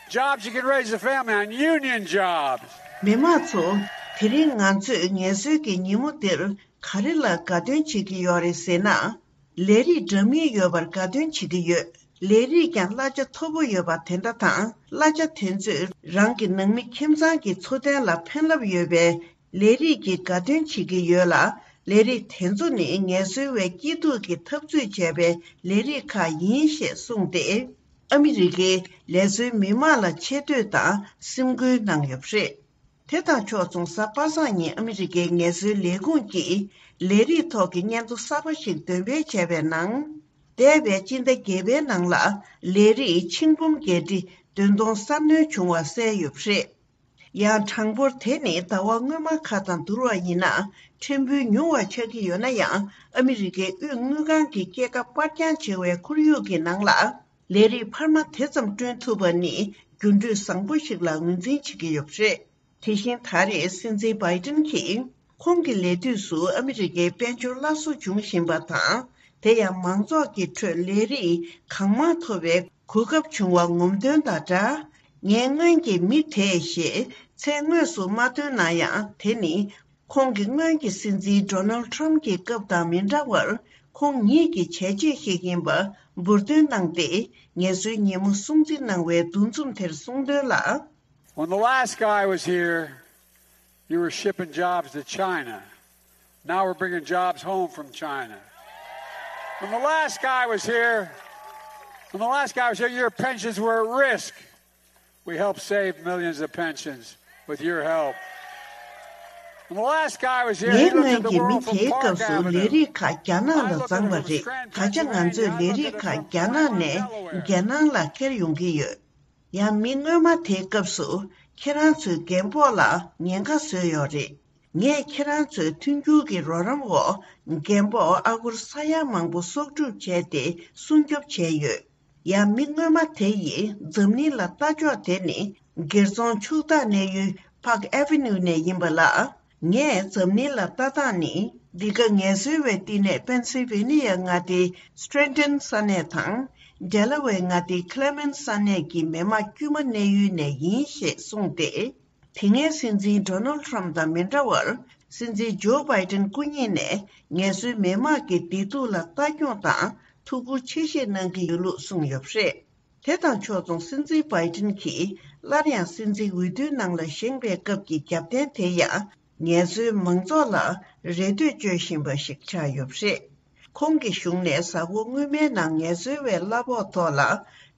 jobs you can raise a family on, union jobs. མི་དམངས་ཚོ། དེ་རིང་ང་ཚོས་ངལ་རྩོལ་གྱི་ཉིན་མོ་འདིར་ག་རེ་ལ་དགའ་སྟོན་བྱེད་ཀྱི་ཡོད་རེད་ཟེར་ན། ལས་རིགས་འདྲ་མིན་ཡོད་པར་དགའ་སྟོན་བྱེད་ཀྱི་ཡོད། ལས་རིགས་ཀྱང་གླ་ཆ་མཐོ་པོ་ཡོད་པ་དེ་འདྲ་དང་། གླ་ཆ་དེ་ཚོས་རང་གི་ནང་མི་ཁྱིམ་ཚང་གི་འཚོ་རྟེན་ལ་ཕན་རླབས་ཡོད་པའི་ལས་རིགས་ཀྱི་དགའ་སྟོན་བྱེད་ཀྱི་ཡོད་ལ། ལས་རིགས་དེ་ཚོ་ནི་ངལ་རྩོལ་བའི་སྐྱིད་སྡུག་གི་འཐབ་རྩོད་བྱས་པའི་ལས་རིགས་ཁག་ཡིན་ཞེས་གསུངས་ཏེ། ཨ་མི་རི་ཀའི་ལས་བཟོའི་མི་དམངས་ལ་ཆེ་བསྟོད་དང་སེམས་འགུལ་གནང་ཡོད་པ་རེད། དེ་དང་ཕྱོགས་མཚུངས་གཟའ་པ་སངས་ཉིན་ཨ་མི་རི་ཀའི་ངལ་རྩོལ་ལས་ཁུངས་ཀྱིས་ལས་རིགས་ཐོག་གི་སྙན་ཐོ་གསར་པ་ཞིག་འདོན་སྤེལ་བྱས་པའི་ནང་། འདས་པའི་སྤྱི་ཟླ་བརྒྱད་པའི་ནང་ལ་ལས་རིགས་ཆིག་འབུམ་བརྒྱད་ཁྲི་བདུན་སྟོང་གསར་སྣོན་བྱུང་བ་གསལ་ཡོད་པ་རེད། ཡང་གྲངས་འབོར་དེ་ནི་ཟླ་བ་སྔོན་མ་ཁག་དང་བསྡུར་བ་ཡིན་ན་ཕྲན་བུ་ཉུང་བ་ཆགས་ཀྱི་ཡོད་ན་ཡང་། ཨ་མི་རི་ཀའི་དབུས་དངུལ་ཁང་གི་སྐྱེད་ཀ་སྤར་འགྱངས་བྱེད་པའི་ཁོར་ཡུག་གི་ནང་ལ། ལས་རིགས་འཕར་མ་དེ་ཙམ་བསྐྲུན་ཐུབ་པ་ནི་འགྱུར་འགྲོས་བཟང་པོ་ཞིག་ལ་ངོས་འཛིན་བྱེད་ཀྱི་ཡོད་པ་རེད། དེ་བཞིན་ད་རེས་སྲིད་འཛིན་བྷའི་ཏིན་གྱིས་ཁོང་གི་ལས་དུས་སུ་ཨ་མི་རི་ཀའི་དཔལ་འབྱོར་སླར་གསོ་འབྱུང་བཞིན་པ་དང་། དེ་ཡང་མང་ཚོགས་ཀྱི་ཁྲོད་ལས་རིགས་གང་མང་ཐོབ་པའི་གོ་སྐབས་བྱུང་བ་ངོམ་དོན་དང་སྦྲགས། ངའི་སྔོན་གྱི་མི་དེས་ཞེས་མཚན་དངོས་སུ་མ་བཏོན་ན་ཡང་། དེ་ནི་ཁོང་གི་སྔོན་གྱི་སྲིད་འཛིན་ཌོ་ནལ་ཊམ་གྱི་སྐབས་དང་མི་འདྲ་བར། ཁོང་ཉིད་ཀྱི་བྱས་རྗེས་ཤིག་ཡིན་པ་འབུར་འདོན་གནང་སྟེ། ངལ་གསོའི་ཉིན་མོ་སྲུང་བརྩི་གནང་བའི་འདུ་འཛོམས་དེར་གསུངས་དོན་ལ། When the last guy was here, you were shipping jobs to China. Now we're bringing jobs home from China. When the last guy was here, when the last guy was here, your pensions were at risk. We helped save millions of pensions with your help. When the last guy was here, he ངའི་looked at སྔོན་the གྱི་མི་world from དེའི་Park སྐབས་སུ་ལས་Avenue. རིགས་ཁག་རྒྱ་ནག་ལ་བརྫངས་པ་རེད། ད་ཆ་ང་ཚོས་ལས་རིགས་ཁག་རྒྱ་ནག་ནས་རྒྱལ་ནང་ལ་འཁྱེར་ཡོང་གི་ཡོད། ཡང་མི་སྔོན་མ་དེའི་སྐབས་སུ་ཁྱེད་རང་ཚོའི་རྒན་པོ་ལ་ཉེན་ཁ་བཟོས་ཡོད་རེད། ངས་ཁྱེད་རང་ཚོའི་མཐུན་འགྱུར་གྱི་རོགས་རམ་འོག་རྒན་པོ་ཨ་སྒོར་ས་ཡ་མང་པོ་གསོག་སྒྲུབ་བྱས་ཏེ་སྲུང་སྐྱོབ་བྱས་ཡོད། ཡང་མི་སྔོན་མ་དེ་ཡིས་འཛམ་གླིང་ལ་ལྟ་ཕྱོགས་དེ་ནི་སྒེར་ཚོང་ཕྱུག་བདག་གནས་ཡུལ་Park Avenue ནས་ཡིན་པ་ལ། ངས་འཛམ་གླིང་ལ་ལྟ་སྟངས་ནི། འདི་ག་ངལ་གསོའི་བའི་བསྟི་གནས་པེན་སིལ་ཝེ་ནི་ཡ་མངའ་སྡེའི་སི་ཊེན་ཊོན་ས་གནས་དང་། ཌེ་ལ་ཝེ་མངའ་སྡེའི་ཁི་ལེ་མེན་སི་ས་གནས་ཀྱི་མི་དམངས་དཀྱུས་མ་གནས་ཡུལ་ནས་ཡིན་ཞེས་གསུངས་ཏེ། དེ་སྔའི་སྲིད་འཛིན་ཌོ་ནལ་ཊམ་དང་མི་འདྲ་བར། སྲིད་འཛིན་ཇོ་བྷའི་ཏན་སྐུ་ཉིད་ནས་ངལ་གསོའི་མི་དམངས་ཀྱི་བདེ་སྡུག་ལ་ལྟ་སྐྱོང་དང་ཐུགས་ཁུར་ཆེ་བཞེས་གནང་གི་ཡོད་ལུགས་གསུངས་ཡོད་པ་རེད། དེ་དང་ཕྱོགས་མཚུངས་སྲིད་འཛིན་བྷའི་ཏིན་གྱིས་སླར་ཡང་སྲིད་འཛིན་འོས་བསྡུའི་ནང་ལ་བཞེངས་པའི་སྐབས་ཀྱི་རྒྱབ་རྟེན་དེ་ཡང་ངལ་གསོའི་མང་ཚོགས་ལ་རེ་ལྟོས་བཅོལ་བཞིན་པ་ཞིག་ཆགས་ཡོད་པ་རེད། ཁོང་གི་གཞུང་ནས་གཟའ་འཁོར་སྔོན་མའི་ནང་ངལ་གསོའི་བའི་གླ་ཕོགས་ཐོག་ལ་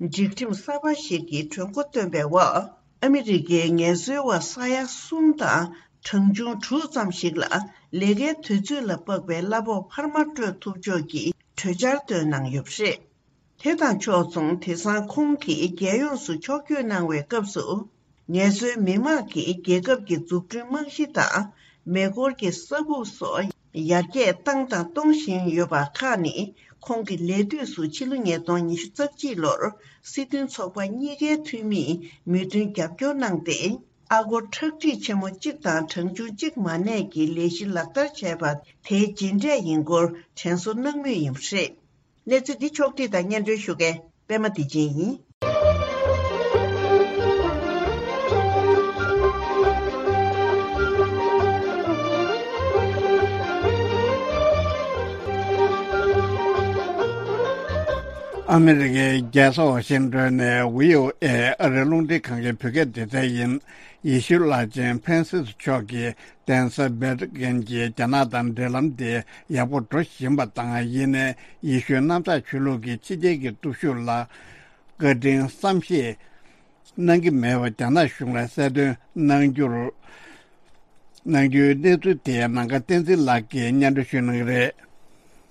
སྒྲིག་ཁྲིམས་གསར་པ་ཞིག་གི་གྲོས་འགོ་བཏོན་པའི་འོག་ཨ་མི་རི་ཀའི་ངལ་གསོའི་བ་ས་ཡ་གསུམ་དང་གྲངས་ཆུང་དྲུག་ཙམ་ཞིག་ལ་ལས་ཀའི་དུས་ཚོད་ལ་དཔག་པའི་གླ་ཕོགས་འཕར་མ་སྤྲོད་ཐུབ་ཕྱོགས་ཀྱི་གྲོས་འཆར་བཏོན་གནང་ཡོད་པ་རེད། དེ་དང་ཕྱོགས་མཚུངས། དེང་སང་ཁོང་གིས་རྒྱལ་ཡོངས་སུ་ཕྱོགས་བསྐྱོད་གནང་བའི་སྐབས་སུ། ངལ་གསོའི་མི་དམངས་ཀྱིས་རྒྱལ་ཁབ་ཀྱི་འཛུགས་སྐྲུན་རྨང་གཞི་དང་། མེ་འཁོར་གྱི་ས་ཁུག་སོགས་ཡར་རྒྱས་བཏང་དང་གཏོང་བཞིན་ཡོད་པ་ཁག་ནི། ཁོང་གི་ལས་དུས་སུ་ཕྱི་ལོ་ཉིས་སྟོང་ཉི་ཤུ་རྩ་གཅིག་ལོར་སྲིད་དོན་ཚོགས་པ་གཉིས་ཀའི་འཐུས་མིས་མོས་མཐུན་རྒྱབ་སྐྱོར་གནང་སྟེ། ཨ་སྒོར་ཁྲག་ཁྲིག་ཆེན་མོ་གཅིག་དང་གྲངས་ཆུང་གཅིག་མ་གནས་ཀྱི་ལས་གཞི་ལག་བསྟར་བྱས་པ་དེའི་རྗེས་འབྲས་ཡིན་སྐོར་དྲན་གསོ་གནང་མུས་ཡིན་པ་རེད། གནས་ཚུལ་འདི་ཕྱོགས་བསྒྲིགས་དང་སྙན་སྒྲོན་ཞུ་མཁན་པད་མ་བདེ་ཆེན་ཡིན། ཨ་མི་རི་ཀའི་རྒྱལ་ས་ཝ་ཤིང་ཏོན་ནས་བྷི་ཨོ་ཨེ་ཨ་རིའི་རླུང་འཕྲིན་ཁང་གི་བོད་སྐད་སྡེ་ཚན་ཡིན། ཡེ་ཤུ་བླ་ཆེན་ཕྲན་སིས་མཆོག་གིས་གདན་ས་ཝེ་ཏི་ཀན་གྱི་རྒྱ་ནག་དང་འབྲེལ་ལམ་དེ་ཡག་པོ་འགྲོ་བཞིན་པ་དང་། ཡིན་ནའི་ཡེ་ཤུའི་གནམ་བདག་ཆོས་ལུགས་ཀྱི་ཕྱི་རྒྱལ་གྱི་སྟོབས་ཤུགས་ལ་བཀའ་དྲིན་བསམ་ཤེས་གནང་གི་མེད་པ་རྒྱ་ནག་གཞུང་ལ་གསལ་སྟོན་གནང་རྒྱུར། གནང་རྒྱུའི་གནས་ཚུལ་དེ་ནམ་མཁའ་བསྟན་འཛིན་ལགས་ཀྱིས་སྙན་སྒྲོན་ཞུ་གནང་གི་རེད།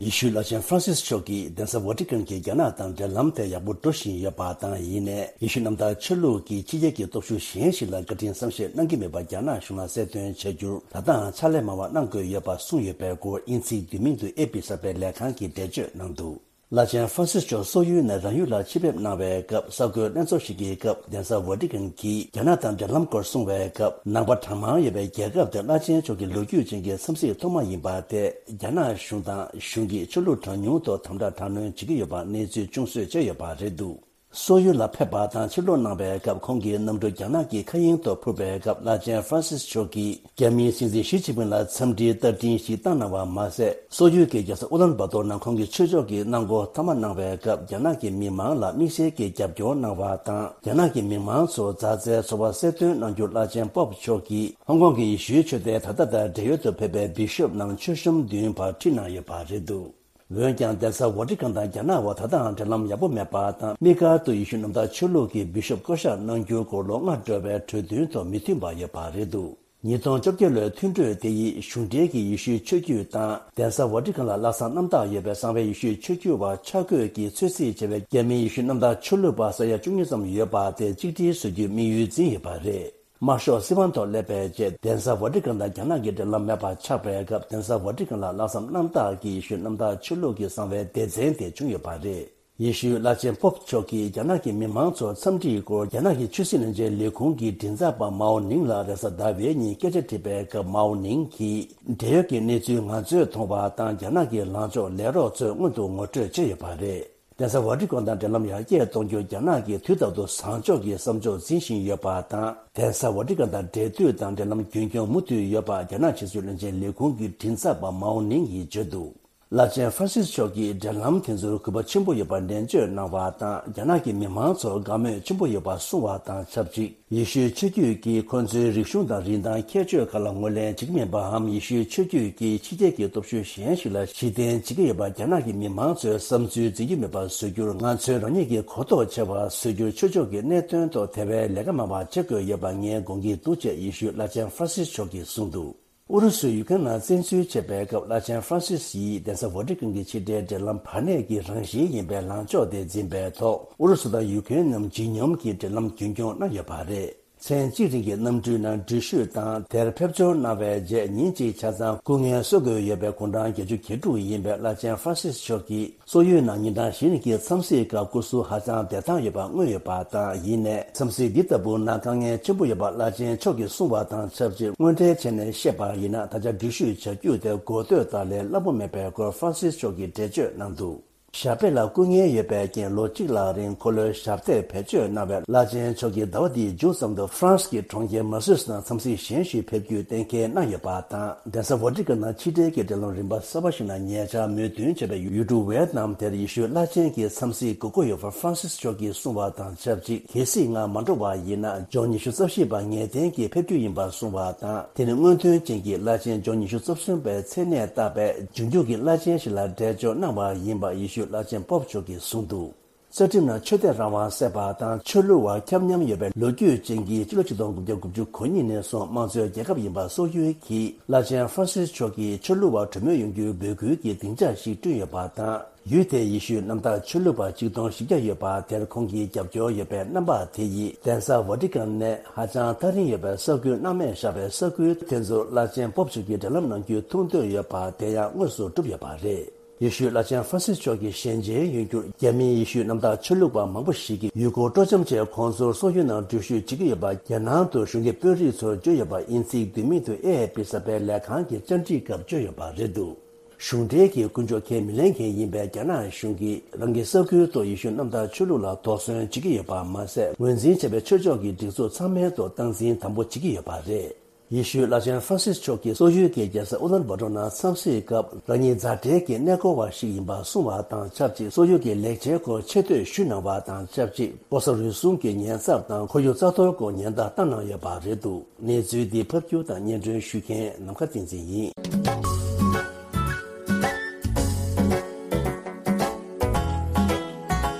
ཡེ་ཤུའི་བླ་ཆེན་ཧྥ་རན་སིས་མཆོག་གིས་གདན་ས་ཝ་ཏི་ཀན་གྱི་རྒྱ་ནག་དང་འབྲེལ་ལམ་དེ་ཡག་པོ་འགྲོ་བཞིན་ཡོད་པ་དང་། ཡིན་ནའི་ཡེ་ཤུ་གནམ་བདག་ཆོས་ལུགས་ཀྱི་ཕྱི་རྒྱལ་གྱི་སྟོབས་ཤུགས་གཞན་ཞིག་ལ་བཀའ་དྲིན་བསམ་ཤེས་གནང་གི་མེད་པ་རྒྱ་ནག་གཞུང་ལ་གསལ་སྟོན་བྱ་རྒྱུར་ད་ལྟའང་ཕྱག་ལས་མང་བ་གནང་དགོས་ཡོད་པ་གསུངས་ཡོད་པའི་སྐོར་དབྱིན་ཚིག་བསྡུས་མིང་དུ་ཨེ་པི་གསར་པའི་ལས་ཁང་གིས་འགྲེལ་བརྗོད་གནང་འདུག་བླ་ཆེན་ཧྥ་རན་སིས་མཆོག་སོག་ཡུལ་ནས་རང་ཡུལ་ལ་ཕྱིར་ཕེབས་གནང་བའི་སྐབས། གསར་འགོད་ལྷན་ཚོགས་ཤིག་གི་སྐབས། གདན་ས་ཝ་ཏི་ཀན་གྱིས་རྒྱ་ནག་དང་འབྲེལ་ལམ་སྐོར་གསུང་བའི་སྐབས། ནང་པ་གྲངས་མང་ཡོད་པའི་རྒྱལ་ཁབ་དེར་བླ་ཆེན་མཆོག་གི་ལོ་རྒྱུས་ཅན་གྱི་འཚམས་གཟིགས་ཐོག་མ་ཡིན་པ་དེ། རྒྱ་ནག་གཞུང་དང་གཞུང་གིས་ཆོས་ལུགས་གྲངས་ཉུང་ཐོག་དམ་དྲག་དྲག་གནོན་བྱེད་ཀྱི་ཡོད་པ་གནས་ཚུལ་ཅུང་ཟད་བྱས་ཡོད་པ་རེད་འདུག་སོག་ཡུལ་ལ་ཕེབས་པ་དང་ཕྱིར་ལོག་གནང་བའི་སྐབས། ཁོང་གི་གནམ་གྲུ་རྒྱ་ནག་གི་མཁའ་དབྱིངས་ཐོག་འཕུར་བའི་སྐབས། བླ་ཆེན་ཧྥ་རན་སིས་མཆོག་གིས་རྒྱ་མིའི་སྲིད་འཛིན་ཞི་ཅིན་ཕིང་ལ་འཚམས་འདྲིའི་རྟ་མགྲིན་ཞིག་བཏང་གནང་བ་མ་ཟད། སོག་ཡུལ་གྱི་རྒྱལ་ས་ཨུ་ལན་བ་ཏོར་ནང་ཁོང་གི་ཆོས་ཕྱོགས་ཀྱི་གནང་སྒོ་མཐའ་མ་གནང་བའི་སྐབས། རྒྱ་ནག་གི་མི་མང་ལ་དམིགས་བསལ་གྱི་རྒྱབ་སྐྱོར་གནང་བ་དང་། རྒྱ་ནག་གི་མི་མང་ཚོར་མཛའ་བརྩེའི་ཚོར་བ་གསལ་སྟོན་གནང་རྒྱུར། བླ་ཆེན་པོབ་མཆོག་གིས་ཧོང་ཀོང་གི་ཡེ་ཤུའི་ཆོས་སྡེ་ད་ལྟ་དང་འབྲེལ་ཡོད་དུ་ཕེབས་པའི་བི་ཤོབ་རྣམས་མཆོད་གཤོམ་བདུན་བར་ཁྲིད་གནང་ཡོད་པ་རེད་འདུག་འོན་ཀྱང་། གདན་ས་ཝ་ཏི་ཀན་དང་རྒྱ་ནག་བར་ད་ལྟའང་འབྲེལ་ལམ་ཡག་པོ་མེད་པ་དང་། དམིགས་བཀར་དུ་ཡེ་ཤུ་གནམ་བདག་ཆོས་ལུགས་ཀྱི་བི་ཤོབ་བསྐོ་གཞག་གནང་རྒྱུའི་སྐོར་ལོ་ལྔ་འགྲོ་བའི་གྲོས་མཐུན་ཐོག་མི་མཐུན་པ་ཡོད་པ་རེད་འདུག་ཉིས་སྟོང་བཅོ་བརྒྱད་ལོའི་མཐུན་གྲོས་དེ་ཡིས་གཞུང་འབྲེལ་གྱི་ཡེ་ཤུའི་ཆོས་བརྒྱུད་དང་། གདན་ས་ཝ་ཏི་ཀན་ལ་ལྷག་བསམ་རྣམ་དག་ཡོད་པའི་གསང་བའི་ཡེ་ཤུའི་ཆོས་བརྒྱུད་པ་ཆ་བགོས་ཀྱིས་ཚོད་རྩིས་བྱས་པའི་རྒྱ་མིའི་ཡེ་ཤུ་གནམ་བདག་ཆོས་ལུགས་པ་ས་ཡ་བཅུ་གཉིས་ཙམ་ཡོད་པ་དེ་གཅིག་སྒྲིལ་བཟོ་རྒྱུའི་དམིགས་ཡུལ་འཛིན་ཡོད་པ་རེད། དམར་ཤོག་སྲིད་དབང་ཐོག་སླེབས་པའི་རྗེས། གདན་ས་ཝ་ཏི་ཀན་དང་རྒྱ་ནག་གི་འབྲེལ་ལམ་མེད་པ་ཆགས་པའི་སྐབས། གདན་ས་ཝ་ཏི་ཀན་ལ་ལྷག་བསམ་རྣམ་དག་གིས་ཡེ་ཤུ་གནམ་བདག་ཆོས་ལུགས་ཀྱི་གསང་བའི་སྡེ་ཚན་དེ་བྱུང་ཡོད་པ་རེད། ཡེ་ཤུའི་བླ་ཆེན་པོབ་མཆོག་གིས་རྒྱ་ནག་གི་མི་མང་ཚོར་འཚམས་འདྲིའི་སྐོར་རྒྱ་ནག་གི་ཆོས་སྲིད་བློན་ཆེན་ལས་ཁུངས་ཀྱི་མགྲིན་ཚབ་པ་མའོ་ནིང་ལ་རེས་གཟའ་ཟླ་བའི་ཉིན་སྐད་ཆ་དྲིས་པའི་སྐབས། མའོ་ནིང་གིས་འབྲེལ་ཡོད་ཀྱི་གནས་ཚུལ་ང་ཚོས་མཐོང་བ་དང་། རྒྱ་ནག་གི་ལངས་ཕྱོགས་ལས་རོགས་ཚོས་སྔོན་དུ་ངོ་སྤྲོད་བྱས་ཡོད་པ་རེད། གདན་ས་ཝ་ཏི་ཀན་དང་འབྲེལ་ལམ་ཡར་རྒྱས་གཏོང་རྒྱུར་རྒྱ་ནག་གིས་དུས་རྟག་ཏུ་བཟང་ཕྱོགས་ཀྱི་བསམ་ཕྱོགས་འཛིན་བཞིན་ཡོད་པ་དང་། གདན་ས་ཝ་ཏི་ཀན་དང་འབྲེལ་མཐུད་དང་འབྲེལ་ལམ་རྒྱུན་འཁྱོངས་མུ་མཐུད་ཡོད་པ་རྒྱ་ནག་ཕྱི་སྲིད་བློན་ཆེན་ལས་ཁུངས་ཀྱི་མགྲིན་ཚབ་པ་མའོ་ནིང་གིས་བརྗོད་འདུག་བླ་ཆེན་ཧྥ་རན་སིས་མཆོག་གིས་འབྲེལ་ལམ་དེ་ཚོར་གུས་པ་ཆེན་པོ་ཡོད་པ་ནན་བརྗོད་གནང་བ་དང་། རྒྱ་ནག་གི་མི་མང་ཚོར་དགའ་མོས་ཆེན་པོ་ཡོད་པ་གསུངས་བ་དང་ཆབས་ཅིག་ཡེ་ཤུའི་ཆོས་བརྒྱུད་ཀྱིས་ཁོ་ཚོའི་རིག་གཞུང་དང་རིན་ཐང་ཁྱད་ཆོས་ཁག་ལ་ངོས་ལེན་བྱེད་ཀྱི་མིན་པའམ། ཡེ་ཤུའི་ཆོས་བརྒྱུད་ཀྱིས་ཕྱི་རྒྱལ་གྱི་སྟོབས་ཤུགས་གཞན་ཞིག་ལ་གཞི་རྟེན་བྱེད་ཀྱི་ཡོད་པ་རྒྱ་ནག་གི་མི་མང་ཚོའི་བསམ་ཚུལ་འཛིན་རྒྱུ་མེད་པ་བཟོ་རྒྱུར། ང་ཚོས་རང་ཉིད་ཀྱི་གོ་རྟོགས་ཆེ་བ་བཟོ་རྒྱུར་ཆོས་ཕྱོགས་ཀྱི་གནད་དོན་ཐོག་དེ་བས་ལས་ཀ་མང་བ་བྱེད་དགོས་ཡོད་པ་ངས་དགོངས་ཀྱི་འདུག་ཅེས་ཡེ་ཤུའི་བླ་ཆེན་ཧྥ་རན་སིས་མཆོག་གིས་གསུངས་འདུག་ཨུ་རུ་སུས་ཡུ་ཀེ་རེན་ནང་བཙན་འཛུལ་བྱས་པའི་སྐབས། བླ་ཆེན་ཧྥ་རན་སིས་ཡིས་གདན་ས་ཝ་ཏི་ཀན་གྱི་ཕྱི་འབྲེལ་འབྲེལ་ལམ་བར་གནས་ཀྱི་རང་བཞིན་ཡིན་པའི་ལངས་ཕྱོགས་དེ་འཛིན་པའི་ཐོག་ཨུ་རུ་སུ་དང་ཡུ་ཀེ་རེན་རྣམས་ཇེ་སྙོམས་ཀྱི་འབྲེལ་ལམ་རྒྱུན་འཁྱོངས་གནང་ཡོད་པ་རེད། མཚན་གཅིག་རིང་གི་གནམ་གྲུའི་ནང་འགྲུལ་བཞུད་དང་། དེར་ཕེབས་འབྱོར་གནང་བའི་རྗེས་ཉིན་གཅིག་ཆ་ཚང་སྐུ་ངལ་གསོ་དགོས་ཡོད་པའི་དགུང་གྲངས་བརྒྱད་ཅུ་གྱ་དྲུག་ཡིན་པའི་བླ་ཆེན་ཧྥ་རན་སིས་མཆོག་གིས། སོག་ཡུལ་ནང་ཉིན་གྲངས་བཞི་རིང་གི་འཚམས་གཟིགས་སྐབས་སྐུ་གཟུགས་ཧ་ཅང་བདེ་ཐང་ཡོད་པ་མངོན་ཡོད་པ་དང་། ཡིན་ནའི་འཚམས་གཟིགས་འདི་ལྟ་བུ་ནང་དཀའ་ངལ་ཆེན་པོ་ཡོད་པ་བླ་ཆེན་མཆོག་གིས་གསུངས་པ་དང་ཆབས་ཅིག་དངོས་འབྲེལ་བྱས་ནས་བཤད་པ་ཡིན་ན། ད་ཆ་འགྲུལ་བཞུད་བྱ་རྒྱུ་དེ་འགོ་སྟོད་ལྟར་ལས་སླ་པོ་མེད་པའི་སྐོར་ཧྥ་རན་སིས་མཆོག་གིས་འགྲེལ་བརྗོད་གནང་འདུག་ཞབས་པད་ལ་སྐུ་ངལ་ཡོད་པའི་རྐྱེན། ལོ་གཅིག་ལྷག་རིང་འཁོར་ལོའི་ཞབས་སྟེགས་བེད་སྤྱོད་གནང་བའི་བླ་ཆེན་མཆོག་གིས་ཟླ་བ་འདིའི་མཇུག་ཙམ་དུ་ཧྥ་རན་སི་གི་གྲོང་ཁྱེར་མར་སེ་ཡིས་ནང་འཚམས་གཟིགས་གཞན་ཞིག་ཕེབས་རྒྱུའི་གཏན་འཁེལ་གནང་ཡོད་པ་དང་། གདན་ས་ཝ་ཏི་ཀན་ནང་ཕྱི་འབྲེལ་གྱི་འབྲེལ་ལམ་རིམ་པ་གསར་པ་ཞིག་ནང་ཉེ་ཆར་མོས་མཐུན་བྱས་པའི་ཡུལ་གྲུ་ཝེ་ཏི་ནམ་དེར་ཡེ་ཤུའི་བླ་ཆེན་གྱི་འཚམས་གཟིགས་དགོས་མཁོ་ཡོད་པར་ཧྥ་རན་སིས་མཆོག་གིས་གསུངས་པ་དང་ཆབས་ཅིག་གལ་སྲིད་སྔར་མ་འགྲོ་བ་ཡིན་ན། ལྗོངས་ཉི་ཤུ་རྩ་བཞི་པ་ངེས་གཏན་གྱིས་ཕེབས་རྒྱུ་ཡིན་པར་གསུངས་པ་དང་། དེ་ནི་སྔོན་ཐོན་ཅན་གྱི་བླ་ཆེན་ལྗོངས་ཉི་ཤུ་རྩ་གསུམ་པའི་མཚན་གནས་བཏགས་པའི་འབྱུང་འགྱུར་གྱི་བླ་ཆེན་ཞིག་ལ་འགྲེལ་བརྗོད་གནང་བ་ཡིན་པ་ཡེ་ཤུའི་བླ་ཆེན་པོབ་མཆོག་གིས་གསུངས་འདུག་རྩ་ཁྲིམས་ནང་ཆོས་དད་རང་དབང་གསལ་བ་དང་ཆོས་ལུགས་བར་ཁྱབ་མཉམ་ཡོད་པའི་ལོ་རྒྱུས་ཅན་གྱི་སྤྱི་ལོ་ཆིག་སྟོང་དགུ་བརྒྱ་དགུ་བཅུ་གོ་གཉིས་ནས་བཟུང་དམངས་གཙོའི་རྒྱལ་ཁབ་ཡིན་པ་སོག་ཡུལ་གྱི་བླ་ཆེན་ཧྥ་རན་སིས་མཆོག་གིས་ཆོས་ལུགས་བར་གྲོས་མོལ་ཡོང་རྒྱུའི་འབོད་སྐུལ་གྱི་སྡིངས་ཆ་ཞིག་བསྐྲུན་ཡོད་པ་དང་། ཡུལ་དེའི་ཡེ་ཤུའི་གནམ་བདག་ཆོས་ལུགས་པ་ཆིག་སྟོང་བཞི་བརྒྱ་ཡོད་པ་དེར་ཁོང་གི་རྒྱབ་སྐྱོར་ཡོད་པའི་རྣམ་པ་དེ་ཡིས་གདན་ས་ཝ་ཏི་ཀན་ནས་ཧ་ཅང་ཐག་རིང་ཡོད་པའི་ས་ཁུལ་སྣང་མེད་བཞག་པའི་ས་ཁུལ་དེ་ཚོར་བླ་ཆེན་པོབ་མཆོག་གིས་འབྲེལ་ལམ་གནང་རྒྱུའི་ཐུགས་འདོད་ཡོད་པ་དེ་ཡང་དངོས་སུ་གྲུབ་ཡོད་པ་རེད། ཡེ་ཤུའི་བླ་ཆེན་ཧྥ་རན་སིས་མཆོག་གི་ཞལ་མཇལ་ཡོང་རྒྱུར་རྒྱ་མིའི་ཡེ་ཤུའི་གནམ་བདག་ཆོས་ལུགས་པ་མང་པོ་ཞིག་གིས་ཡུལ་སྐོར་སྤྲོ་འཆམ་ཆེད་ཁོང་ཚོར་སོག་ཡུལ་ནང་འགྲུལ་བཞུད་བྱེད་ཀྱི་ཡོད་པ་རྒྱལ་ནང་དུ་གཞུང་གི་དཔོན་རིགས་ཚོར་བརྗོད་ཡོད་པ་ཨིན་ཚིག་བསྡུས་མིང་དུ་ཨེ་ཨེ་པི་གསར་པའི་ལས་ཁང་གི་བཅར་འདྲིའི་སྐབས་བརྗོད་ཡོད་པ་རེད་འདུག་གཞུང་འབྲེལ་གྱི་ཀུན་སྤྱོད་ཁས་མི་ལེན་མཁན་ཡིན་པའི་རྒྱ་ནག་གཞུང་གིས་རང་གི་ས་ཁུལ་དུ་ཡེ་ཤུ་གནམ་བདག་ཆོས་ལུགས་ལ་དོགས་ཟོན་བྱེད་ཀྱི་ཡོད་པ་མ་ཟད། ངོས་འཛིན་བྱས་པའི་ཆོས་ཕྱོགས་ཀྱི་སྒྲིག་འཛུགས་ཚང་མའི་ཐོག་སྟངས་འཛིན་དམ་པོ་བྱེད་ཀྱི་ཡོད་པ་རེད། ཡེ་ཤུའི་བླ་ཆེན་ཧྥ་རན་སིས་མཆོག་གིས་སོག་ཡུལ་གྱི་རྒྱལ་ས་ཨུ་ལན་བྷ་ཏོར་ནང་འཚམས་གཟིགས་སྐབས། རང་ཉིད་མཛའ་འབྲེལ་གྱི་གནས་སྐོར་བ་ཞིག་ཡིན་པ་གསུངས་པ་དང་ཆབས་ཅིག་སོག་ཡུལ་གྱི་ལེགས་ཆའི་སྐོར་ཆེ་བསྟོད་ཞུས་གནང་བ་དང་ཆབས་ཅིག་ལྐོག་ཟ་རུལ་སུངས་ཀྱི་ཉེན་ཚབས་དང་ཁོར་ཡུག་རྩ་གཏོར་སྐོར་ཉེན་བརྡ་བཏང་གནང་ཡོད་པ་རེད་འདུག་གནས་ཚུལ་འདི་ཕབ་སྒྱུར་དང་སྙན་སྒྲོན་ཞུ་མཁན་ནམ་མཁའ་བསྟན་འཛིན་ཡིན།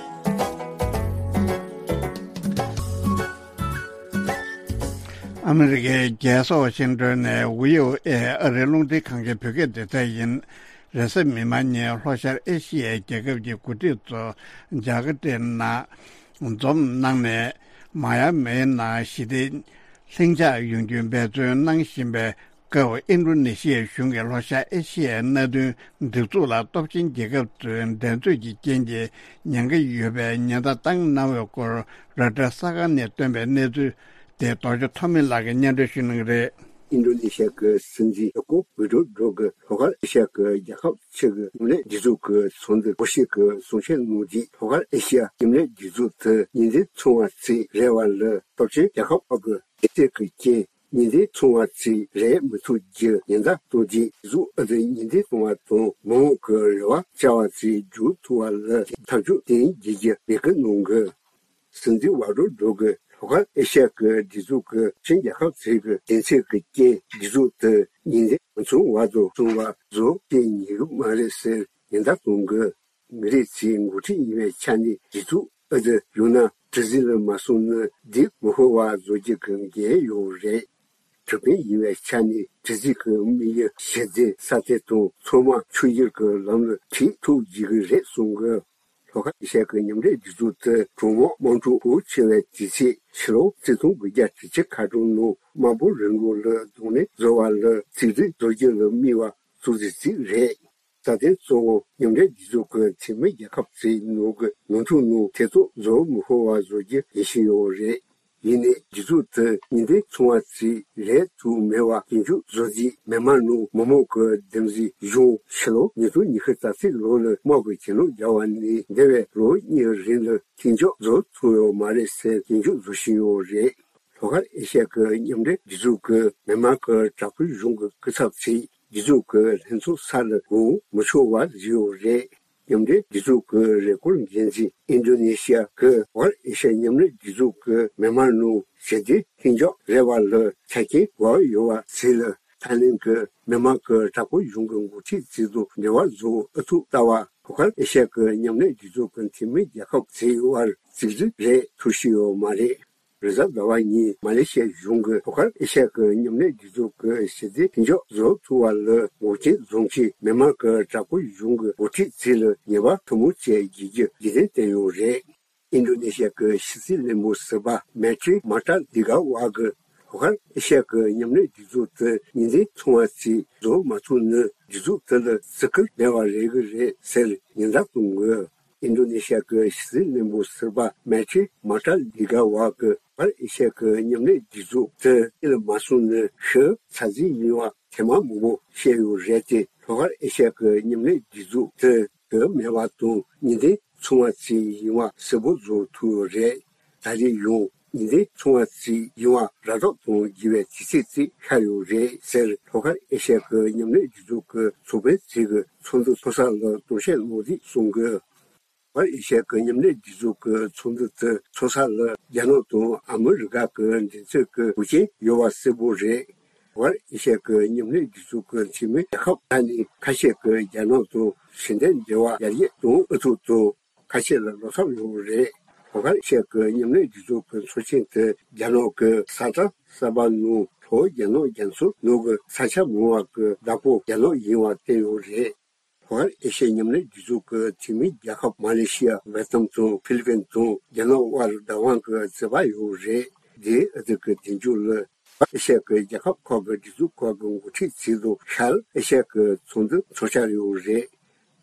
ཨ་མི་རི་ཀའི་རྒྱལ་ས་ཝ་ཤིང་ཏོན་ནས་བྷི་ཨོ་ཨེ་ཨ་རིའི་རླུང་འཕྲིན་ཁང་གི་བོད་སྐད་སྡེ་ཚན་ཡིན། རེས་གཟའ་མིག་དམར་ཉིན་ལྷོ་ཤར་ཨེ་ཤི་ཡའི་རྒྱལ་ཁབ་ཀྱི་འགོ་ཁྲིད་ཚོ་ཇ་ཀར་ཏའི་ནང་འཛོམས་གནང་ནས། མ་ཡ་མེའི་ནང་ཞི་བདེ་ལྷིང་འཇགས་ཡོང་རྒྱུའི་འབད་བརྩོན་གནང་བཞིན་པའི་སྐབས། ཨིན་ཌོ་ནེ་ཤི་ཡའི་གཞུང་གིས་ལྷོ་ཤར་ཨེ་ཤི་ཡའི་མནའ་མཐུན་སྒྲིག་འཛུགས་ལ་སྟོབས་ཆེན་རྒྱལ་ཁབ་ཚོའི་འགྲན་རྩོད་ཀྱི་རྐྱེན་གྱིས་ཉེན་ཁ་ཡོད་པའི་ཉེན་བརྡ་བཏང་གནང་བའི་སྐོར་རོའི་ཊར་གསར་ཁང་ནས་བཏོན་པའི་གནས་ཚུལ་དེ་རྡོ་རྗེ་ཐོགས་མེད་ལགས་ཀྱིས་སྙན་སྒྲོན་ཞུ་གནང་གི་རེད། ཨིན་ཌོ་ནེ་ཤི་ཡ་གི་སྲིད་འཛིན་ཇོ་ཀོ་ཝི་ཌོ་ཌོ་གིས་ལྷོ་ཤར་ཨེ་ཤི་ཡ་གི་རྒྱལ་ཁབ་ཆེ་གི་མཉམ་ལས་སྒྲིག་འཛུགས་ཀྱི་ཚོགས་འདུར་གོ་ཤིས་ཀྱིས་གསུང་བཤད་གནང་རྗེས། ལྷོ་ཤར་ཨེ་ཤི་ཡ་མཉམ་ལས་སྒྲིག་འཛུགས་དེ་ཉིན་མཚན་ཚང་བ་ཚིག་རེ་བ་ལ་སྟོབས་ཆེན་རྒྱལ་ཁབ་ཁག་གི་སྡེ་ཚན་གྱི་རྐྱེན། ཉིན་མཚན་ཚང་བ་ཚིག་རེད་མི་ཐུབ་རྒྱུ་ཉེན་བརྡ་གཏོང་རྗེས། སྒྲིག་འཛུགས་ཨ་ཙི་ཉིན་མཚན་ཚང་བ་དང་མི་མང་གི་རེ་བ་བཅའ་བ་ཚིག་འཇུག་ཐུབ་པ་ལ་ཐབས་ཇུས་གཏན་འཇལ་རྒྱུ་མེད་སྐུལ་གནང་གི། སྲིད་འཛིན་ཝ་ཌོ་ཌོ་གིས་ལྷོ་ཤར་ཨེ་ཤ་ཡ་གི་སྒྲིག་འཛུགས་ཀྱི་ཆེན་རྒྱལ་ཁབ་ཚོའི་གི་སྡེ་ཚན་གྱི་རྐྱེན་སྒྲིག་འཛུགས་དེ་ཉིན་མཚན་མ་ཚང་བར་དུ་སྲུང་བ་བཟོ་བྱེད་ཉན་གི་མ་རེད་ཟེར་ཉེན་བརྡ་གཏོང་གི། མི་རིགས་ཚོའི་འགོ་ཁྲིད་ཡིན་པའི་ཆ་ནས་སྒྲིག་འཛུགས་ཨ་ཙི་ཡོད་ན་གྲུ་གཟིངས་ལ་མ་སོང་ན་འདི་མི་ཤོར་བ་བཟོ་རྒྱུ་གི་འགན་ཡོད་རེད། གྲུ་དཔོན་ཡིན་པའི་ཆ་ནས་གྲུ་གཟིངས་ཀྱི་དམིགས་ཡུལ་གཞི་རྟེན་ས་ཐེ་དང་ཚང་མ་ཆུ་བཞུར་གྱི་ལམ་ལ་ཁྲིད་ཐུབ་བགྱིད་ཀྱི་རེད་གསུངས་གི། ལྷོ་ཁ་ཨེ་ཤ་ཡ་གི་མཉམ་འབྲེལ་སྒྲིག་འཛུགས་དེ་གྲོང་དམག་དམག་འཁྲུག་ཤུགས་ཆེ་བའི་དུས་ཚོད་ཕྱི་ལོ་ཆིག་སྟོང་དགུ་བརྒྱ་དྲུག་ཅུ་ཁ་གྲངས་ནང་དམར་པོ་རི་མགོ་ལ་རྡུང་ལེན་བཟོ་བ་ལ་ཚིག་སྒྲིལ་བཟོ་རྒྱུ་ལ་དམིགས་པ་གཙོ་ཆེ་ཅིག་རེད། རྩ་དོན་གཙོ་བོ་མཉམ་འབྲེལ་རྒྱལ་ཚོགས་ཀྱི་འཐུས་མི་རྒྱལ་ཁབ་ཚོའི་ནང་གི་ནང་འཁྲུག་ནང་ཐེ་གཏོགས་བཟོ་མི་ཕོད་པ་བཟོ་རྒྱུ་ཡིན་བཞིན་ཡོད་རེད། ཡིན་ནའི་རྒྱུ་ཚོགས་དེ་གཉིས་ལྡན་ཚོང་བ་ཚོས་ལས་ཐུབ་མེད་པ་རྒྱུན་འཁྱོངས་བཟོ་རྩིས་མི་མང་ནང་མི་མང་གི་འདེམས་གསེས་གཞུང་ཕྱི་ལོ་ཉིས་སྟོང་ཉི་ཤུ་རྩ་གཅིག་ལོ་ལ་དམག་གི་གྱེན་ལོག་བརྒྱབ་པ་ནས་འདས་པའི་ལོ་གཉིས་རིང་ལ་མཐུན་འཇོག་བཟོ་ཐུབ་ཡོད་མ་རེད་ཟེར་སྐྱོན་བརྗོད་བཟོ་བཞིན་ཡོད་རེད། ལྷོ་ཤར་ཨེ་ཤ་ཡ་གི་མཉམ་འབྲེལ་རྒྱལ་ཚོགས་ཀྱི་མི་དམངས་ཀྱི་དྲག་པོའི་གཞུང་གི་སྐུ་ཚབ་ཚོས་རྒྱལ་ཚོགས་ཀྱི་ལྷན་ཚོགས་ས་ལ་དགོངས་མི་ཆོག་པ་བཟོས་ཡོད་རེད། མཉམ་འབྲེལ་རྒྱལ་ཚོགས་ཀྱི་རེས་སྐུལ་འགན་འཛིན་ཨིན་ཌོ་ནེ་ཤི་ཡ་གི་ལྷོ་ཤར་ཨེ་ཤ་ཡ་མཉམ་ལས་རྒྱལ་ཚོགས་ཀྱི་མི་དམངས་ནང་ཞི་བདེ་མཐུན་འཇགས་རེ་བ་ལ་ཆ་རྐྱེན་དགོས་ཡོད་པ་ཚོ་ལ་ཐའི་ལེན་གྱི་མི་དམངས་ཀྱི་དྲག་པོའི་གཞུང་གི་འགོ་ཁྲིད་ཚོ་དང་འབྲེལ་བ་བཟོ་ཨུ་ཐུག་ལྟ་བ། ལྷོ་ཤར་ཨེ་ཤ་ཡ་གི་མཉམ་ལས་རྒྱལ་ཚོགས་ཀྱི་འཐུས་མི་རྒྱལ་ཁབ་ཚོའི་དབར་རྩིས་རིག་རེད་ཐུབ་བཞིན་ཡོད་མ་རེད། རེས་གཟའ་ཟླ་བ་ཉིན་མ་ལེ་ཤི་ཡའི་གཞུང་གིས་ལྷོ་ཤར་ཨེ་ཤ་ཡ་གི་མཉམ་ལས་རྒྱལ་ཚོགས་ཀྱི་ཞི་བདེ་མཐུན་འཇགས་བཟོ་ཐུབ་པ་ལ་འགོག་རྐྱེན་བཟོ་མཁན་མི་དམངས་ཀྱི་དྲག་པོའི་གཞུང་གི་འགོ་ཁྲིད་ཚོ་ལ་ཉེས་པ་ཐུ་མོ་བཅས་འགེལ་རྒྱུ་རྒྱུན་ལྡན་བསྟན་ཡོད་རེད། ཨིན་ཌོ་ནེ་ཤི་ཡ་གི་ཕྱི་སྲིད་བློན་པོ་ཟུར་པ་མེ་ཏྲི་མ་ཏྲ་ལི་ག་ཝ་གིས་ལྷོ་ཤར་ཨེ་ཤ་ཡ་གི་མཉམ་ལས་རྒྱལ་ཚོགས་དེ་གཉིས་ལྡན་ཚོང་བ་ཚོས་བཟོ་མ་ཐུབ་ན་རྒྱལ་ཚོགས་དེ་ལ་བརྩི་བཀུར་མེད་པ་རེད་གི་རེད་ཟེར་ཉེན་བརྡ་གཏོང་གི། ཨིན་ཌོ་ནེ་ཤི་ཡ་གི་ཕྱི་སྲིད་བློན་པོ་ཟུར་པ་མེ་ཏྲི་མ་ཏྲ་ལི་ག་ཝ་གིས་ལྷོ་ཤར་ཨེ་ཤ་ཡ་གི་མཉམ་ལས་རྒྱལ་ཚོགས་དེ་གཉིད་ལ་མ་སོང་ན་ཤི་ཚ་རྫི་ཡིན་པ་ཐེངས་མ་མང་པོ་བཤད་ཡོད་རེད་དེ། ལྷོ་ཤར་ཨེ་ཤ་ཡ་གི་མཉམ་ལས་རྒྱལ་ཚོགས་དེ་གི་མེད་པ་དང་གཉིས་ལྡན་ཚོང་བ་ཚོས་ཡིན་པ་གསལ་པོ་བཟོ་ཐུབ་ཡོད་རེད། ད་རེས་ཡང་གཉིས་ལྡན་ཚོང་བ་ཚོས་ཡིན་པ་ར་སྤྲོད་གཏོང་དགོས་པའི་དུས་ཚོད་ཅིག་ཤར་ཡོད་རེད་ཟེར་ལྷོ་ཤར་ཨེ་ཤ་ཡ་གི་མཉམ་ལས་རྒྱལ་ཚོགས་ཀྱི་ཚོགས་དཔོན་ཚོས་ཀྱི་ཚོགས་འདུ་ཚོགས་ས་ལ་གཏམ་བཤད་གནང་དུས་གསུངས་ཀྱི། ལྷོ་ཤར་ཨེ་ཤ་ཡ་གི་མཉམ་ལས་རྒྱལ་ཚོགས་ཀྱི་ཚོགས་འདུ་དེ་ཚོགས་ས་ལ་རྒྱ་ནག་དང་ཨ་མི་རི་ཀ་གི་མགྲིན་ཚབ་ཀྱི་འགོག་རྐྱེན་ཡོད་པ་གསལ་པོ་རེད། ལྷོ་ཤར་ཨེ་ཤ་ཡ་གི་མཉམ་ལས་རྒྱལ་ཚོགས་ཀྱི་འཐུས་མི་རྒྱལ་ཁབ་ཁག་ནས་ཁ་ཤས་ཀྱིས་རྒྱ་ནག་དང་ཕྱི་འབྲེལ་འབྲེལ་བ་ཡར་རྒྱས་གཏོང་ཨུ་ཐུག་དང་། ཁ་ཤས་ལ་བློ་འཚབ་ཡོད་རེད། ལྷོ་ཤར་ཨེ་ཤ་ཡ་གི་མཉམ་ལས་རྒྱལ་ཚོགས་ཀྱི་ཚོགས་ཆེན་དེ་རྒྱ་ནག་གི་ས་ཁྲ་གསར་པ་ནང་ལྷོ་རྒྱ་ནག་རྒྱ་མཚོ་ནང་གི་ས་ཆ་མང་བ་གི་བདག་པོ་རྒྱ་ནག་ཡིན་པ་བསྟན་ཡོད་རེད། ལྷོ་ཤར་ཨེ་ཤ་ཡ་མཉམ་ལས་རྒྱལ་ཚོགས་ཀྱི་འཐུས་མི་རྒྱལ་ཁབ་མ་ལེ་ཤི་ཡ། ཝེ་ཏི་ནམ་དང་ཧྥི་ལི་པིན་དང་རྒྱ་ནག་དབར་བདག་དབང་གི་རྩོད་པ་ཡོད་རེད། འདིའི་ཨ་ཐུར་གྱི་མདུན་ལྕོག་ལ་ཨེ་ཤ་ཡ་གི་རྒྱལ་ཁབ་ཁག་གི་སྒྲིག་འཛུགས་ཁག་གི་འགོ་ཁྲིད་ཚོ་དང་ཤར་ཨེ་ཤ་ཡ་གི་ཚོགས་འདུ་འཚོགས་འཆར་ཡོད་རེད།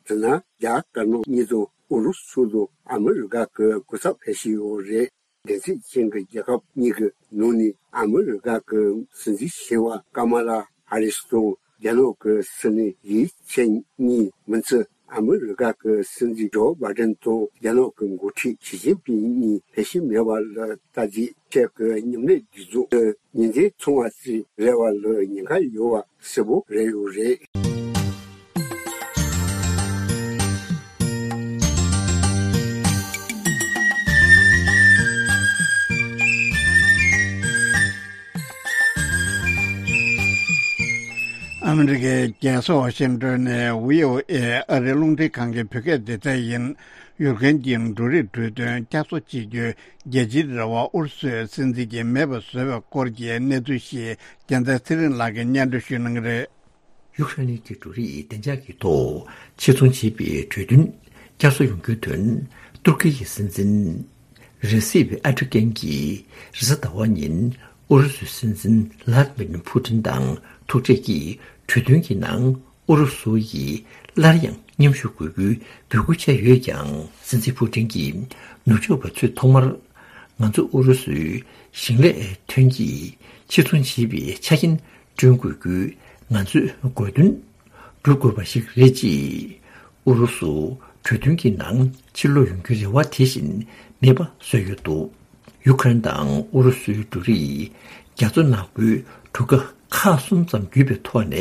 དེ་ན་རྒྱ་དཀར་ནག་གཉིས་དང་ཨུ་རུ་སུ་དང་ཨ་མི་རི་ཀ་གི་སྐུ་ཚབ་ཕེབས་བཞིན་ཡོད་རེད། འགན་འཛིན་ཅན་གྱི་རྒྱལ་ཁབ་གཉིས་ཀྱི་ནང་ནས་ཨ་མི་རི་ཀ་གི་སྲིད་འཛིན་ཆེ་བ་ཀ་མ་ལ་ཧ་རི་སི་དང་རྒྱ་ནག་གི་སྲིད་བློན་ཡི་ཆན་གཉིས་མིན་ཚེ་ཨ་མི་རི་ཀ་གི་སྲིད་འཛིན་ཇོ་བྷའི་ཌེན་དང་རྒྱ་ནག་གི་འགོ་ཁྲིད་ཞི་ཅིན་ཕིང་གཉིས་ཕེབས་བཞིན་མེད་པ་ལ་ལྟ་རྗེས་ཨེ་ཤ་ཡ་གི་མཉམ་ལས་རྒྱལ་ཚོགས་དེ་གཉིས་ལྡན་ཚོང་བ་ཚོའི་རེ་བ་ལ་ཉེན་ཁ་ཡོད་པ་གསལ་པོ་རེད་ཡོད་རེད། ཨ་མི་རི་ཀའི་རྒྱལ་ས་ཝ་ཤིང་ཏོན་ནས་བྷི་ཨོ་ཨེ་ཨ་རིའི་རླུང་འཕྲིན་ཁང་གི་བོད་སྐད་སྡེ་ཚན་ཡིན། ཡུཀ་རེན་གྱི་འབྲུ་རིགས་གྲོས་མཐུན་བསྐྱར་གསོ་བྱེད་རྒྱུའི་རྒྱལ་སྤྱིའི་རེ་བ་ཨུ་རུ་སུའི་སྲིད་འཛིན་གྱིས་མེད་པར་བཟོས་པའི་སྐོར་གྱི་གནས་ཚུལ་ཞིག་རྒྱལ་མཚན་ཚེ་རིང་ལགས་ཀྱིས་སྙན་སྒྲོན་ཞུ་གནང་གི་རེད། ཡུཀ་རེན་གྱི་འབྲུ་རིགས་བདེ་འཇགས་ཀྱི་ཐོག་ཕྱིར་ཚོང་བྱེད་པའི་གྲོས་མཐུན་བསྐྱར་གསོ་ཡོང་རྒྱུའི་དོན། ཏུར་ཀི་ཡི་སྲིད་འཛིན་རེ་སིབ་ཨར་ཏུ་གན་གྱིས་རེས་གཟའ་ཟླ་བ་ཉིན་ཨུ་རུ་སུའི་སྲིད་འཛིན་ལྷ་ལྡི་མིར་ཕུ་ཏིན་དང་ཐུག་འཕྲད་ཀྱིས་གྲོས་མཐུན་གྱི་ནང་ཨུ་རུ་སུ་ཡིས་སླར་ཡང་མཉམ་ཞུགས་དགོས་རྒྱུའི་འབོད་སྐུལ་བྱས་ཡོད་ཀྱང་། སྲིད་འཛིན་ཕུ་ཏིན་གྱིས་ནུབ་ཕྱོགས་པ་ཚོས་ཐོག་མར་ང་ཚོ་ཨུ་རུ་སུའི་ཞིང་ལས་ཐོན་སྐྱེད་ཕྱིར་ཚོང་བྱེད་པའི་ཆ་རྐྱེན་བསྐྲུན་དགོས་རྒྱུའི་ང་ཚོའི་དགོས་འདུན་སྒྲུབ་དགོས་པ་ཞིག་རེད་ཅེས། ཨུ་རུ་སུ་གྲོས་མཐུན་གྱི་ནང་ཕྱིར་ལོག་ཡོང་རྒྱུའི་རེ་བ་དེ་བཞིན་མེད་པ་བཟོས་ཡོད་འདུག་ཡུཀ་རེན་དང་ཨུ་རུ་སུའི་འབྲུ་རིགས་རྒྱ་མཚོ་ནག་པོའི་གྲུ་ཁ་ཁག་གསུམ་ཙམ་བརྒྱུད་པའི་ཐོག་ནས་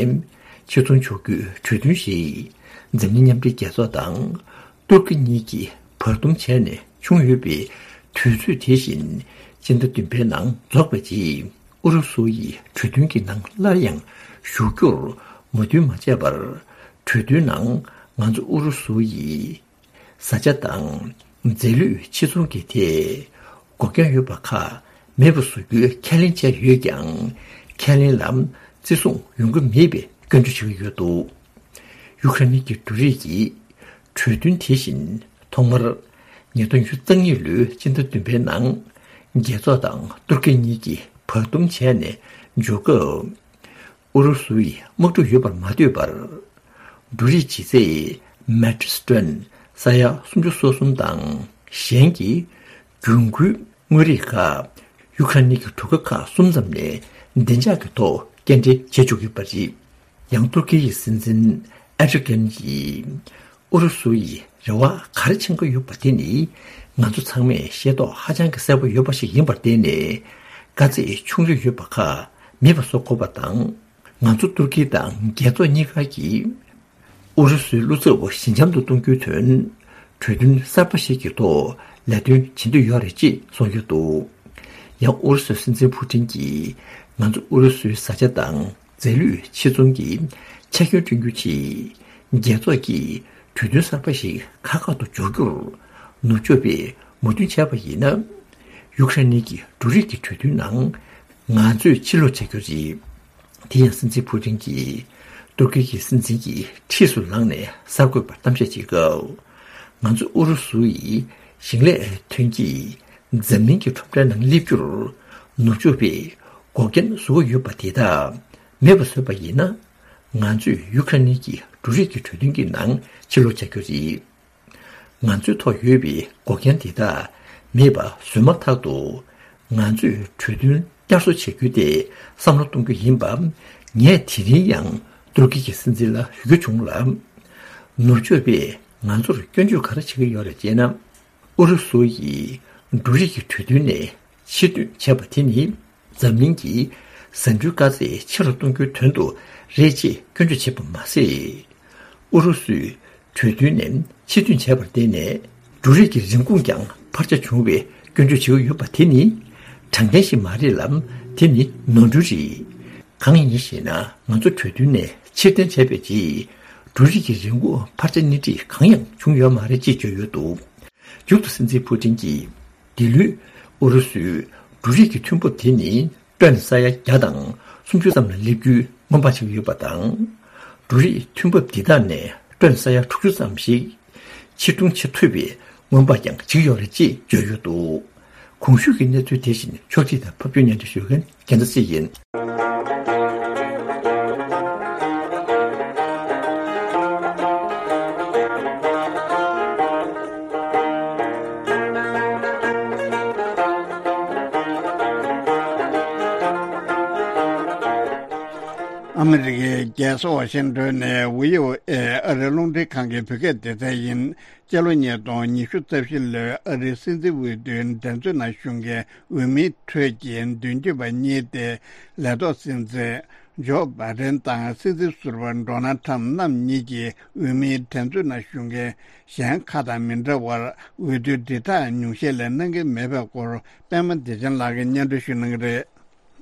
ཕྱིར་ཚོང་བྱ་རྒྱུའི་གྲོས་མཐུན་ཞིག་འཛམ་གླིང་མཉམ་འབྲེལ་རྒྱལ་ཚོགས་དང་ཏུར་ཀི་གཉིས་ཀྱིས་བར་འདུམ་བྱས་ནས་བྱུང་ཡོད་པའི་དུས་ཚོད་དེ་བཞིན་སྤྱི་ཟླ་བདུན་པའི་ནང་རྫོགས་པའི་རྗེས། ཨུ་རུ་སུ་ཡིས་གྲོས་མཐུན་གྱི་ནང་སླར་ཡང་ཞུགས་རྒྱུར་མོས་མཐུན་མ་བྱས་པར། གྲོས་མཐུན་ནང་ང་ཚོ་ཨུ་རུ་སུ་ཡིས་བཟའ་བཅའ་དང་རྫས་ལུད་ཕྱིར་ཚོང་གི་ཐད་འགོག་རྐྱེན་ཡོད་པ་ཁག་མེད་པར་བཟོ་རྒྱུའི་ཁས་ལེན་བྱས་ཡོད་ཀྱང་། ཁས་ལེན་ལ་བརྩི་སྲུང་ཡོང་གི་མེད་པའི་སྐྱོན་བརྗོད་བྱེད་ཀྱི་ཡོད་འདུག་ཡུཀ་རེན་གྱི་འབྲུ་རིགས་ཀྱི་གྲོས་མཐུན་དེ་བཞིན་ཐོག་མར་ཉིས་སྟོང་ཉི་ཤུ་རྩ་གཉིས་ལོའི་སྤྱི་ཟླ་བདུན་པའི་ནང་རྒྱལ་ཚོགས་དང་ཏུར་ཀི་གཉིས་ཀྱིས་བར་འདུམ་བྱས་ནས་འཇོག་སྐབས། ཨུ་རུ་སུ་ཡིས་དམག་འཁྲུག་ཡོད་པར་མ་ལྟོས་པར། འབྲུ་རིགས་ལྗིད་ཚད་མེ་ཊྲིག་ཊོན་ས་ཡ་སུམ་ཅུ་སོ་གསུམ་དང་གཞན་གྱི་གྱོང་གུན་དངོས་རིགས་ཁག་ཡུ་ཁ་རེན་གྱི་གྲུ་ཁ་ཁག་གསུམ་ཙམ་ནས་བདེ་འཇགས་ཀྱི་ཐོག་སྐྱེལ་འདྲེན་བྱེད་ཆོག་གི་ཡོད་པ་རེད། ཡང་ཏུར་ཀི་ཡི་སྲིད་འཛིན་ཨེར་ཌོ་གྷན་གྱིས། ཨུ་རུ་སུ་ཡིས་རེ་བ་ག་རེ་བྱེད་ཀྱི་ཡོད་པ་དེ་ནི་ང་ཚོ་ཚང་མས་ཤེས་རྟོགས་ཧ་ཅང་གི་གསལ་པོ་ཡོད་པ་ཞིག་ཡིན་པར་བརྟེན་ནས། དཀའ་ཚེགས་ཆུང་རིགས་ཡོད་པ་ཁག་མེད་པ་བཟོ་དགོས་པ་དང་། ང་ཚོ་ཏུར་ཀི་དང་རྒྱལ་ཚོགས་གཉིས་ཀ་གིས་ཨུ་རུ་སུའི་བློ་འཚབ་པོ་ཞི་འཇམ་དུ་གཏོང་རྒྱུའི་དོན་གྲོས་མཐུན་གསར་པ་ཞིག་གི་ཐོག་ལས་དོན་བྱེད་འདོད་ཡོད་རེད་ཅེས་གསུངས་ཡོད་འདུག་ཡང་ཨུ་རུ་སུའི་སྲིད་འཛིན་ཕུ་ཀྲིན་གྱིས། ང་ཚོ་ཨུ་རུ་སུའི་བཟའ་བཅའ་དང་རྫས་ལུད་ཕྱིར་ཚོང་གི་ཆད་སྐྱོན་བསྐྲུན་རྒྱུ་ཆེད། རྒྱལ་ཚོགས་ཀྱིས་གྲོས་མཐུན་གསར་པ་ཞིག་ཁག་ཁག་ཏུ་འཇོག་རྒྱུར་ནུབ་ཕྱོགས་པས་མོས་མཐུན་བྱས་པ་ཡིན་ན། ཡུ་ཁ་རེན་གྱི་འབྲུ་རིགས་ཀྱི་གྲོས་མཐུན་ནང་ང་ཚོས་ཕྱིར་ལོག་བྱ་རྒྱུ་རེད། དེ་ཡང་སྲིད་འཛིན་ཕུ་ཀྲིན་གྱིས་ཏུར་ཀི་གི་སྲིད་འཛིན་གྱི་འཁྲིས་སུ་ལངས་ནས་གསར་འགོད་པར་གཏམ་བཤད་བྱེད་སྐབས། ང་ཚོ་ཨུ་རུ་སུ་ཡི་ཞིང་ལས་ཐོན་སྐྱེད་འཛམ་གླིང་གི་ཁྲོམ་རའི་ནང་སླེབས་རྒྱུར་ནུབ་ཕྱོགས་པས་འགོག་རྐྱེན་བཟོ་གི་ཡོད་པ་དེ་དག་མེད་པ་བཟོས་པ་ཡིན་ན། ང་ཚོས་ཡུ་ཁ་རེན་གྱི་འབྲུ་རིགས་ཀྱི་གྲོས་མཐུན་གྱི་ནང་ཕྱིར་ལོག་བྱ་རྒྱུ་རེད། ང་ཚོའི་ཐོག་ཡོད་པའི་འགོག་རྐྱེན་དེ་དག་མེད་པ་བཟོས་མ་ཐག་ཏུ། ང་ཚོས་གྲོས་མཐུན་བསྐྱར་གསོ་བྱ་རྒྱུ་དེ་བསམ་བློ་གཏོང་རྒྱུ་ཡིན་པ། ངས་དེ་རིང་ཡང་ཏུར་ཀི་གི་སྲིད་འཛིན་ལ་ཞུ་རྒྱུ་བྱུང་ལ། ནུབ་ཕྱོགས་པས་ང་ཚོར་སྐྱོན་བརྗོད་ག་རེ་བྱེད་ཀྱི་ཡོད་རེད་ཅེ་ན། ཨུ་རུ་སུ་ཡིས་འབྲུ་རིགས་ཀྱི་གྲོས་མཐུན་ནས་ཕྱིར་འཐེན་བྱས་པ་དེ་ནི། འཛམ་གླིང་གི་ཟ་འབྲུའི་དཀའ་ཚེགས་ཆེ་རུ་གཏོང་རྒྱུའི་དོན་དུ་རེད་ཅེས་སྐྱོན་བརྗོད་བྱས་པ་མ་ཟད། ཨུ་རུ་སུས་གྲོས་མཐུན་ནས་ཕྱིར་འཐེན་བྱས་པར་བརྟེན་ནས། འབྲུ་རིགས་ཀྱི་རིན་གོང་ཀྱང་འཕར་ཆ་བྱུང་བའི་སྐྱོན་བརྗོད་བྱེད་ཀྱི་ཡོད་པ་དེ་ནི་དྲང་བདེན་ཞིག་མ་རེད་ལ། དེ་ནི་ནོར་འཁྲུལ་རེད། གང་ཡིན་ཞེ་ན། ང་ཚོ་གྲོས་མཐུན་ནས་ཕྱིར་འཐེན་བྱས་པའི་རྗེས། འབྲུ་རིགས་ཀྱི་རིན་གོང་འཕར་ཆ་སྣེ་ཁྲིད་གང་ཡང་བྱུང་ཡོད་མ་རེད་ཅེས་བརྗོད་ཡོད་འདུག་མཇུག་ཏུ་སྲིད་འཛིན་ཕུ་ཀྲིན་གྱིས། འདི་ལོའི་ཨུ་རུ་སུའི་འབྲུ་རིགས་ཀྱི་ཐོན་འབབ་དེ་ནི་ཊོན་ས་ཡ་བརྒྱ་དང་སུམ་ཅུ་ཙམ་ལ་སླེབས་རྒྱུའི་སྔོན་དཔག་བྱེད་ཀྱི་ཡོད་པ་དང་། འབྲུ་རིགས་ཐོན་འབབ་འདི་དག་ནས་ཊོན་ས་ཡ་དྲུག་ཅུ་ཙམ་ཞིག་ཕྱིར་གཏོང་བྱེད་ཐུབ་པའི་སྔོན་དཔག་ཀྱང་བྱེད་ཀྱི་ཡོད་རེད་ཅེས་བརྗོད་ཡོད་འདུག་གོང་ཞུས་ཀྱི་གནས་ཚུལ་དེ་བཞིན་ཕྱོགས་སྒྲིག་དང་ཕབ་སྒྱུར་སྙན་སྒྲོན་ཞུ་མཁན་རྒྱལ་མཚན་སྲིད་ཡིན། ཨ་མི་རི་ཀའི་རྒྱལ་ས་ཝ་ཤིང་ཏོན་ནས་བྷི་ཨོ་ཨེ་ཨ་རིའི་རླུང་འཕྲིན་ཁང་གི་བོད་སྐད་སྡེ་ཚན་ཡིན། སྤྱི་ལོ་ཉིས་སྟོང་ཉི་ཤུ་རྩ་བཞི་ལོའི་ཨ་རིའི་སྲིད་འཛིན་འོས་བསྡུའི་འགྲན་རྩོད་ནང་ཞུགས་མཁན་འོས་མིའི་ཁྲོད་ཀྱི་མདུན་སྐྱོད་པ་གཉིས་ཏེ། ལས་ཐོག་སྲིད་འཛིན་ཇོ་བྷའི་ཏན་དང་སྲིད་འཛིན་ཟུར་པ་ཌོ་ནལ་ཁྲམ་རྣམ་གཉིས་ཀྱིས་འོས་མིའི་འགྲན་རྩོད་ནང་ཞུགས་མཁན་གཞན་ཁག་དང་མི་འདྲ་བར། འོས་བསྡུའི་དྲིལ་བསྒྲགས་ཉུང་ཤས་ལས་གནང་གི་མེད་པའི་སྐོར། པད་མ་བདེ་ཆེན་ལགས་ཀྱིས་སྙན་སྒྲོན་ཞུ་གནང་གི་རེད།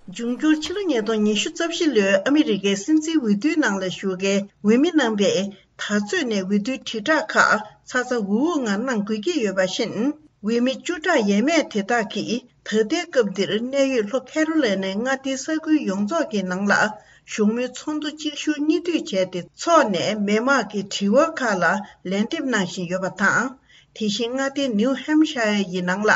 འབྱུང་འགྱུར་ཕྱི་ལོ་ཉིས་སྟོང་ཉི་ཤུ་རྩ་བཞི་ལོའི་ཨ་མི་རི་ཀའི་སྲིད་འཛིན་འོས་བསྡུའི་ནང་ལ་ཞུགས་མཁན་འོས་མི་རྣམ་པས་ད་གཟོད་ནས་འོས་བསྡུའི་དྲིལ་བསྒྲགས་ཁག་ཚ་ཚ་འུར་འུར་ངང་གནང་དགོས་ཀྱི་ཡོད་པ་བཞིན། འོས་མི་བཅུ་ཕྲག་ཡས་མས་དེ་དག་གིས་ད་ལྟའི་སྐབས་འདིར་གནད་ཡོད་ལྷོ་ཁེ་རོ་ལེ་ནའི་མངའ་སྡེའི་ས་ཁུལ་ཡོངས་རྫོགས་ཀྱི་ནང་ལ་གཞུང་མང་ཚོགས་འདུ་གཅིག་མཇུག་གཉིས་མཐུད་བྱས་ཏེ་འཚོགས་ནས། མི་མང་གི་དྲི་བ་ཁག་ལ་ལན་འདེབས་གནང་བཞིན་ཡོད་པ་དང་། དེ་བཞིན་མངའ་སྡེ་ནིའུ་ཧེམ་ཤ་ཡར་ཡི་ནང་ལ།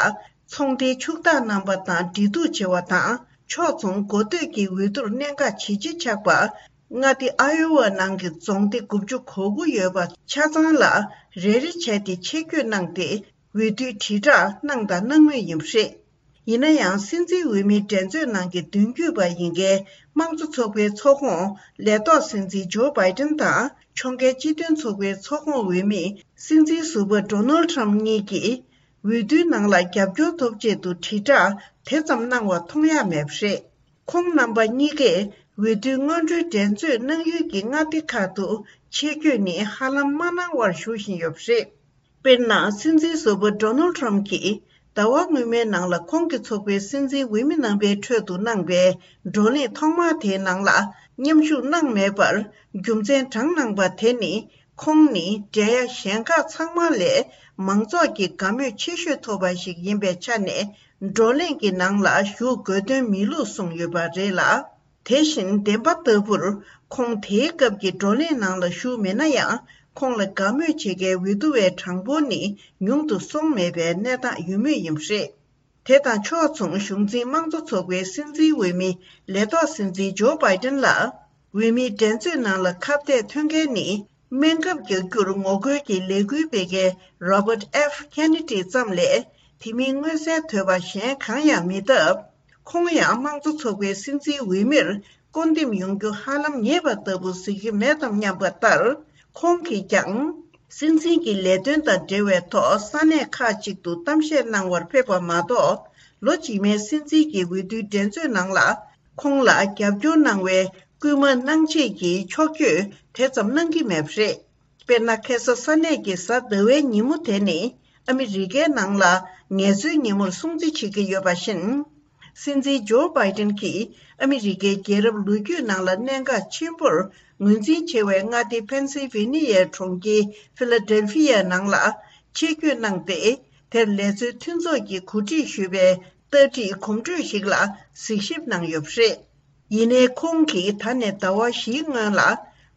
ཚོང་སྡེའི་ཕྱུག་བདག་རྣམ་པ་དང་འབྲེལ་གཏུག་བྱེད་པ་དང་། ཕྱོགས་མཚུངས་འགོ་སྟོད་ཀྱི་འོས་བསྡུར་གནད་འགག་ཇེ་ཆེ་ཆགས་པ། མངའ་སྡེ་ཨ་ཡོ་ཝ་ནང་གི་རྫོང་སྡེ་དགུ་བཅུ་གོ་དགུ་ཡོད་པ་ཆ་ཚང་ལ་རེ་རེ་བྱས་ཏེ་ཆེད་བསྐྱོད་གནང་སྟེ། འོས་བསྡུའི་དྲིལ་བསྒྲགས་གནང་དང་གནང་མུས་ཡིན་པ་རེད། ཡིན་ན་ཡང་། སྲིད་འཛིན་འོས་མིའི་འགྲན་རྩོད་ནང་གི་མདུན་སྐྱོད་པ་ཡིན་མཁན་དམངས་གཙོ་ཚོགས་པའི་ཚོགས་ཁོངས་ལས་ཐོག་སྲིད་འཛིན་ཇོ་བྷའི་ཏན་དང་ཕྱོགས་འགལ་སྤྱི་མཐུན་ཚོགས་པའི་ཚོགས་ཁོངས་འོས་མི་སྲིད་འཛིན་ཟུར་པ་ཌོ་ནལ་ཁྲམ་གཉིས་ཀྱིས། འོས་བསྡུའི་ནང་ལ་རྒྱབ་སྐྱོར་ཐོབ་ཆེད་དུ་དྲིལ་བསྒྲགས་དེ་ཙམ་གནང་བ་མཐོང་ཡ་མེད་པ་རེད། ཁོང་རྣམ་པ་གཉིས་ཀས་འོས་བསྡུའི་སྔོན་འགྲོའི་འགྲན་རྩོད་གནང་ཡུལ་གྱི་མངའ་སྡེ་ཁག་ཏུ་ཆེད་བསྐྱོད་ནི་ཧ་ལམ་མ་གནང་བར་བཞུགས་བཞིན་ཡོད་པ་རེད། དཔེར་ན། སྲིད་འཛིན་ཟུར་པ་ཌོ་ནལ་ཁྲམ་གྱིས་ཟླ་བ་སྔོན་མའི་ནང་ལ་ཁོང་གི་ཚོགས་པའི་སྲིད་འཛིན་འོས་མི་རྣམ་པའི་ཁྲོད་དུ་གནང་པའི་བགྲོ་གླེང་ཐོག་མ་དེའི་ནང་ལ་མཉམ་ཞུགས་གནང་མེད་པར་རྒྱུ་མཚན་དྲངས་གནང་པ་དེ་ནི། ཁོང་ནི་འབྲེལ་ཡ་གཞན་ཁག་ཚང་མ་ལས་མང་ཚོགས་ཀྱི་དགའ་མོས་ཆེ་ཤོས་ཐོབ་པ་ཞིག་ཡིན་པའི་ཆ་ནས། བགྲོ་གླེང་གི་ནང་ལ་ཞུགས་དགོས་དོན་མེད་ལུགས་གསུངས་ཡོད་པ་རེད་ལ། དེ་བཞིན་བདེན་པ་ལྟ་བུར། ཁོང་དེའི་སྐབས་ཀྱི་བགྲོ་གླེང་ནང་ལ་ཞུགས་མེད་ན་ཡང་། ཁོང་ལ་དགའ་མོས་བྱེད་མཁན་འོས་བསྡུ་བའི་གྲངས་འབོར་ནི་ཉུང་དུ་སོང་མེད་པའི་གནས་སྟངས་ཡོད་མུས་ཡིན་པ་རེད། དེ་དང་ཕྱོགས་མཚུངས། གཞུང་འཛིན་དམངས་གཙོ་ཚོགས་པའི་སྲིད་འཛིན་འོས་མི་ལས་ཐོག་སྲིད་འཛིན་ཇོ་བྷའི་ཏན་ལ། འོས་མིའི་འགྲན་རྩོད་ནང་ལ་ཁ་གཏད་ཐོན་མཁན་ནི། སྨན་ཁབ་རྒྱག་རྒྱུར་ངོ་རྒོལ་གྱི་ལས་འགུལ་སྤེལ་མཁན་Robert F Kennedy་ཙམ་ལས་དེ་མིན་མངོན་གསལ་དོད་པ་གཞན་གང་ཡང་མེད་སྟབས། ཁོང་ཡང་དམངས་གཙོ་ཚོགས་པའི་སྲིད་འཛིན་འོས་མིར་བསྐོ་འདེམས་ཡོང་རྒྱུ་ཧ་ལམ་ངེས་པ་ལྟ་བུ་གཟིགས་ཀྱི་མེད་དམ་སྙམ་པ་ལྟར། ཁོང་གིས་ཀྱང་སྲིད་འཛིན་གྱི་ལས་དོན་དང་འབྲེལ་བའི་ཐོག་ས་གནས་ཁག་ཅིག་ཏུ་གཏམ་བཤད་གནང་བར་ཕེབས་པ་མ་གཏོགས། ལོ་རྗེས་མའི་སྲིད་འཛིན་གྱི་འོས་བསྡུའི་འགྲན་རྩོད་ནང་ལ་ཁོང་ལ་རྒྱབ་སྐྱོར་གནང་བའི་སྐུལ་མ་གནང་ཆེད་ཀྱི་ཕྱོགས་བསྐྱོད་དེ་ཙམ་གནང་གི་མེད་པ་རེད། དཔེར་ན། ཁ་སང་ས་གནས་ཀྱི་གཟའ་ཟླ་བའི་ཉིན་མོ་དེ་ནི་ཨ་མི་རི་ཀའི་ནང་ལ་ངལ་རྩོལ་ཉིན་མོར་སྲུང་བརྩི་བྱེད་ཀྱི་ཡོད་པ་བཞིན། སྲིད་འཛིན་ཇོ་བྷའི་ཏིན་གྱིས་ཨ་མི་རི་ཀའི་རྒྱལ་རབས་ལོ་རྒྱུས་ནང་ལ་གནད་འགག་ཆེན་པོར་ངོས་འཛིན་བྱེད་པའི་མངའ་སྡེ་ཕེན་སིལ་ཝེ་ནི་ཡའི་གྲོང་ཁྱེར་ཕི་ལ་ཌེལ་ཕི་ཡའི་ནང་ལ་ཆེད་བསྐྱོད་གནང་སྟེ། དེར་ལས་རྩོལ་མཐུན་ཚོགས་ཀྱིས་གོ་སྒྲིག་ཞུས་པའི་རྟ་དྲེལ་གོམ་བགྲོད་ཞིག་ལ་གཟིགས་ཞིབ་གནང་ཡོད་པ་རེད། ཡིན་ནའི། ཁོང་གིས་ད་ནས་ཟླ་བ་བཞིའི་སྔོན་ལ་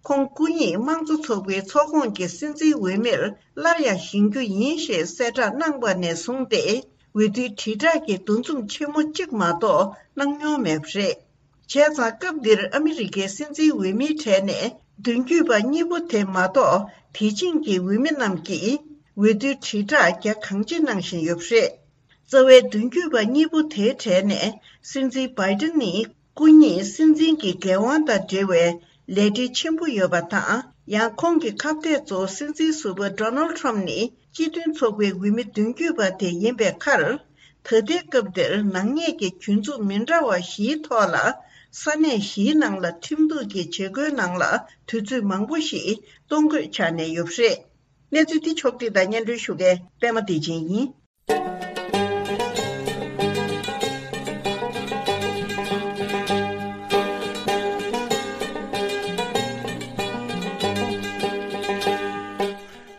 ཁོང་སྐུ་ཉིད་དམངས་གཙོ་ཚོགས་པའི་ཚོགས་ཁོངས་ཀྱི་སྲིད་འཛིན་འོས་མིར་སླར་ཡང་བཞེངས་རྒྱུ་ཡིན་ཞེས་གསལ་བསྒྲགས་གནང་བ་ནས་བཟུང་སྟེ། འོས་བསྡུའི་དྲིལ་བསྒྲགས་ཀྱི་འདུ་འཛོམས་ཆེན་མོ་གཅིག་མ་གཏོགས་གནང་མྱོང་མེད་པ་རེད། བྱས་ཙང་། སྐབས་འདིར་ཨ་མི་རི་ཀའི་སྲིད་འཛིན་འོས་མིའི་གྲས་ནས་མདུན་སྐྱོད་པ་གཉིས་པོ་དེ་མ་གཏོགས། དེ་རིང་གི་འོས་མི་རྣམས་ཀྱིས་འོས་བསྡུའི་དྲིལ་བསྒྲགས་རྒྱ་གང་ཆེ་གནང་བཞིན་ཡོད་པ་རེད། རྩ་བའི་མདུན་སྐྱོད་པ་གཉིས་པོ་དེའི་གྲས་ནས། སྲིད་འཛིན་བྷའི་ཏིན་ནི་སྐུ་ཉིད་སྲིད་འཛིན་གྱི་འགན་དབང་དང་འབྲེལ་བའི་ལས་བྲེལ་ཆེན་པོ་ཡོད་པ་དང་། ཡང་། ཁོང་གི་ཁ་གཏད་གཙོ་བོ་སྲིད་འཛིན་ཟུར་པ་ཌོ་ནལ་ཌི་ཊརམ་ཕི་ནི་སྤྱི་མཐུན་ཚོགས་པའི་འོས་མི་མདུན་སྐྱོད་པ་དེ་ཡིན་པའི་ཁར། ད་ལྟའི་སྐབས་འདིར་ནག་ཉེས་ཀྱི་གྱོད་འཛུགས་མི་འདྲ་བ་བཞིའི་ཐོག་ལ། ས་གནས་བཞིའི་ནང་ལ་ཁྲིམས་གཏུག་གི་བྱེད་སྒོའི་ནང་ལ་དུས་ཚོད་མང་པོ་ཞིག་གཏོང་དགོས་ཆགས་ནས་ཡོད་པ་རེད། གནས་ཚུལ་འདི་ཕྱོགས་བསྒྲིགས་དང་སྙན་སྒྲོན་ཞུ་མཁན་པད་མ་བདེ་ཆེན་ཡིན།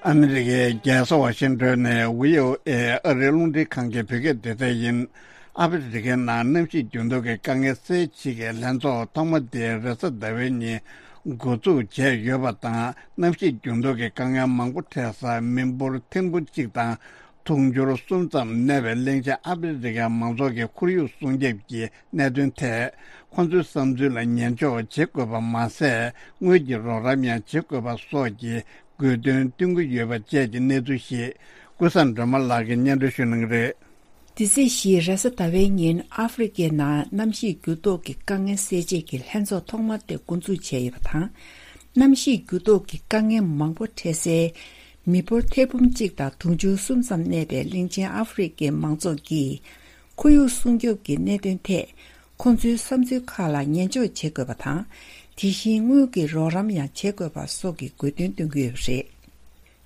ཨ་མི་རི་ཀའི་རྒྱལ་ས་ཝ་ཤིང་ཏོན་ནས་བྷི་ཨོ་ཨེ་ཨ་རིའི་རླུང་འཕྲིན་ཁང་གི་བོད་སྐད་སྡེ་ཚན་ཡིན། ཨ་ཕི་རི་ཀའི་ནང་གནམ་གཤིས་འགྱུར་ལྡོག་གི་དཀའ་ངལ་སེལ་ཆེད་ཀྱི་ལྷན་ཚོགས་ཐོག་མ་དེ་རེས་གཟའ་ཟླ་བའི་ཉིན་འགོ་འཛུགས་བྱས་ཡོད་པ་དང་། གནམ་གཤིས་འགྱུར་ལྡོག་གི་དཀའ་ངལ་མང་པོ་འཕྲད་ས་མི་འབོར་ཐེར་འབུམ་གཅིག་དང་། དུང་ཕྱུར་གསུམ་ཙམ་གནས་པའི་གླིང་ཆེན་ཨ་ཕི་རི་ཀའི་མང་ཚོགས་ཀྱི་ཁོར་ཡུག་སྲུང་སྐྱོབ་ཀྱི་གནད་དོན་ཐད། ཁོང་ཚོའི་བསམ་ཚུལ་ལ་ཉན་འཇོག་བྱེད་དགོས་པ་མ་ཟད། དངུལ་གྱི་རོགས་རམ་ཡང་བྱེད་དགོས་པ་སོགས་ཀྱི་དགོས་འདུན་བཏོན་གྱི་ཡོད་པ་བཅས་ཀྱི་གནས་ཚུལ་ཞིག་ཀུན་བཟང་སྒྲོལ་མ་ལགས་ཀྱིས་སྙན་སྒྲོན་ཞུ་གནང་གི་རེད། འདི་ཚེས་བཞི་རེས་གཟའ་ཟླ་བའི་ཉིན་ཨ་ཧྥེ་རི་ཁའི་ནང་གནམ་གཤིས་འགྱུར་ལྡོག་གི་དཀའ་ངལ་སེལ་ཆེད་ཀྱི་ལྷན་ཚོགས་ཐོག་མ་དེ་འགོ་འཛུགས་བྱས་ཡོད་པ་དང་། གནམ་གཤིས་འགྱུར་ལྡོག་གི་དཀའ་ངལ་མང་པོ་འཕྲད་སའི་མི་འབོར་ཐེར་འབུམ་གཅིག་དང་དུང་ཕྱུར་གསུམ་ཙམ་གནས་པའི་གླིང་ཆེན་ཨ་ཧྥེ་རི་ཁའི་མང་ཚོགས་ཀྱིས་ཁོར་ཡུག་སྲུང་སྐྱོབ་ཀྱི་གནད་དོན་ཐད་ཁོང་ཚོའི་བསམ་ཚུལ་ཁག་ལ་ཉན་འཇོག་བྱེད་དགོས་པ་དང་། དེ་བཞིན་དངུལ་གྱི་རོགས་རམ་ཡང་བྱེད་དགོས་པ་སོགས་ཀྱི་དགོས་འདུན་བཏོན་གྱི་ཡོད་པ་རེད།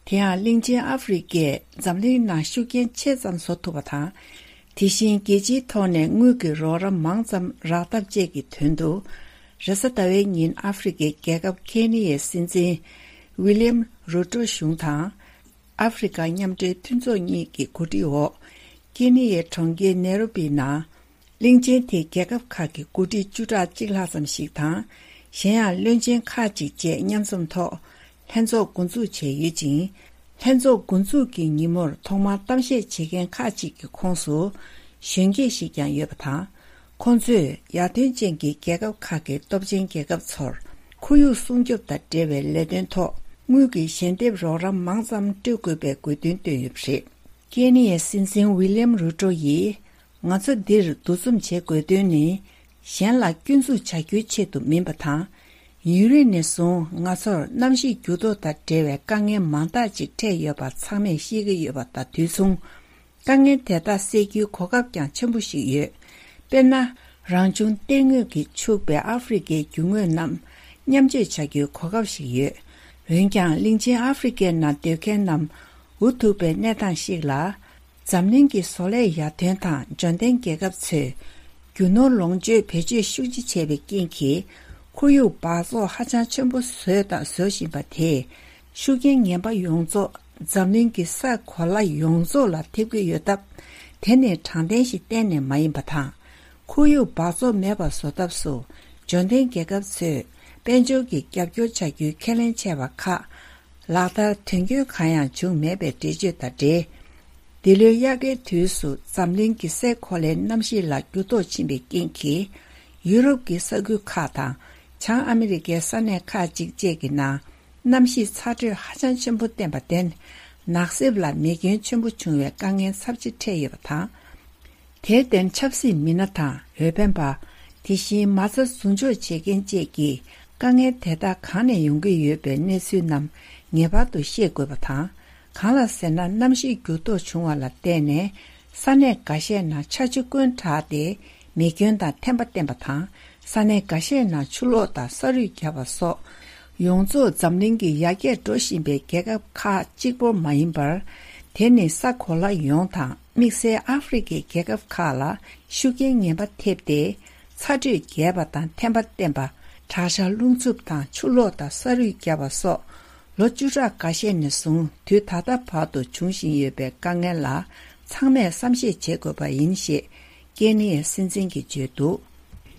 དེ་ཡང་གླིང་ཆེན་ཨ་ཧྥེ་རི་ཁས་འཛམ་གླིང་ནང་ཤུགས་རྐྱེན་ཆེ་ཙམ་བཟོ་ཐུབ་པ་དང་། དེ་བཞིན་རྒྱལ་སྤྱིའི་ཐོག་ནས་དངུལ་གྱི་རོགས་རམ་མང་ཙམ་རག་ཐབས་བཅས་ཀྱི་དོན་དུ། རེས་གཟའ་ཟླ་བའི་ཉིན་ཨ་ཧྥེ་རི་ཁའི་རྒྱལ་ཁབ་ཁེ་ནི་ཡའི་སྲིད་འཛིན་ཝི་ལི་ཡམ་རུ་ཏྲོ་གཞུང་དང་། ཨ་ཧྥེ་རི་ཁ་མཉམ་འབྲེལ་མཐུན་ཚོགས་གཉིས་ཀྱི་གོ་སྒྲིག་འོག་ཁེ་ནི་ཡའི་གྲོང་ཁྱེར་ནེ་རོ་པི་ནང་། གླིང་ཆེན་དེའི་རྒྱལ་ཁབ་ཁག་གི་འགོ་ཁྲིད་བཅུ་ཕྲག་གཅིག་ལྷག་ཙམ་ཞིག་དང་། གཞན་ཡང་བློན་ཆེན་ཁག་ཅིག་བཅས་མཉམ་འཛོམས་ཐོག་ལྷན་ཚོགས་འགོ་འཛུགས་བྱས་ཡོད་ཅིང་། ལྷན་ཚོགས་འགོ་འཛུགས་ཀྱི་ཉིན་མོར་ཐོག་མར་གཏམ་བཤད་བྱེད་མཁན་ཁག་ཅིག་གི་ཁོངས་སུ་གཞོན་སྐྱེས་ཤིག་ཀྱང་ཡོད་པ་དང་། ཁོང་ཚོས་ཡར་ཐོན་ཅན་གྱི་རྒྱལ་ཁབ་ཁག་གི་སྟོབས་ཆེན་རྒྱལ་ཁབ་ཚོར་ཁོར་ཡུག་སྲུང་སྐྱོབ་དང་འབྲེལ་བའི་ལས་དོན་ཐོག་དངུལ་གྱི་ཞལ་འདེབས་རོགས་རམ་མང་ཙམ་སྤྲོད་དགོས་པའི་དགོས་འདུན་བཏོན་ཡོད་པ་རེད། ཀེ་ནི་ཡའི་སྲིད་འཛིན་ཝི་ལི་ཡམ་རུ་ཏྲོ་ཡིས། ང་ཚོ་འདིར་འདུ་འཛོམས་བྱེད་དགོས་དོན་ནི། གཞན་ལ་སྐྱོན་འཛུགས་བྱ་རྒྱུའི་ཆེད་དུ་མིན་པ་དང་། ཡུན་རིང་ནས་བཟུང་ང་ཚོར་གནམ་གཤིས་འགྱུར་ལྡོག་དང་འབྲེལ་བའི་དཀའ་ངལ་མང་དག་ཅིག་འཕྲད་ཡོད་པ་ཚང་མས་ཤེས་ཀྱི་ཡོད་པ་དང་དུས་མཚུངས། དཀའ་ངལ་དེ་དག་སེལ་རྒྱུའི་གོ་སྐབས་ཀྱང་ཆེན་པོ་ཞིག་ཡོད། དཔེར་ན། རང་བྱུང་གཏེར་དངོས་ཀྱིས་ཕྱུག་པའི་ཨ་ཧྥེ་རི་ཁའི་རྒྱུ་དངོས་རྣམས་མཉམ་སྤྱོད་བྱ་རྒྱུའི་གོ་སྐབས་ཤིག་ཡོད། འོན་ཀྱང་། གླིང་ཆེན་ཨ་ཧྥེ་རི་ཁའི་ནང་སྡོད་མཁན་རྣམས་འུ་ཐུག་པའི་གནས་སྟངས་ཤིག་ལ། འཛམ་གླིང་གི་བཟོ་ལས་ཡར་ཐོན་དང་འབྱོར་ལྡན་རྒྱལ་ཁབ་ཚོས་རྒྱུ་ནོར་ལོངས་སྤྱོད་བེད་སྤྱོད་ཤུགས་ཆེ་བྱས་པའི་རྐྱེན་གྱིས། ཁོར་ཡུག་འབག་བཙོག་ཧ་ཅང་ཆེན་པོ་བཟོས་དང་བཟོ་བཞིན་པ་དེས་ཤུགས་རྐྱེན་ངན་པ་ཡོངས་རྫོགས་འཛམ་གླིང་གི་ས་གོ་ལ་ཡོངས་རྫོགས་ལ་ཐེབས་ཀྱི་ཡོད་སྟབས། དེ་ནི་དྲང་བདེན་ཞིག་གཏན་ནས་མ་ཡིན་པ་དང་། ཁོར་ཡུག་འབག་བཙོག་མེད་པར་བཟོ་ཐབས་སུ་འབྱོར་ལྡན་རྒྱལ་ཁབ་ཚོས་དཔལ་འབྱོར་གྱི་རྒྱབ་སྐྱོར་བྱ་རྒྱུའི་ཁས་ལེན་བྱས་པ་ཁག་ལག་བསྟར་དོན་འཁྱོལ་གང་ཡང་བྱུང་མེད་པའི་འགྲེལ་བརྗོད་དང་འབྲེལ། འདི་ལོའི་དབྱར་ཁའི་དུས་སུ་འཛམ་གླིང་གི་སའི་གོ་ལའི་གནམ་གཤིས་ལ་འགྱུར་ལྡོག་ཕྱིན་པའི་རྐྱེན་གྱིས། ཡུ་རོབ་ཀྱི་ས་ཁུལ་ཁག་དང་བྱང་ཨ་མི་རི་ཀའི་ས་གནས་ཁག་ཅིག་བཅས་ཀྱི་ནང་ གནམ་གཤིས་ཚ་དྲོད་ཧ་ཅང་ཆེན་པོ་བསྟན་པར་བརྟེན། ནགས་གསེབ་ལ་མེ་སྐྱོན་ཆེན་པོ་བྱུང་བའི་དཀའ་ངལ་ཚབས་ཆེ་འཕྲད་ཡོད་པ་དང་། དེར་བརྟེན་ཆབ་སྲིད་མི་སྣ་དང་འོས་འཕེན་པ། དེ་བཞིན་མ་རྩ་ཟུར་འཇོག་བྱེད་མཁན་བཅས་ཀྱིས་དཀའ་ངལ་དེ་དག་གང་ནས་ཡོང་གི་ཡོད་པའི་གནས་ཚུལ་རྣམས་ངེས་པར་དུ་ཤེས་དགོས་པ་དང་། གང་ལ་ཟེར་ན། གནམ་གཤིས་འགྱུར་ལྡོག་བྱུང་བ་ལ་བརྟེན་ནས། ས་གནས་འགའ་ཤས་ནང་ཆར་ཆུ་སྐོན་དྲགས་ཏེ། མེ་སྐྱོན་དང་ཐན་པ་བསྟན་པ་དང་། ས་གནས་འགའ་ཤས་ནང་ཆུ་ལོག་དང་ས་རུད་བརྒྱབ་པ་སོགས། ཡོངས་རྫོགས་འཛམ་གླིང་གི་ཡར་རྒྱས་འགྲོ་བཞིན་པའི་རྒྱལ་ཁབ་ཁག་གཅིག་པོ་མ་ཡིན་པར། དེ་ནི་ས་གོ་ལ་ཡོངས་དང་། དམིགས་བསལ་ཨ་ཧྥེ་རི་ཁའི་རྒྱལ་ཁབ་ཁག་ལ་ཤུགས་རྐྱེན་ངན་པ་ཐེབས་ཏེ། ཚ་དྲོད་རྒྱས་པ་དང་ཐན་པ་བསྟན་པ། དྲག་ཆར་རླུང་འཚུབ་དང་ཆུ་ལོག་དང་ས་རུད་བརྒྱབ་པ་སོགས། ལོ་བཅུ་ཕྲག་འགའ་ཤས་ནས་བཟུང་དུས་ད་ལྟ་བར་དུ་འབྱུང་བཞིན་ཡོད་པའི་དཀའ་ངལ་ལ་ཚང་མས་བསམ་ཤེས་བྱེད་དགོས་པ་ཡིན་ཞེས་ཀེ་ནི་ཡའི་སྲིད་འཛིན་གྱིས་བརྗོད་འདུག་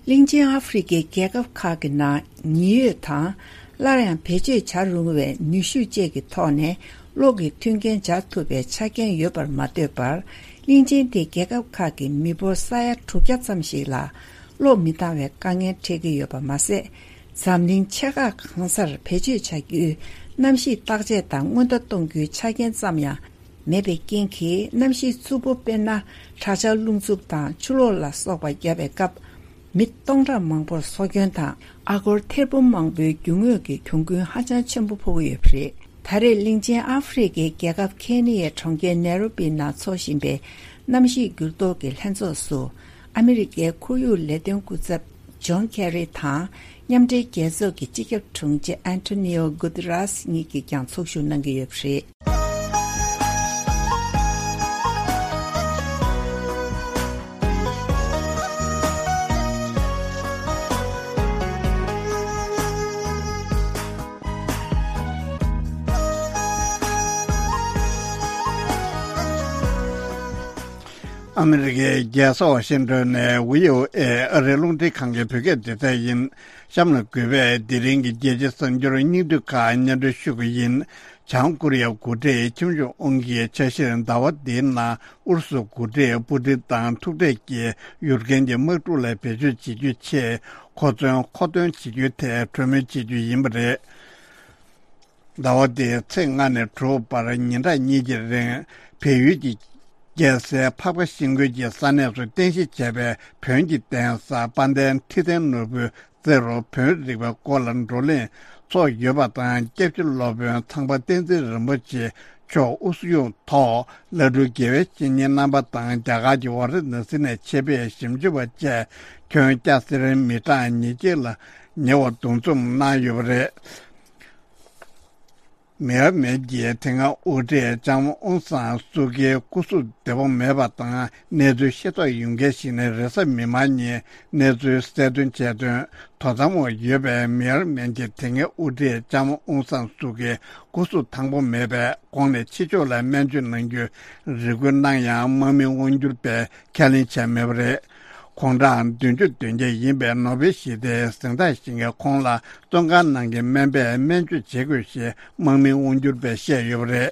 གླིང་ཆེན་ཨ་ཧྥེ་རི་ཁའི་རྒྱལ་ཁབ་ཁག་གི་ནང་ཉི་འོད་དང་། སླར་ཡང་བེད་སྤྱོད་བྱ་རུང་བའི་ནུས་ཤུགས་བཅས་ཀྱི་ཐོག་ནས་གློག་གི་མཐུན་རྐྱེན་སྦྱར་ཐུབ་པའི་ཆ་རྐྱེན་ཡོད་པར་མ་ལྟོས་པར། གླིང་ཆེན་དེའི་རྒྱལ་ཁབ་ཁག་གི་མི་འབོར་ས་ཡ་དྲུག་བརྒྱ་ཙམ་ཞིག་ལ་གློག་མི་འདང་བའི་དཀའ་ངལ་འཕྲད་ཀྱི་ཡོད་པ་མ་ཟད། འཛམ་གླིང་ཆེ་ཁག་གང་སར་བེད་སྤྱོད་བྱ་རྒྱུའི་གནམ་གཤིས་བརྟག་དཔྱད་དང་སྔོན་བརྡ་གཏོང་རྒྱུའི་ཆ་རྐྱེན་ཙམ་ཡང་མེད་པའི་རྐྱེན་གྱིས། གནམ་གཤིས་རྩུབ་པོ་དཔེར་ན། དྲག་ཆར་རླུང་འཚུབ་དང་ཆུ་ལོག་ལ་སོགས་པ་བརྒྱབ་པའི་སྐབས། མི་སྟོང་ཕྲག་མང་པོར་སྲོག་སྐྱོན་དང་། ཨ་སྒོར་ཐེར་འབུམ་མང་པོའི་རྒྱུ་དངོས་ཀྱི་གྱོང་གུན་ཧ་ཅང་ཆེན་པོ་ཕོག་གི་ཡོད་པ་རེད། ད་རེས་གླིང་ཆེན་ཨ་ཧྥེ་རི་ཁའི་རྒྱལ་ཁབ་ཁེ་ནི་ཡའི་གྲོང་ཁྱེར་ནེ་རོ་པི་ནང་འཚོགས་བཞིན་པའི་གནམ་གཤིས་འགྱུར་ལྡོག་གི་ལྷན་ཚོགས་སུ། ཨ་མི་རི་ཀའི་ཁོར་ཡུག་ལས་དོན་སྐུ་ཚབ་ཇོན་ཁེ་རི་དང་། མཉམ་འབྲེལ་རྒྱལ་ཚོགས་ཀྱི་སྤྱི་ཁྱབ་དྲུང་ཆེ་ཨན་ཐོ་ནི་ཨོ་གུ་ཏི་རཱས་གཉིས་ཀྱིས་ཀྱང་ཚོགས་ཞུགས་གནང་གི་ཡོད་པ་རེད། ཨ་མི་རི་ཀའི་རྒྱལ་ས་ཝ་ཤིང་ཏོན་ནས་བྷི་ཨོ་ཨེ་ཨ་རིའི་རླུང་འཕྲིན་ཁང་གི་བོད་སྐད་སྡེ་ཚན་ཡིན། གཤམ་ལ་གུས་པས་དེ་རིང་གི་རྒྱལ་སྤྱིའི་གསར་འགྱུར་སྙིང་བསྡུས་ཁག་སྙན་སྒྲོན་ཞུ་གི་ཡིན། བྱང་ཀོ་རི་ཡ་འགོ་ཁྲིད་ཁྱིམ་བྱུང་དབང་གིས་ཆ་ཤས་ཟླ་བ་འདིའི་ནང་ཨུ་རུ་སུ་འགོ་ཁྲིད་པུ་ཏིན་དང་ཐུག་འཕྲད་ཀྱིས་ཡུཀ་རེན་གྱི་དམག་འཁྲུག་ལ་བེད་སྤྱོད་བྱེད་རྒྱུའི་ཆེད་མཁོ་མཚོན་མཁོ་འདོན་བྱེད་རྒྱུའི་ཐད་གྲོས་མོལ་བྱེད་རྒྱུ་ཡིན་པ་རེད། ཟླ་བ་འདིའི་ཚེས་ལྔ་ནས་དྲུག་བར་ཉིན་གྲངས་གཉིས་ཀྱི་རིང་བལ་ཡུལ་གྱི་རྒྱལ་སའི་འཕགས་པ་ཤིང་ཀུན་གྱི་ས་གནས་སུ་རྟེན་གཞི་བྱས་པའི་བོན་གྱི་གདན་ས་དཔལ་ལྡན་ཁྲི་བཙན་ནོར་བུའི་རྩེ་རུ་བོན་རིག་པའི་སྐོར་ལ་བགྲོ་གླེང་ཚོགས་ཡོད་པ་དང་། སྐྱབས་རྗེ་སློབ་དཔོན་ཚངས་པ་བསྟན་འཛིན་རིན་པོ་ཆེ་མཆོག་དབུ་བཞུགས་ཐོག་བླ་སྤྲུལ་དགེ་བའི་བཤེས་གཉེན་རྣམ་པ་དང་། རྒྱ་གར་གྱི་ཝཱ་ར་ཎ་སི་ནས་ཆེད་ཕེབས་ཞིབ་འཇུག་པ་བཅས་ཁྱོན་སྐྱ་སེར་མི་གྲངས་ཉིས་བརྒྱ་ལ་ཉེ་བ་འདུ་འཛོམས་གནང་ཡོད་པ་རེད། མེ་ཡར་མེན་གྱིས་དེ་སྔ་དབུ་ཁྲིད་ལྕམ་ཨུན་སན་སུ་ཀིའི་སྐུ་གཟུགས་བདེ་པོ་མེད་པ་དང་གནས་ཚུལ་ཤེས་རྟོགས་ཡོད་མཁན་ཞིག་ནས་རེས་གཟའ་མིག་དམར་ཉིན་གནས་ཚུལ་གསལ་སྟོན་བྱས་དོན། དོ་དམ་འོག་ཡོད་པའི་མེ་ཡར་མེན་གྱི་དེ་སྔའི་དབུ་ཁྲིད་ལྕམ་ཨུན་སན་སུ་ཀིའི་སྐུ་གཟུགས་ཐང་པོ་མེད་པས་ཁོང་ནས་ཕྱི་ཕྱོགས་ལ་སྨན་བཅོས་གནང་རྒྱུའི་རེ་སྐུལ་གནང་ཡང་དམག་མི་དབང་སྒྱུར་པས་ཁས་ལེན་བྱས་མེད་པ་རེད། དགུང་གྲངས་བདུན་ཅུ་དོན་བརྒྱད་ཡིན་པའི་ནོ་བེལ་ཞི་བདེའི་གཟེངས་རྟགས་བཞེས་མཁན་ཁོང་ལ་བཙོན་ཁང་ནང་གི་སྨན་པས་སྨན་བཅོས་བྱེད་དགོས་ཞེས་དམག་མི་དབང་སྒྱུར་པས་བཤད་ཡོད་པ་རེད།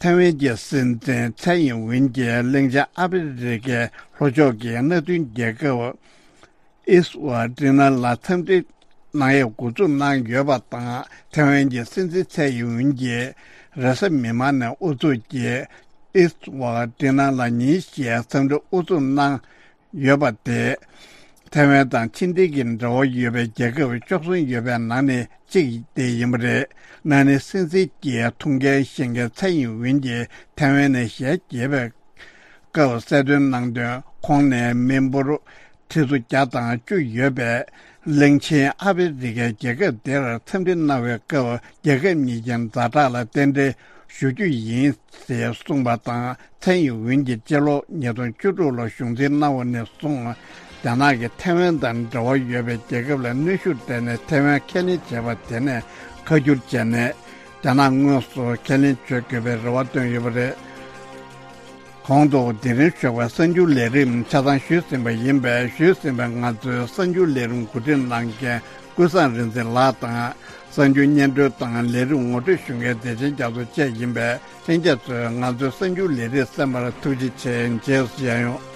ཐའེ་ཝན་གྱི་སྲིད་འཛིན་ཚའེ་ཡིན་ཝིན་གྱིས་གླིང་ཆེན་ཨ་ཧྥེ་རི་ཁའི་ལྷོ་ཕྱོགས་ཀྱི་མནའ་མཐུན་རྒྱལ་ཁབ་ཨིས་ཝ་ཏི་ན་ལ་འཚམས་འདྲི་གནང་ཡས་འགོ་འཛུགས་གནང་ཡོད་པ་དང་། ཐའེ་ཝན་གྱི་སྲིད་འཛིན་ཚའེ་ཡིན་ཝིན་གྱིས་རེས་གཟའ་མིག་དམར་ནས་ཨུ་ཚུགས་ཀྱིས་ཨིས་ཝ་ཏི་ན་ལ་ཉིན་ཤས་འཚམས་འདྲི་ཨུ་ཚུགས་གནང་ཡོད་པ་དེ། ཐའེ་ཝན་དང་ཕྱི་འབྲེལ་གྱི་འབྲེལ་བ་ཡོད་པའི་རྒྱལ་ཁབ་བཅུ་གསུམ་ཡོད་པའི་ནང་ནས་གཅིག་དེ་ཡིན་པ་རེད། ན་ནིང་སྲིད་འཛིན་གྱི་ཐུགས་འགན་བཞེས་མཁན་ཚའེ་ཡིན་ཝིན་གྱིས་ཐའེ་ཝན་ནས་ཞལ་གྱེས་པའི་སྐབས་གསལ་སྟོན་གནང་དོན། ཁོང་ནས་མི་འབོར་ཁྲི་ཚོ་བརྒྱ་དང་བཅུ་ཡོད་པའི་གླིང་ཆེན་ཨ་ཧྥེ་རི་ཁའི་རྒྱལ་ཁབ་དེར་འཚམས་འདྲི་གནང་བའི་སྐབས། རྒྱལ་ཁབ་གཉིས་ཀྱི་ཛ་དྲག་ལ་རྟེན་འབྲེལ་ཞུ་རྒྱུ་ཡིན་ཞེས་གསུངས་པ་དང་། ཚའེ་ཡིན་ཝིན་གྱིས་སྤྱི་ལོ་ཉིས་སྟོང་བཅུ་དྲུག་ལོ་གཞུང་འཛིན་གནང་བ་ནས་བཟུང་། རྒྱ་ནག་གིས་ཐའེ་ཝན་དང་འབྲེལ་བ་ཡོད་པའི་རྒྱལ་ཁབ་ལ་གནོན་ཤུགས་སྤྲད་ནས་ཐའེ་ཝན་ཁས་ལེན་བྱས་པ་དེ་ནས་ཁ་བསྒྱུར་བྱས་ནས། རྒྱ་ནག་དངོས་སུ་ཁས་ལེན་བྱེད་དགོས་པའི་རེ་བ་བཏོན་ཡོད་པ་རེད། གོང་དུ་དེ་རིང་ཞོགས་པའི་གསར་འགྱུར་ལས་རིམ་ཆ་ཚང་ཞུས་ཟིན་པ་ཡིན་པས། ཞུས་ཟིན་པའི་ང་ཚོའི་གསར་འགྱུར་ལས་རིམ་གོ་སྒྲིག་གནང་མཁན་ཀུན་བཟང་རིག་འཛིན་ལགས་དང་། གསར་འགྱུར་སྙན་སྒྲོན་དང་ལས་རིམ་ངོ་སྤྲོད་ཞུ་མཁན་བདེ་ཆེན་རྒྱ་མཚོ་བཅས་ཡིན་པས། ལྷན་རྒྱས་ཚོས་ང་ཚོའི་གསར་འགྱུར་ལས་རིམ་གསན་པར་ཐུགས་རྗེ་ཆེ། རྗེས་སུ་མཇལ་ཡོང་།